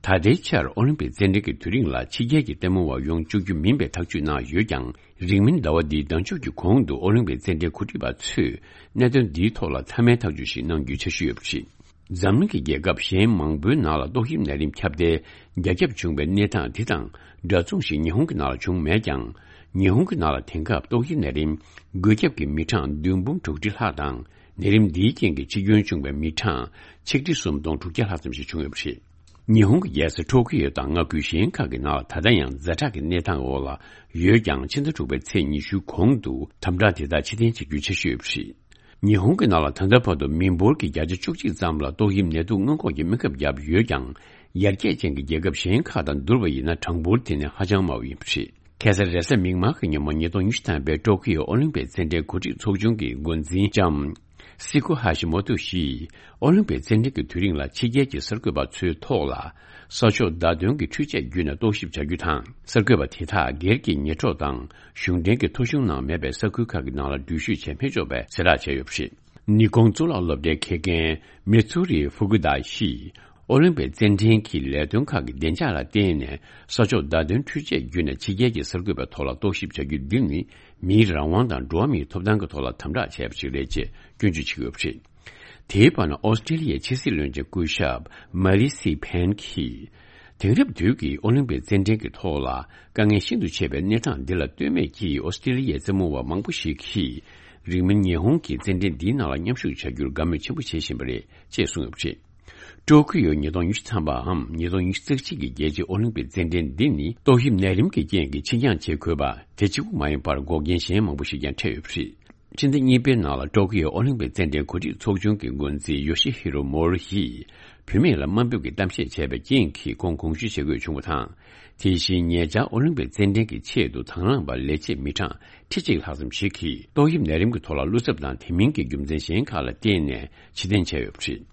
ད་ལྟའི་ཆར་ཨོ་ལིམ་པིག་རྩེད་འགྲན་གྱི་དུས་རིང་ལ་ཕྱི་རྒྱལ་གྱི་ལྟད་མོ་བ་ཡོང་བཅུག་རྒྱུ་མིན་པའི་ཐག་གཅོད་གནང་ཡོད་ཀྱང་། རིང་མིན་ཟླ་བ་འདིའི་ཟླ་མཇུག་གི་གོང་དུ་ཨོ་ལིམ་པིག་རྩེད་འགྲན་གོ་སྒྲིག་པ་ཚོས་གནད་དོན་འདིའི་ཐོག་ལ་མཐའ་མའི་ཐག་གཅོད་ཞིག་གནང་རྒྱུའི་འཆར་གཞི་ཡོད་པ་རེད། འཛམ་གླིང་གི་རྒྱལ་ཁབ་གཞན་མང་པོའི་ནང་ལ་ཏོག་དབྱིབས་ནད་རིམས་ཁྱབ་གདལ་རྒྱ་ཁྱབ་བྱུང་བའི་གནས་སྟངས་འདི་དང་འདྲ་མཚུངས་ཤིག་ཉི་ཧོང་གི་ནང་ལ་བྱུང་མེད་ཀྱང་། ཉི་ཧོང་གི་ནང་ལ་དེང་སྐབས་ཏོག་དབྱིབས་ནད་རིམས་འགོས་ཁྱབ་ཀྱི་མི་གྲངས་བདུན་འབུམ་དྲུག་ཁྲི་ལྷག་དང་། ནད་རིམས་འདིའི་རྐྱེན་གྱིས་འཆི་སྐྱོན་བྱུང་བའི་མི་གྲངས་ཆིག་ཁྲི་སུམ་སྟོང་དྲུག་བརྒྱ་ལྷག་ཙམ་ཞིག་བྱུང་ཡོད་པ་རེད། ཉི་ཧོང་གི་རྒྱལ་ས་ཊོ་ཀི་ཡོ་དང་མངའ་ཁུལ་གཞན་ཁག་གི་ནང་ལ་ད་ལྟ་ཡང་ཛ་དྲག་གི་གནས་སྟངས་འོག་ལ་ཡོད་ཀྱང་། ཕྱི་ཟླ་དྲུག་པའི་ཚེས་ཉི་ཤུའི་གོང་དུ་དམ་དྲག་དེ་དག་ཕྱིར་འཐེན་བྱེད་རྒྱུའི་འཆར་གཞི་ཡོད་པ་རེད། ཉི་ཧོང་གི་ནང་ལ་ད་ལྟ་བར་དུ་མི་འབོར་གྱི་བརྒྱ་ཆ་བཅུ་གཅིག་ཙམ་ལ་ཏོག་དབྱིབས་ནད་དུག་སྔོན་འགོག་གི་སྨན་ཁབ་བརྒྱབ་ཡོད་ཀྱང་། ཡར་རྒྱས་ཅན་གྱི་རྒྱལ་ཁབ་གཞན་ཁག་དང་བསྡུར་བ་ཡིན་ན། གྲངས་འབོར་དེ་ནི་ཧ་ཅང་དམའ་བ་ཡིན་པ་རེད། ཁ་སང་རེས་གཟའ་མིག་དམར་གྱི་ཉིན་མོ་ཉིས་སྟོང་ཉི་ཤུ་ཐམ་པའི་ཊོ་ཀི་ཡོ་ཨོ་ལིམ་པིག་རྩེད་འགྲན་གོ་སྒྲིག་ཚོགས་ཆུང་གི་འགོ་འཛིན་ལྕམ་སི་ཀོ་ཧ་ཤི་མོ་ཏོ་ཞིས་ཨོ་ལིམ་པིག་རྩེད་འགྲན་གྱི་དུས་རིང་ལ་ཕྱི་རྒྱལ་གྱི་གསར་འགོད་པ་ཚོའི་ཐོག་ལ་གསར་ཤོག་བརྡ་དོན་གྱི་འཕྲུལ་ཆས་བརྒྱུད་ནས་རྟོག་ཞིབ་བྱ་རྒྱུ་དང་། གསར་འགོད་པ་དེ་དག་སྒེར་གྱི་ཉེ་གྲོགས་དང་གཞུང་འབྲེལ་གྱི་ཐོ་གཞུང་ནང་མེད་པའི་ས་ཁུལ་ཁག་གི་ནང་ལ་འགྲུལ་བཞུད་བྱེད་མི་ཆོག་པའི་གསལ་བསྒྲགས་བྱས་ཡོད་པ་རེད། ནི་ཀོང་གཙུག་ལག་སློབ་གྲྭའི་དགེ་རྒན་མི་ཚུ་རི་ཧྥུ་ཀུ་དཱ་ཞིས། ཨོ་ལིམ་པིག་རྩེད་འགྲན་གྱི་ལས་དོན་ཁག་གི་བདེ་འཇགས་ལ་བརྟེན་ནས་ས་ཕྱོགས་བརྡ་དོན་འཕྲུལ་ཆས་བརྒྱུད་ནས་ཕྱི་རྒྱལ་གྱི་གསར་འགོད་པའི་ཐོག་ལ་རྟོག་ཞིབ་བྱ་རྒྱུ་འདི་ནི་མིའི་རང་དབང་དང་འགྲོ་བ་མིའི་ཐོབ་ཐང་གི་ཐོག་ལ་དམ་དྲག་བྱས་པ་ཞིག་རེད་ཅེས་སྐྱོན་བརྗོད་བྱེད་ཀྱི་ཡོད་པ་རེད། དེའི་བར་ན་ཨོ་སི་ཀྲི་ལི་ཡའི་ཕྱི་སྲིད་བློན་ཆེན་སྐུ་ཞབས་མ་ལི་སི་ཕན་གྱིས། དེང་རབས་དུས་ཀྱི་ཨོ་ལིམ་པིག་རྩེད་འགྲན་གྱི་ཐོག་ལ་དཀའ་ངལ་ཤིན་ཏུ་ཆེ་བའི་གནས་སྟངས་འདི་ལ་ལྟོས་མེད་ཀྱིས་ཨོ་སི་ཀྲི་ལི་ཡའི་རྩེད་མོ་བ་མང་པོ་ཞིག་གིས་རིང་མིན་ཉི་ཧོང་གི་རྩེད་འགྲན་འདིའི་ནང་ལ་མཉམ་ཞུགས་བྱ་རྒྱུར་དགའ་མོས་ཆེན་པོ་བྱེད་བཞིན་པ་རེད་ཅེས་གསུངས་ཡོད་པ་རེད། ཀྲོ་ཀི་ཡོ་ཉིས་སྟོང་ཉི་ཤུ་ཐམ་པའམ་ཉིས་སྟོང་ཉི་ཤུ་རྩ་གཅིག་གི་རྒྱལ་སྤྱིའི་ཨོ་ལིམ་པིག་རྩེད་འགྲན་འདི་ནི་ཏོག་དབྱིབས་ནད་རིམས་ཀྱི་རྐྱེན་གྱིས་ཕྱིར་འགྱངས་བྱེད་དགོས་པ་དེ་གཅིག་པུ་མ་ཡིན་པར་འགོག་རྐྱེན་གཞན་མང་པོ་ཞིག་ཀྱང་འཕྲད་ཡོད་པ་རེད། ཕྱི་ཟླ་གཉིས་པའི་ནང་ལ་ཀྲོ་ཀི་ཡོ་ཨོ་ལིམ་པིག་རྩེད་འགྲན་གོ་སྒྲིག་ཚོགས་ཆུང་གི་འགོ་འཛིན་ཡོ་ཤི་ཧི་རོ་མོ་རི་ཡིས་བུད་མེད་ལ་དམའ་འབེབས་ཀྱི་གཏམ་བཤད་བྱས་པའི་རྐྱེན་གྱིས་ཁོང་དགོངས་ཞུ་བྱེད་དགོས་བྱུང་བ་དང་། དེ་བཞིན་ཉེ་ཆར་ཨོ་ལིམ་པིག་རྩེད་འགྲན་གྱི་ཆེད་དུ་དང་བླངས་པ་ལས་བྱེད་མི་གྲངས་ཁྲི་གཅིག་ལྷག་ཙམ་ཞིག་གིས་ཏོག་དབྱིབས་ནད་རིམས་ཀྱི་ཐོག་ལ་བློ་འཚབ་དང་དེ་མིན་གྱི་རྒྱུ་མཚན་གཞན་ཁག་ལ་བརྟེན་ནས་ཕྱིར་འཐེན་བྱས་ཡོད་པ་རེད།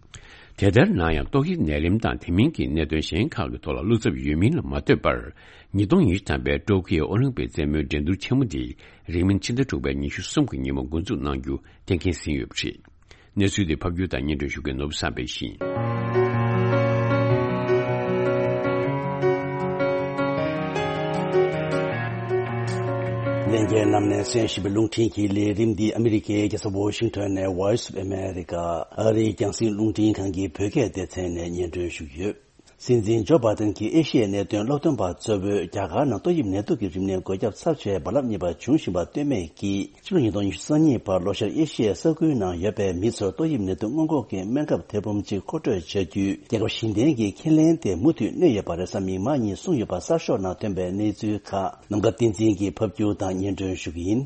དེ་ལྟར་ན་ཡང་ཏོག་དབྱིབས་ནད་རིམས་དང་དེ་མིན་གྱི་གནད་དོན་གཞན་ཁག་གི་ཐོག་ལ་བློ་འཚབ་ཡོད་མིན་ལ་མ་ལྟོས་པར། ཉིས་སྟོང་ཉི་ཤུ་ཐམ་པའི་ཀྲོ་ཀི་ཡོ་ཨོ་ལིམ་པིག་རྩེད་མོའི་འགྲན་བསྡུར་ཆེན་མོ་འདི་རིང་མིན་ཕྱི་ཟླ་དྲུག་པའི་ཉི་ཤུ་གསུམ་གྱི་ཉིན་མོ་འགོ་འཛུགས་གནང་རྒྱུ་གཏན་འཁེལ་ཟིན་ཡོད་པ་རེད། གནས་ཚུལ་དེ་ཕབ་སྒྱུར་དང་སྙན་སྒྲོན་ཞུ་མཁན་ནོར་བུ་བསམ་འཕེལ་ཡིན། ལྷན་རྒྱས་རྣམས་ནས་གསན་བཞིན་པའི་རླུང་འཕྲིན་གྱི་ལས་རིམ་འདི་ཨ་མི་རི་ཀའི་རྒྱལ་ས་ཝོ་ཤིང་ཊོན་ནས་Voice of America ཨ་རིའི་རྒྱང་སྲིང་རླུང་འཕྲིན་ཁང་གི་བོད་སྐད་སྡེ་ཚན་ནས་སྙན་སྒྲོན་ཞུ་གི་ཡོད། སྲིད་འཛིན་ཇོ་བྷ་དན་གྱིས་ཨེ་ཤི་ཡའི་གནད་དོན་སློབ་སྟོན་པ་གཙོ་བོས་རྒྱ་གར་ནང་ཏོག་དབྱིབས་ནད་དུག་གི་རིམས་ནད་འགོས་ཁྱབ་ཚབས་ཆེ་རྦ་རླབས་གཉིས་པ་འབྱུང་བཞིན་པ་ལྟོས་མེད་ཀྱིས་ཕྱི་ལོ་ཉིས་སྟོང་ཉི་ཤུ་རྩ་གཉིས་བར་ལྷོ་ཤར་ཨེ་ཤི་ཡའི་ས་ཁུལ་ནང་ཡོད་པའི་མི་ཚོར་ཏོག་དབྱིབས་ནད་དུག་སྔོན་འགོག་གི་སྨན་ཁབ་ཐེར་འབུམ་གཅིག་མཁོ་སྤྲོད་བྱ་རྒྱུའི་རྒྱལ་ཁབ་གཞན་ལྡན་གྱི་ཁས་ལེན་དེ་མུ་མཐུད་གནས་ཡོད་པ་རེས་གཟའ་མིག་དམར་ཉིན་གསུངས་ཡོད་པ་གསར་ཤོག་ནང་ཐོན་པའི་གནས་ཚུལ་ཁག་ནམ་མཁའ་བསྟན་འཛིན་གྱིས་ཕབ་སྒྱུར་དང་སྙན་སྒྲོན་ཞུ་གི་ཡིན།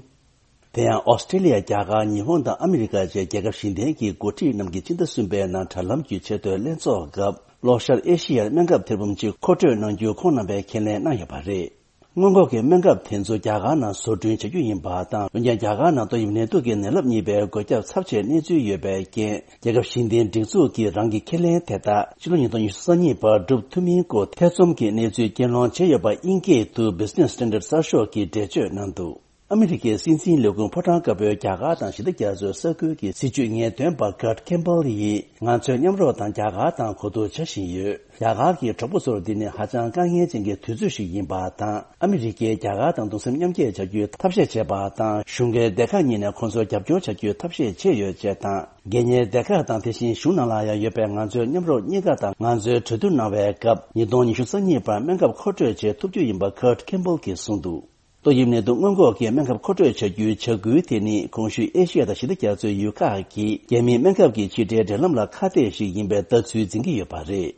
དེ་ཡང་ཨོ་སི་ཀྲི་ལི་ཡ། རྒྱ་གར། ཉི་ཧོང་དང་ཨ་མི་རི་ཀ་བཅས་རྒྱལ་ཁབ་གཞན་ལྡན་གྱི་འགོ་ཁྲིད་རྣམས་ཀྱིས་ཕྱི་ཟླ་གསུམ་པའི་ནང་དྲ་ལམ་བརྒྱུད་ཆེས་མཐོའི་ལྷན་ཚོགས་སྐབས་ལྷོ་ཤར་ཨེ་ཤི་ཡར་སྨན་ཁབ་ཐེར་འབུམ་གཅིག་མཁོ་སྤྲོད་གནང་རྒྱུ་ཁོང་རྣམ་པས་ཁས་ལེན་གནང་ཡོད་པ་རེད། སྔོན་འགོག་གི་སྨན་ཁབ་དེ་ཚོ་རྒྱ་གར་ནང་བཟོ་སྐྲུན་བྱ་རྒྱུ་ཡིན་པ་དང་། འོན་ཀྱང་རྒྱ་གར་ནང་ཏོག་དབྱིབས་ནད་དུག་གི་ནད་རླབས་གཉིས་པའི་འགོས་ཁྱབ་ཚབས་ཆེའི་གནས་ཚུལ་ཡོད་པའི་རྐྱེན། རྒྱལ་ཁབ་གཞན་ལྡན་སྒྲིག་འཛུགས་ཀྱིས་རང་གི་ཁས་ལེན་དེ་དག་ཕྱི་ལོ་ཉིས་སྟོང་ཉི་ཤུ་རྩ་གཉིས་བར་སྒྲུབ་ཐུབ་མིན་སྐོར་ཐེ་ཚོམ་གྱི་གནས་ཚུལ་རྐྱེན་སློང་བྱས་ཡོད་པ་དབྱིན་སྐད་དུ་Business Standard གསར་ཤོག་གིས་འགྲེལ་བརྗོད་གནང་འདུག་ཨ་མི་རི་ཀའི་སྲིད་འཛིན་ལས་ཁུངས་ཕོ་བྲང་དཀར་པོའི་རྒྱ་གར་དང་ཞི་བདེ་རྒྱ་མཚོའི་ས་ཁུལ་གྱི་སྲིད་བྱུས་ངེས་སྟོན་པ་Kurt Campbell ཡིས། ང་ཚོས་མཉམ་རོགས་དང་རྒྱ་གར་དང་གོ་བསྡུར་བྱ་བཞིན་ཡོད། རྒྱ་གར་གྱི་གྲོགས་པོ་ཚོར་འདི་ནི་ཧ་ཅང་དཀའ་ངལ་ཅན་གྱི་དུས་ཚོད་ཞིག་ཡིན་པ་དང་། ཨ་མི་རི་ཀས་རྒྱ་གར་དང་གདུང་སེམས་མཉམ་སྐྱེད་བྱ་རྒྱུའི་ཐབས་ཤེས་བྱས་པ་དང་། གཞུང་གི་སྡེ་ཁག་གཉིས་ནས་ཁོང་ཚོར་རྒྱབ་སྐྱོར་བྱ་རྒྱུའི་ཐབས་ཤེས་བྱས་ཡོད་ཅེས་དང་། སྒེར་གཉེར་སྡེ་ཁག་དང་དེ་བཞིན་གཞུང་ནང་ལ་ཡང་ཡོད་པའི་ང་ཚོའི་མཉམ་རོགས་གཉིས་ཀ་དང་ང་ཚོས་གྲོས་བསྡུར་གནང་བའི་སྐབས། ཉིས་སྟོང་ཉི་ཤུ་རྩ་གཉིས་བར་སྨན་ཁབ་མཁོ་སྤྲོད་བྱེད་ཐུབ་རྒྱུ་ཡིན་པ་Kurt Campbell གྱིས་གསུངས་འདུག་ཏོག་དབྱིབས་ནད་དུག་སྔོན་འགོག་གི་སྨན་ཁབ་མཁོ་སྤྲོད་བྱ་རྒྱུའི་བྱ་འགུལ་དེ་ནི་གོང་ཞུས་ཨེ་ཤི་ཡ་དང་ཞི་བདེ་རྒྱ་མཚོའི་ཡུལ་ཁག་གི་རྒྱལ་མིའི་སྨན་ཁབ་ཀྱི་ཕྱི་འབྲེལ་འབྲེལ་ལམ་ལ་ཁ་གཏད་ཞིག་ཡིན་པའི་ལྟ་ཚུལ་འཛིན་གྱི་ཡོད་པ་རེད།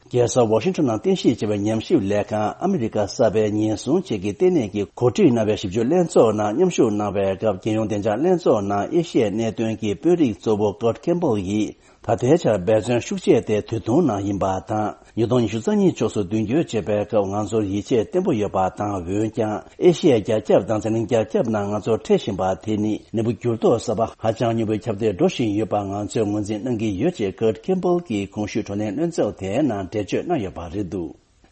རྒྱལ་ས་ཝ་ཤིང་ཊོན་ནང་རྟེན་གཞི་བྱས་པའི་ཉམས་ཞིབ་ལས་ཁང་ཨ་མི་རི་ཀ་གསར་པའི་ཉེན་སྲུང་བཅས་ཀྱི་ལྟེ་གནས་ཀྱིས་གོ་སྒྲིག་གནང་བའི་ཞིབ་འཇུག་ལྷན་ཚོགས་ནང་མཉམ་ཞུགས་གནང་བའི་སྐབས། རྒྱལ་ཡོངས་བདེ་འཇགས་ལྷན་ཚོགས་ནང་ཨེ་ཤི་ཡའི་གནད་དོན་གྱི་དཔོན་རིགས་གཙོ་བོ་Kurt Campbell ཡིས། ད་ལྟའི་ཆར་འབད་བརྩོན་ཤུགས་ཆེ་དེ་དུས་ཐུང་ནང་ཡིན་པ་དང་། ཉིས་སྟོང་ཉི་ཤུ་རྩ་གཉིས་ཕྱོགས་སུ་མདུན་སྐྱོད་བྱེད་པའི་སྐབས་ང་ཚོར་ཡིད་ཆེས་བརྟན་པོ་ཡོད་པ་དང་། འོན་ཀྱང་ཨེ་ཤི་ཡའི་རྒྱ་ཁྱབ་དང་འཛམ་གླིང་རྒྱ་ཁྱབ་ནང་ང་ཚོར་འཕྲད་བཞིན་པ་དེ་ནི་ནད་འབུ་འགྱུར་ལྡོག་གསར་པ་ཧ་ཅང་མྱུར་པོའི་ཁྱབ་གདལ་འགྲོ་བཞིན་ཡོད་པ་ང་ཚོས་ངོས་འཛིན་གནང་གི་ཡོད་ཅེས་Kurt Campbell གྱིས་གོང་ཞུས་བགྲོ་གླེང་ལྷན་ཚོགས་དེའི་ནང་འགྲེལ་བརྗོད་གནང་ཡོད་པ་རེད་འདུག་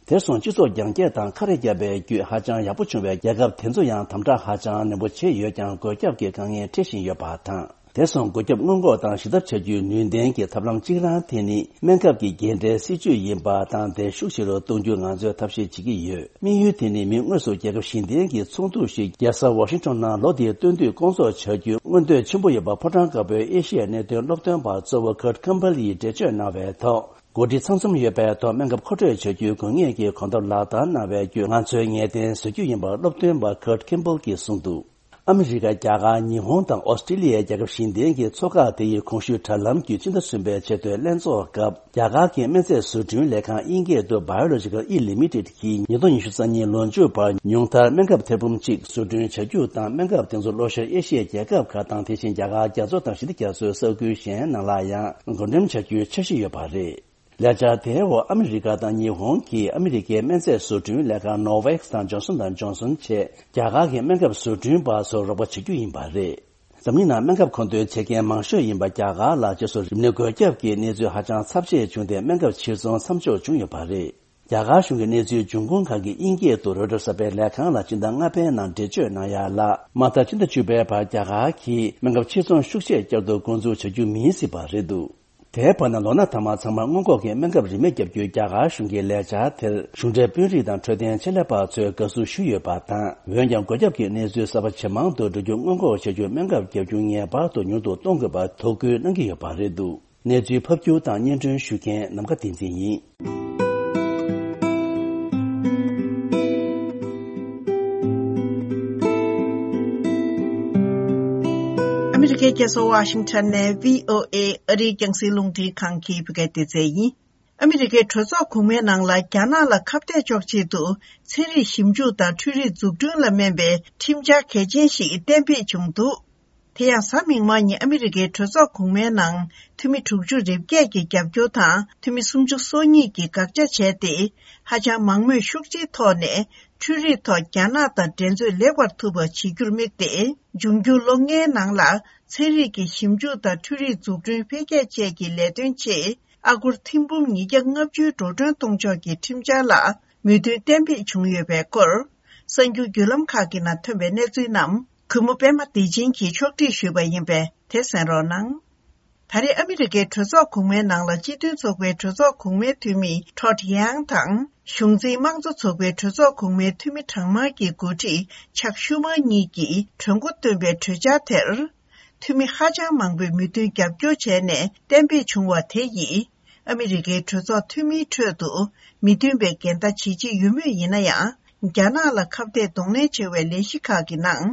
དེར་སོང་སྤྱི་ཚོགས་རྒྱ་སྐྱེད་དང་ཁ་རས་བརྒྱབ་པའི་བརྒྱུད་ཧ་ཅང་ཡག་པོ་བྱུང་བའི་རྒྱལ་ཁབ་དེ་ཚོ་ཡང་དམ་དྲག་ཧ་ཅང་ནན་པོ་བྱས་ཡོད་ཀྱང་འགོས་ཁྱབ་ཀྱི་དཀའ་ངལ་འཕྲད་བཞིན་ཡོད་པ་དང་། དེར་སོང་འགོས་ཁྱབ་སྔོན་འགོག་དང་ཞི་ཐབས་བྱ་རྒྱུའི་ནུས་ལྡན་གྱི་ཐབས་ལམ་གཅིག་རང་དེ་ནི་སྨན་ཁབ་ཀྱི་རྒྱས་འགྲེལ་སྲིད་ཇུས་ཡིན་པ་དང་། དེ་ཤུགས་ཆེ་རུ་གཏོང་རྒྱུ་ང་ཚོས་ཐབས་ཤེས་བྱེད་ཀྱི་ཡོད། དམིགས་ཡུལ་དེ་ནི་མི་དངོས་སུ་རྒྱལ་ཁབ་གཞན་ལྡན་གྱི་ཚོགས་འདུ་ཞིག་རྒྱལ་ས་ཝ་ཤིང་ཊོན་ནང་ལོ་འདིའི་སྟོན་དུས་སྐོང་ཚོགས་བྱ་རྒྱུའི་མངོན་འདོད་ཆེན་པོ་ཡོད་པ་ཕོ་བྲང་དཀར་པོའི་ཨེ་ཤི་ཡའི་གནད་དོན་སློབ་སྟོན་པ་གཙོ་བོ་Kurt Campbell ཡིས་འགྲེལ་བརྗོད་གནང་བའི་ཐོག་འགོ་ཁྲིད་ཚང་འཛོམས་ཡོད་པའི་ཐོག་སྨན་ཁབ་མཁོ་སྤྲོད་བྱ་རྒྱུའི་དགོས་ངེས་ཀྱི་གོ་སྟབས་ལག་བསྟར་གནང་བའི་བརྒྱུད་ང་ཚོའི་ངེས་གཏན་བཟོ་རྒྱུ་ཡིན་པར་སློབ་སྟོན་པ་Kurt Campbell གྱིས་གསུངས་འདུག་ཨ་མི་རི་ཀ། རྒྱ་གར། ཉི་ཧོང་དང་ཨོ་སི་ཀྲི་ལི་ཡའི་རྒྱལ་ཁབ་གཞན་ལྡན་གྱི་ཚོགས་ཁག་དེ་ཡིས་གོང་ཞུས་དྲ་ལམ་བརྒྱུད་ཕྱི་ཟླ་གསུམ་པའི་ཆེས་མཐོའི་ལྷན་ཚོགས་སྐབས། རྒྱ་གར་གྱི་སྨན་རྫས་བཟོ་སྐྲུན་ལས་ཁང་དབྱིན་སྐད་དུ་Biological E Limited གྱིས་ཉིས་སྟོང་ཉི་ཤུ་རྩ་གཉིས་ལོ་མཇུག་བར་ཉུང་མཐར་སྨན་ཁབ་ཐེར་འབུམ་གཅིག་བཟོ་སྐྲུན་བྱ་རྒྱུ་དང་། སྨན་ཁབ་དེ་ཚོ་ལྷོ་ཤར་ཨེ་ཤི་ཡའི་རྒྱལ་ཁབ་ཁག་དང་། དེ་བཞིན་རྒྱ་གར། རྒྱ་མཚོ་དང་ཞི་བདེ་རྒྱ་མཚོའི་ས་ཁུལ་གཞན་ནང་ལ་ཡང་བགོ་འགྲེམས་བྱ་རྒྱུའི་འཆར་གཞི་ཡོད་པ་རེད། ལས་འཆར་དེའི་འོག་ཨ་མི་རི་ཀ་དང་ཉི་ཧོང་གིས་ཨ་མི་རི་ཀའི་སྨན་རྫས་བཟོ་སྐྲུན་ལས་ཁང་Novavax དང་Johnson and Johnson བཅས་རྒྱ་གར་གྱི་སྨན་ཁབ་བཟོ་སྐྲུན་པ་ཚོར་རོགས་པ་བྱེད་རྒྱུ་ཡིན་པ་རེད། འཛམ་གླིང་ནང་སྨན་ཁབ་མཁོ་འདོན་བྱེད་མཁན་མང་ཤོས་ཡིན་པ་རྒྱ་གར་ལ། རྗེས་སུ་རིམས་ནད་འགོས་ཁྱབ་ཀྱི་གནས་ཚུལ་ཧ་ཅང་ཚབས་ཆེ་བྱུང་སྟེ། སྨན་ཁབ་ཕྱིར་ཚོང་མཚམས་འཇོག་བྱུང་ཡོད་པ་རེད། རྒྱ་གར་གཞུང་གི་གནས་ཚུལ་འབྱུང་ཁུངས་ཁག་གིས་དབྱིན་སྐད་དུ་Reuters གསར་པའི་ལས་ཁང་ལ་སྤྱི་ཟླ་ལྔ་པའི་ནང་འགྲེལ་བརྗོད་གནང་ཡ་ལ། མ་མཐའ་ཕྱི་ཟླ་བཅུ་པའི་བར་རྒྱ་གར་གྱིས་སྨན་ཁབ་ཕྱིར་ཚོང་ཤུགས་ཆེ་བསྐྱར་དུ་འགོ་འཛུགས་བྱ་རྒྱུ་མིན་སྲིད་པ་རེད་འདུག་དེའི་བར་ན་ལོ་ན་ཐ་མག་ཚང་མར་སྔོན་འགོག་གི་སྨན་ཁབ་རིན་མེད་བརྒྱབ་རྒྱུའི་རྒྱ་གར་གཞུང་གི་ལས་འཆར་དེར་གཞུང་འབྲེལ་དཔོན་རིགས་དང་འཕྲོད་བསྟེན་ཆེད་ལས་པ་ཚོས་དགའ་བསུ་ཞུས་ཡོད་པ་དང་། འོན་ཀྱང་། འགོས་ཁྱབ་ཀྱི་གནས་ཚུལ་གསར་པ་ཇེ་མང་དུ་འགྲོ་རྒྱུ་སྔོན་འགོག་བྱ་རྒྱུའི་སྨན་ཁབ་བརྒྱབ་རྒྱུ་ངེས་པར་དུ་ཉུང་དུ་གཏོང་དགོས་པར་དོ་ཁུར་གནང་གི་ཡོད་པ་རེད་འདུག་གནས་ཚུལ་ཕབ་སྒྱུར་དང་སྙན་སྒྲོན་ཞུ་མཁན་ནམ་མཁའ་བསྟན་འཛིན་ཡིན། ཨ་མི་རི་ཀའི་རྒྱལ་ས་ཝ་ཤིང་ཊོན་ནས་བྷི་ཨོ་ཨེ་ཨ་རིའི་རྒྱང་སྲིང་རླུང་འཕྲིན་ཁང་གི་བོད་སྐད་སྡེ་ཚན་ཡིན། ཨ་མི་རི་ཀའི་གྲོས་ཚོགས་གོང་མའི་ནང་ལ་རྒྱ་ནག་ལ་ཁ་གཏད་གཅོག་ཆེད་དུ་ཚན་རིག་ཞིབ་འཇུག་དང་འཕྲུལ་རིག་འཛུགས་སྐྲུན་ལ་སྨན་པའི་ཁྲིམས་འཆར་གལ་ཆེན་ཞིག་གཏན་འབེབས་བྱུང་འདུག་དེ་ཡང་གཟའ་མིག་དམར་ཉིན་ཨ་མི་རི་ཀའི་གྲོས་ཚོགས་གོང་མའི་ནང་འཐུས་མི་དྲུག་ཅུ་རེ་བརྒྱད་ཀྱི་རྒྱབ་སྐྱོར་དང་འཐུས་མི་སུམ་ཅུ་སོ་གཉིས་ཀྱིས་དགག་བྱ་བྱས་ཏེ། ཧ་ཅང་མང་མོས་ཤུགས་ཆེའི་ཐོག་ནས་འཕྲུལ་རིག་ཐོག་རྒྱ་ནག་དང་འགྲན་རྩོད་ལེགས་པར་ཐུབ་པ་བྱེད་རྒྱུར་དམིགས་ཏེ། འབྱུང་འགྱུར་ལོ་ལྔའི་ནང་ལ་ཚན་རིག་གི་ཞིབ་འཇུག་དང་འཕྲུལ་རིག་འཛུགས་སྐྲུན་འཕེལ་རྒྱས་བཅས་ཀྱི་ལས་དོན་ཆེད། ཨ་སྒོར་ཐེར་འབུམ་ཉིས་བརྒྱ་ལྔ་བཅུ་འགྲོ་གྲོན་གཏོང་ཕྱོགས་ཀྱི་ཁྲིམས་འཆར་ལ་མོས་མཐུན་གཏན་འབེབས་བྱུང་ཡོད་པའི་སྐོར། གསར་འགྱུར་བརྒྱུད་ལམ་ཁག་གི་ནང་ཐོན་པའི་གནས་ཚུལ་རྣམས་གུས་མོ་པད་མ་བདེ་ཆེན་གྱིས་ཕྱོགས་སྒྲིག་ཞུས་པ་ཡིན་པས་དེ་གསན་རོགས་གནང་། ད་རེས་ཨ་མི་རི་ཀའི་གྲོས་ཚོགས་གོང་མའི་ནང་ལ་སྤྱི་མཐུན་ཚོགས་པའི་གྲོས་ཚོགས་གོང་མའི་འཐུས་མི་ཁྲོད་ཡང་དང་། གཞུང་འཛིན་དམངས་གཙོ་ཚོགས་པའི་གྲོས་ཚོགས་གོང་མའི་འཐུས་མི་གྲངས་མང་གི་འགོ་ཁྲིད་ཆག་ཤུ་མར་གཉིས་ཀྱིས་གྲོས་འགོ་བཏོན་པའི་གྲོས་འཆར་དེར། འཐུས་མི་ཧ་ཅང་མང་པོས་མོས་མཐུན་རྒྱབ་སྐྱོར་བྱས་ནས་གཏན་འབེབས་བྱུང་བ་དེ་ཡིས། ཨ་མི་རི་ཀའི་གྲོས་ཚོགས་འཐུས་མིའི་ཁྲོད་དུ་མི་མཐུན་པའི་འགལ་ཟླ་ཇི་ཆེ་ཡོད་མུས་ཡིན་ན་ཡང་། རྒྱ་ནག་ལ་ཁ་གཏད་གདོང་ལེན་བྱེད་པའི་ལས་གཞི་ཁག་གི་ནང་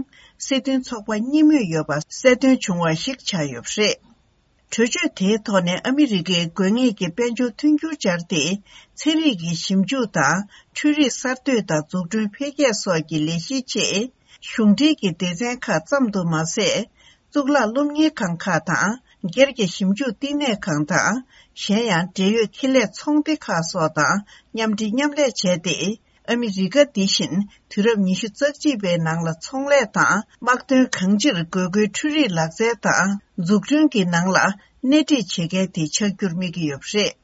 སྲིད་དོན་ཚོགས་པ་གཉིས་མོས་ཡོད་པ་གསལ་སྟོན་བྱུང་བ་ཞིག་ཆགས་ཡོད་པ་རེད། གྲོས་ཆོད་དེའི་ཐོག་ནས་ཨ་མི་རི་ཀའི་དགོས་ངེས་ཀྱི་དཔལ་འབྱོར་མཐུན་འགྱུར་སྦྱར་ཏེ། ཚན་རིག་གི་ཞིབ་འཇུག་དང་འཕྲུལ་རིག་གསར་གཏོད་དང་འཛུགས་སྐྲུན་འཕེལ་རྒྱས་སོགས་ཀྱི་ལས་གཞིའི་ཆེད། གཞུང་འབྲེལ་གྱི་སྡེ་ཚན་ཁག་ཙམ་དུ་མ་ཟད། གཙུག་ལག་སློབ་གཉེར་ཁང་ཁག་དང་། སྒེར་གྱི་ཞིབ་འཇུག་བསྟི་གནས་ཁང་དང་། གཞན་ཡང་འབྲེལ་ཡོད་ཁེ་ལས་ཚོང་སྡེ་ཁག་སོགས་དང་མཉམ་འབྲེལ་མཉམ་ལས་བྱས་ཏེ། ཨ་མི་རི་ཀ་འདི་བཞིན་དུས་རབས་ཉི་ཤུ་རྩ་གཅིག་པའི་ནང་ལ་ཚོང་ལས་དང་དམག་དོན་གང་ཅིར་དགོས་མཁོའི་འཕྲུལ་རིག་ལག་རྩལ་དང་འཛུགས་སྐྲུན་གྱི་ནང་ལ་སྣེ་ཁྲིད་བྱེད་མཁན་དེ་ཆགས་རྒྱུར་དམིགས་ཀྱི་ཡོད་པ་རེད།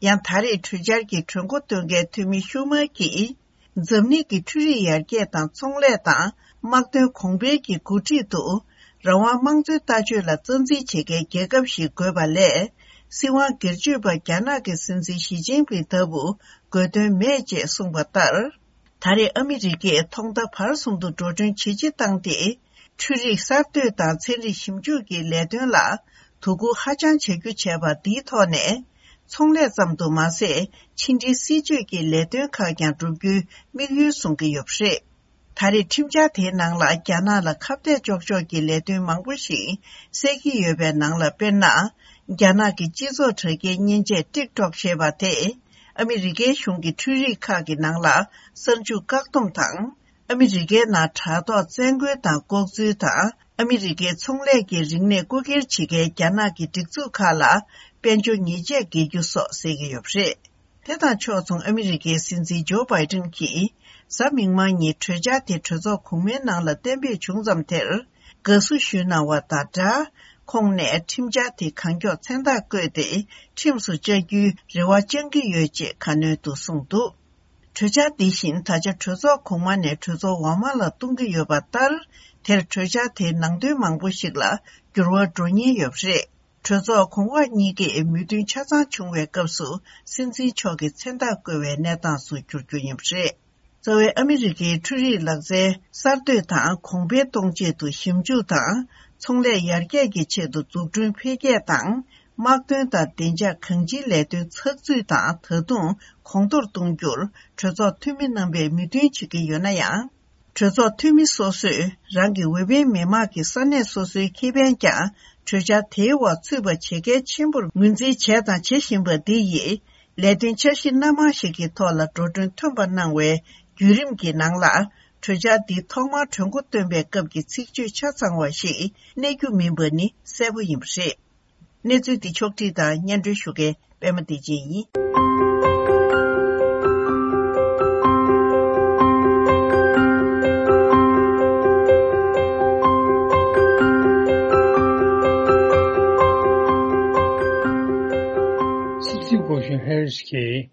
ཡང་ད་རེས་གྲོས་འཆར་གྱི་གྲོས་འགོ་འདོན་མཁན་འཐུས་མི་ཤུ་མར་གྱིས། འཛམ་གླིང་གི་འཕྲུལ་རིག་ཡར་རྒྱས་དང་ཚོང་ལས་དང་དམག་དོན་གོང་འཕེལ་གྱི་འགོ་ཁྲིད་དུ། རང་དབང་དམངས་གཙོའི་ལྟ་སྤྱོད་ལ་རྩ་འཛིན་བྱེད་མཁན་རྒྱལ་ཁབ་ཞིག་དགོས་པ་ལས། སྲིད་དབང་སྒེར་གཅོད་པ་རྒྱ་ནག་གི་སྲིད་འཛིན་ཞི་ཅིན་ཕིང་ལྟ་བུ་དགོས་དོན་མེད་ཅེས་གསུངས་པ་ལྟར། ད་རེས་ཨ་མི་རི་ཀས་ཐོག་མཐའ་བར་གསུམ་དུ་འགྲོ་གྲོན་ཇེ་ཆེ་བཏང་སྟེ། འཕྲུལ་རིག་གསར་གཏོད་དང་ཚན་རིག་ཞིབ་འཇུག་གི་ལས་དོན་ལ་དོ་ཁུར་ཧ་ཅང་བྱ་རྒྱུ་བྱས་པ་འདིའི་ཐོག་ནས། ཚོང་ལས་ཙམ་དུ་མ་ཟད། ཕྱི་འབྲེལ་སྲིད་ཇུས་ཀྱི་ལས་དོན་ཁག་ཀྱང་བསྒྲུབ་རྒྱུའི་དམིགས་ཡུལ་བཟུང་གི་ཡོད་པ་རེད། ད་རེས་ཁྲིམས་འཆར་དེའི་ནང་ལ་རྒྱ་ནག་ལ་ཁ་གཏད་གཅོག་ཕྱོགས་ཀྱི་ལས་དོན་མང་པོ་ཞིག་གསལ་གྱི་ཡོད་པའི་ནང་ལ། དཔེར་ན། རྒྱ་ནག་གི་སྤྱི་ཚོགས་དྲ་རྒྱའི་མཉེན་ཆས་TikTok་ཞེས་པ་དེས་ཨ་མི་རི་ཀའི་གཞུང་གི་འཕྲུལ་རིག་ཁག་གི་ནང་ལ་གསར་འཇུག་བཀག་སྡོམ་དང་། ཨ་མི་རི་ཀའི་ནང་དྲ་ཐོག་བཙན་རྒོལ་དང་ལྐོག་འཛུལ་དང་། ཨ་མི་རི་ཀའི་ཚོང་ལས་ཀྱི་རིག་གནས་རྐུ་འཁྱེར་བྱེད་མཁན་རྒྱ་ནག་གི་སྒྲིག་འཛུགས་ཁག་ལ་དཔལ་འབྱོར་ཉེས་ཆད་འགེལ་རྒྱུ་སོགས་གསལ་གྱི་ཡོད་པ་རེད། དེ་དང་ཕྱོགས་མཚུངས། ཨ་མི་རི་ཀའི་སྲིད་འཛིན་ཇོ་བྷའི་ཏིན་གྱིས་གཟའ་མིག་དམར་ཉིན་གྲོས་འཆར་དེ་གྲོས་ཚོགས་གོང་མའི་ནང་ལ་གཏན་འབེབས་བྱུང་ཙམ་དེར་དགའ་བསུ་ཞུས་གནང་བ་དང་སྦྲགས། ཁོང་ནས་ཁྲིམས་འཆར་དེ་གང་མགྱོགས་མཚན་རྟགས་བཀོད་དེ་ཁྲིམས་སུ་བཅའ་རྒྱུའི་རེ་བ་བཅང་གི་ཡོད་ཅེས་ཁ་སྣོན་དུ་གསུངས་འདུག་གྲོས་འཆར་འདི་བཞིན་ད་ཆ་གྲོས་ཚོགས་གོང་མ་ནས་གྲོས་ཚོགས་འོག་མ་ལ་གཏོང་གི་ཡོད་པ་ལྟར། དེར་གྲོས་འཆར་དེའི་ནང་དོན་མང་པོ་ཞིག་ལ་འགྱུར་བ་འགྲོ་ཉེན་ཡོད་པ་རེད། གྲོས་ཚོགས་གོང་འོག་གཉིས་ཀས་མོས་མཐུན་ཆ་ཚང་བྱུང་བའི་སྐབས་སུ་སྲིད་འཛིན་མཆོག་གིས་མཚན་རྟགས་བཀོད་པའི་གནས་སྟངས་སུ་འགྱུར་རྒྱུ་ཡིན་པ་རེད། རྩ་བའི་ཨ་མི་རི་ཀའི་འཕྲུལ་རིག་ལག་རྩལ་གསར་གཏོད་དང་གོང་འཕེལ་གཏོང་ཆེད་དུ་ཞིབ་འཇུག་དང་ཚོང་ལས་ཡར་རྒྱས་ཀྱི་ཆེད་དུ་འཛུགས་སྐྲུན་འཕེལ་རྒྱས་དང་། དམག་དོན་དང་བདེ་འཇགས་གང་ཅིའི་ལས་དོན་ཚགས་ཚུད་དང་ད་དུང་གོང་མཐོར་གཏོང་རྒྱུར་གྲོས་ཚོགས་འཐུས་མི་རྣམ་པས་མོས་མཐུན་བྱེད་ཀྱི་ཡོད་ན་ཡང་། གྲོས་ཚོགས་འཐུས་མི་སོ་སོས་རང་གི་འོས་འཕེན་མི་མང་གི་ས་གནས་སོ་སོའི་ཁེ་ཕན་ཀྱང་གྲོས་འཆར་དེའི་འོག་ཚུད་པ་བྱེད་གལ་ཆེན་པོར་ངོས་འཛིན་བྱས་དང་བྱེད་བཞིན་པ་འདི་ཡིས། ལས་དོན་འཆར་གཞི་སྣ་མང་ཞིག་གི་ཐོག་ལ་འགྲོ་གྲོན་ཐོན་པ་གནང་བའི་བརྒྱུད་རིམ་གྱི་ནང་ལ། གྲོས་འཆར་འདི་ཐོག་མར་གྲོས་འགོ་བཏོན་པའི་སྐབས་ཀྱི་ཚིག་བརྗོད་ཆ་ཚང་བ་ཞིག་གནས་རྒྱུ་མིན་པ་ནི་གསལ་པོ་ཡིན་པ་རེད། གནས་ཚུལ་འདི་ཕྱོགས་བསྒྲིགས་དང་སྙན་སྒྲོན་ཞུ་མཁན་པད་མ་བདེ་ཆེན་ཡིན། སྲིད་འཛིན་སྐུ་ཞབས་ཧེ་རིས་ཀྱིས་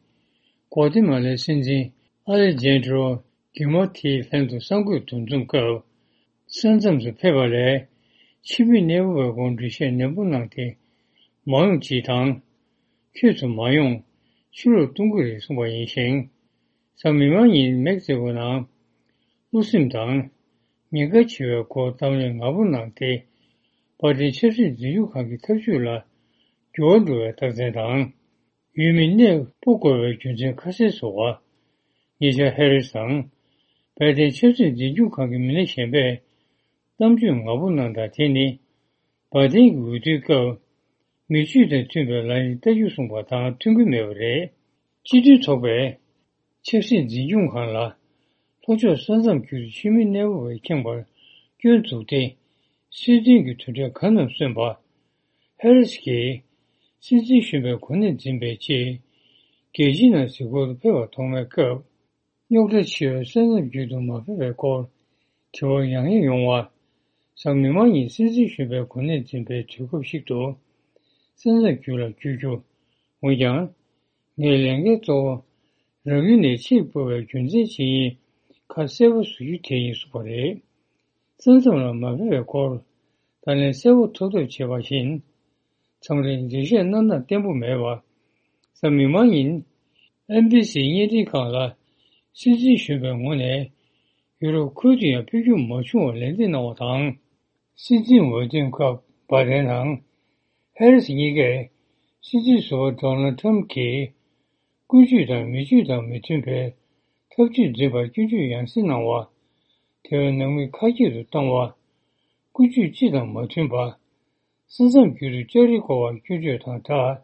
གོ་ཏི་མ་ལའི་སྲིད་འཛིན་ཨ་ལེ་ཇན་ཌྲོ་གི་མོ་ཐིའི་ལྷན་དུ་གསར་འགོད་འདུ་འཛོམས་སྐབས། ས་མཚམས་སུ་ཕེབས་པ་ལས་ཕྱི་མི་གནས་སྤོ་བའི་སྐོར་འགྲེལ་བཤད་ནན་པོ་གནང་སྟེ། མ་ཡོང་ཅིག་དང་། ཁྱོད་ཚོ་མ་ཡོང་། ཕྱི་ལོགས་གཏོང་གི་རེད་གསུངས་པ་ཡིན་ཞིང་། གཟའ་མིག་དམར་ཉིན་མེག་སི་ཀོ་ནང་། བློ་སེམས་དང་། ཉེན་ཁ་ཆེ་བའི་སྐོར་གཏམ་གླེང་ང་པོ་གནང་སྟེ། བྷའི་ཌེན་ཆབ་སྲིད་འཛིན་སྐྱོང་ཁང་གི་ཐབས་ཇུས་ལ་འགྱུར་བ་འགྲོ་བའི་རྟགས་མཚན་དང་། ཡུལ་མི་གནས་སྤོ་དགོས་པའི་རྒྱུ་མཚན་ཁ་གསལ་བཟོ་བ། ཉེ་ཆར་ཧེ་རི་སི་དང་། བྷའི་ཌེན་ཆབ་སྲིད་འཛིན་སྐྱོང་ཁང་གི་མི་སྣ་གཞན་པས་གཏམ་བརྗོད་ངག་པོ་གནང་སྟངས་དེ་ནི། བྷའི་ཌེན་གྱི་འོས་བསྡུའི་སྐབས། མི་སྤྱོད་དང་མཐུན་པའི་ལམ་ཡིག་ལྟ་རྒྱུ་གསུངས་པ་དང་མཐུན་གྱི་མེད་པ་རེད། སྤྱི་མཐུན་ཚོགས་པས། ཆབ་སྲིད་འཛིན་སྐྱོང་ཁང་ལ། ལྷོ་ཕྱོགས་ས་མཚམས་བརྒྱུད་དུ་ཕྱི་མི་གནས་སྤོ་བས་ཁེངས་པར་སྐྱོན་བཙུགས་ཏེ། སྲིད་དོན་གྱི་དོན་འབྲས་གང་རྣམས་སོན་པ། ཧེ་རི་སི་གིས། སྲིད་འཛིན་གཞོན་པའི་གོ་གནས་འཛིན་པའི་ཆེད། རྒྱལ་སྤྱིའི་ནང་གཟིགས་སྐོར་དུ་ཕེབས་པར་ཐོག་མའི་སྐབས། རྙོག་དྲ་ཆེ་བའི་ས་མཚམས་བརྒྱུད་དུ་མ་ཕེབས་པའི་སྐོར། དྲི་བ་ཡང་ཡང་ཡོང་བ། གཟའ་མིག་དམར་ཉིན་སྲིད་འཛིན་གཞོན་པའི་གོ་གནས་འཛིན་པའི་དུས་སྐབས་ཤིག་ཏུ། ས་མཚམས་བརྒྱུད་ལ་བསྐྱོད་རྒྱུ། འོན་ཀྱང་། ངའི་ལས་འགན་གཙོ་བོ། རང་ཡུལ་ནས་ཕྱིར་སྤོ་བའི་རྒྱུ་མཚན་ཇི་ཡིན་ཁ་གསལ་པོ་བཟོ་རྒྱུ་དེ་ཡིན་གསུངས་པ་རེད། ས་མཚམས་ལ་མ་ཕེབས་པའི་སྐོར། ད་ལན་གསལ་པོ་ཐོབ་ཐབས་བྱས་པ་བཞིན། མཚམས་རེ་འགྲེལ་བཤད་གནང་སྟངས་བརྟན་པོ་མེད་པ། གཟའ་མིག་དམར་ཉིན། ཨེན་བྷི་སི་བརྙན་འཕྲིན་ཁང་ལ། སྲིད་འཛིན་གཞོན་པའི་ངོས་ནས། ཡུ་རོབ་ཁུལ་དུ་ཡང་ཕེབས་རྒྱུ་མ་བྱུང་བར་ལན་འདེབས་གནང་བ་དང་། སྲིད་འཛིན་འོས་འདེམས་སྐབས་བྷའི་ཌེན་དང་། ཧེ་རི་སི་གཉིས་ཀས། སྲིད་འཛིན་ཟུར་པ་ཌོ་ནལ་ཊམ་གྱིས། ཀུན་སྤྱོད་དང་མི་སྤྱོད་དང་མི་མཐུན་པའི་ཐབས་ཇུས་འཛིན་པར་སྐྱོན་བརྗོད་ཡང་སེ་གནང་བ། དེ་བས་ནང་མི་ཁ་སྐྱེད་དུ་བཏང་བ། ཀུན་སྤྱོད་སྤྱི་དང་མ་མཐུན་པ། ས་མཚམས་བརྒྱུད་དུ་ལྕགས་རི་བསྐོར་བར་སྐྱོན་བརྗོད་དང་སྦྲགས།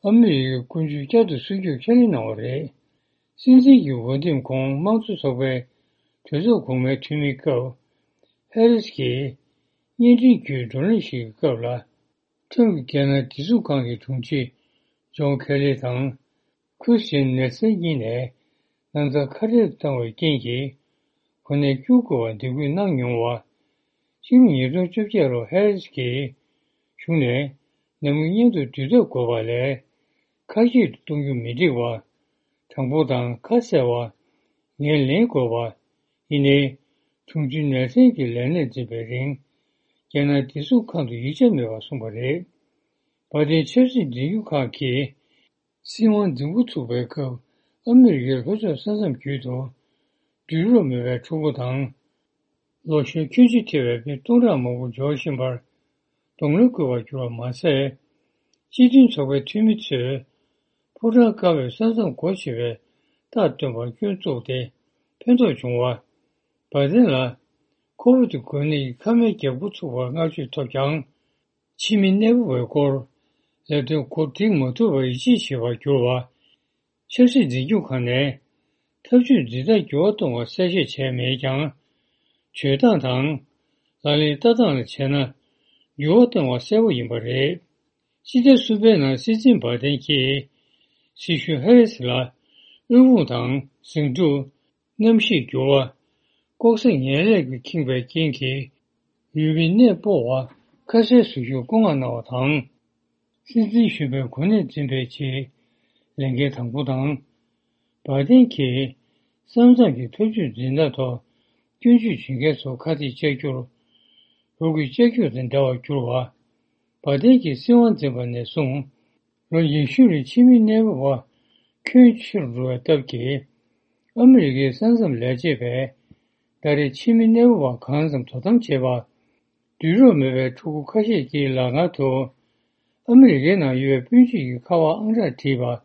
ཨ་མི་རི་ཀའི་ཀུན་སྤྱོད་བསྐྱར་དུ་སྲུང་སྐྱོབ་ཁས་ལེན་གནང་བ་རེད། སྲིད་འཛིན་གྱི་འོས་འདེམས་གོང་དམངས་གཙོ་ཚོགས་པའི་གྲོས་ཚོགས་གོང་མའི་འཐུས་མིའི་སྐབས། ཧེ་རི་སི་གིས་བརྙན་འཕྲིན་བརྒྱུད་བགྲོ་གླེང་ཞིག་གི་སྐབས་ལ། ཁྲིམས་ཀྱི་རྒྱལ་ནང་བདེ་སྲུང་ཁང་གི་དྲུང་ཆེ་ཇོན་ཁེ་ལི་དང་ཁྲིས་ཊི་ཡན་ནེལ་སན་གཉིས་ནས་ན་ཚ་ཁ་བྲལ་དུ་བཏང་བའི་རྐྱེན་གྱིས་གོ་གནས་བསྐྱུར་དགོས་པར་འདེད་སྐུལ་གནང་མྱོང་བ། ཕྱི་ལོ་ཉིས་སྟོང་བཅོ་བརྒྱད་ལོར་ཧེ་རི་སི་གིས་གཞུང་ནས་ནང་མི་མཉམ་དུ་འདུས་ཐབས་དགོས་པ་ལས་ཁ་ཤས་སུ་གཏོང་རྒྱུ་མི་འགྲིག་པ། དྲང་པོ་དང་ཁ་གསལ་བ། ངས་ལེན་དགོས་པ། ཡིན་ནའི། དྲུང་ཆེ་ནེལ་སན་གྱིས་ལས་གནས་འཛིན་པའི་རིང་། རྒྱལ་ནང་བདེ་སྲུང་ཁང་དུ་ཡིག་ཆ་མེད་པར་གསུངས་པ་རེད། བྷའི་ཌེན་ཆབ་སྲིད་འཛིན་སྐྱོང་ཁང་གིས། སྲིད་དབང་འཛིན་འགོ་ཚུགས་པའི་སྐབས་ཨ་མི་རི་ཀའི་ལྷོ་ཕྱོགས་ས་མཚམས་བརྒྱུད་དུ། དུས་རབས་མེད་པའི་ཕྲུ་གུ་དང་། ལོ་གཞོན་ཁྱོན་ཆེ་ཐེ་བའི་མི་སྟོང་ཕྲག་མང་པོ་འབྱོར་བཞིན་པར་གདོང་ལེན་བསྐུལ་བར་གྱུར་བ་མ་ཟད། སྤྱི་མཐུན་ཚོགས་པའི་འཐུས་མི་ཚོས་ཕོ་བྲང་དཀར་པོའི་ས་མཚམས་སྒོ་ཕྱེ་བའི་རྟགས་སྟོན་པར་སྐྱོན་བཙུགས་ཏེ་ཕན་ཐོགས་བྱུང་བ། བྷའི་ཌེན་ལ་ཁོ་བོ་དེ་འགོས་ནད་ཀྱི་ཁ་སྨན་རྒྱག་འགོ་ཚུགས་པར་བསྔགས་བརྗོད་ཐོབ་ཀྱང་། ཕྱི་མི་གནས་སྤོ་བའི་སྐོར་ལས་དོན་གོ་སྒྲིག་མ་ཐུབ་པར་ཡིད་ཆེས་བྱེད་པར་གྱུར་བ། ཆབ་སྲིད་འཛིན་སྐྱོང་ཁང་ནས་ཐབས་ཇུས་འཛིན་སྟངས་འགྱུར་བ་གཏོང་བར་གསལ་བཤད་བྱས་མེད་ཀྱང་། བྱེད་སྟངས་དང་ལག་ལེན་བསྟར་སྟངས་ལ་བྱས་ན་འགྱུར་བ་གཏོང་བ་གསལ་པོ་ཡིན་པ་རེད། སྤྱི་ཟླ་གསུམ་པའི་ནང་སྲིད་འཛིན་བྷའི་ཌེན་གྱིས་སྲིད་ཟུར་ཧེ་རི་སི་ལ་དབུལ་ཕོངས་དང་ཟིང་འཁྲུག་གནམ་གཤིས་འགྱུར་བ། ལྐོག་ཟ་ངན་ལས་ཀྱིས་ཁེངས་པའི་རྐྱེན་གྱིས། ཡུལ་མི་གནས་སྤོ་བ་ཁ་གསལ་བཟོ་རྒྱུར་བཀོད་མངགས་གནང་བ་དང་། སྲིད་འཛིན་གཞོན་པའི་གོ་གནས་འཛིན་པའི་ཆེད་ལས་འགན་དང་པོ་དང་། བྷའི་ཌེན་གྱིས་ས་མཚམས་ཀྱི་ཐབས་ཇུས་འཛིན་སྟངས་ཐོག་སྐྱོན་བརྗོད་བྱེད་མཁན་ཚོར་ཁ་གཏད་བཅག་རྒྱུར། འུ་གུས་ལྕག་སྒྱུག་དང་འདྲ་བར་གྱུར་བ། བྷའི་ཌེན་གྱིས་སྲིད་དབང་འཛིན་པ་ནས་བཟུང་། ལོ་ཉི་ཤུ་རིང་ཕྱི་མི་གནས་སྤོ་བ་ཁྱོན་ཆེ་རུ་འགྲོ་བའི་སྟབས་ཀྱིས། ཨ་མི་རི་ཀའི་ས་མཚམས་ལས་བྱེད་པས་ད་རེས་ཕྱི་མི་གནས་སྤོ་བ་གང་འཚམ་དོ་དམ་བྱེད་པ། དུས་རབས་མེད་པའི་ཕྲུ་གུ་ཁ་ཤས་ཀྱི་ལག་ཁང་དུ་ཨ་མི་རི་ཀའི་ནང་ཡོད་པའི་སྤུན་མཆེད་ཀྱི་ཁ་པར་ཨང་གྲངས་བྲིས་པ།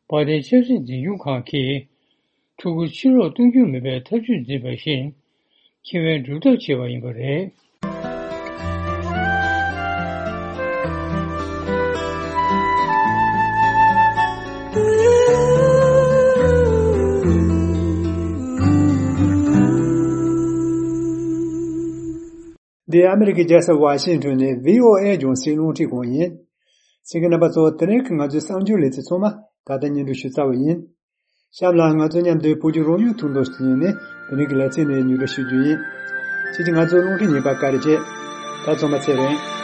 བྷའི་ཌེན་ཆབ་སྲིད་འཛིན་སྐྱོང་ཁང་གིས། ཕྲུ་གུ་ཕྱིར་ལོག་གཏོང་རྒྱུ་མིན་པའི་ཐབས་ཇུས་འཛིན་པ་བཞིན། ཁེ་ཕན་སྒྲུབ་ཐབས་བྱས་པ་ཡིན་པ་རེད། འདི་ཨ་མི་རི་ཀའི་རྒྱལ་ས་ཝ་ཤིང་ཊོན་ནས་བྷི་ཨོ་ཨེ་རྒྱང་སྲིང་རླུང་འཕྲིན་ཁང་ཡིན། གསན་མཁན་རྣམ་པ་ཚོ། དེ་རིང་གི་ང་ཚོའི་གསར་འགྱུར་ལེ་ཚན་ཚང་མ་ད་ལྟ་སྙན་སྒྲོན་ཞུ་ཚར་བ་ཡིན། གཤམ་ལ་ང་ཚོ་མཉམ་དུ་བོད་ཀྱི་རང་ཡུལ་ཐོག་མདོ་སྟེང་ནས་དེ་རིང་གི་ལེ་ཚན་ནས་སྙན་སྒྲོན་ཞུ་རྒྱུ་ཡིན། ཁྱེད་ཀྱིས་ང་ཚོའི་རླུང་འཕྲིན་ཉན་པར་བཀའ་དྲིན་ཆེ། ད་ཚང་མ་ཚེ་རིང་།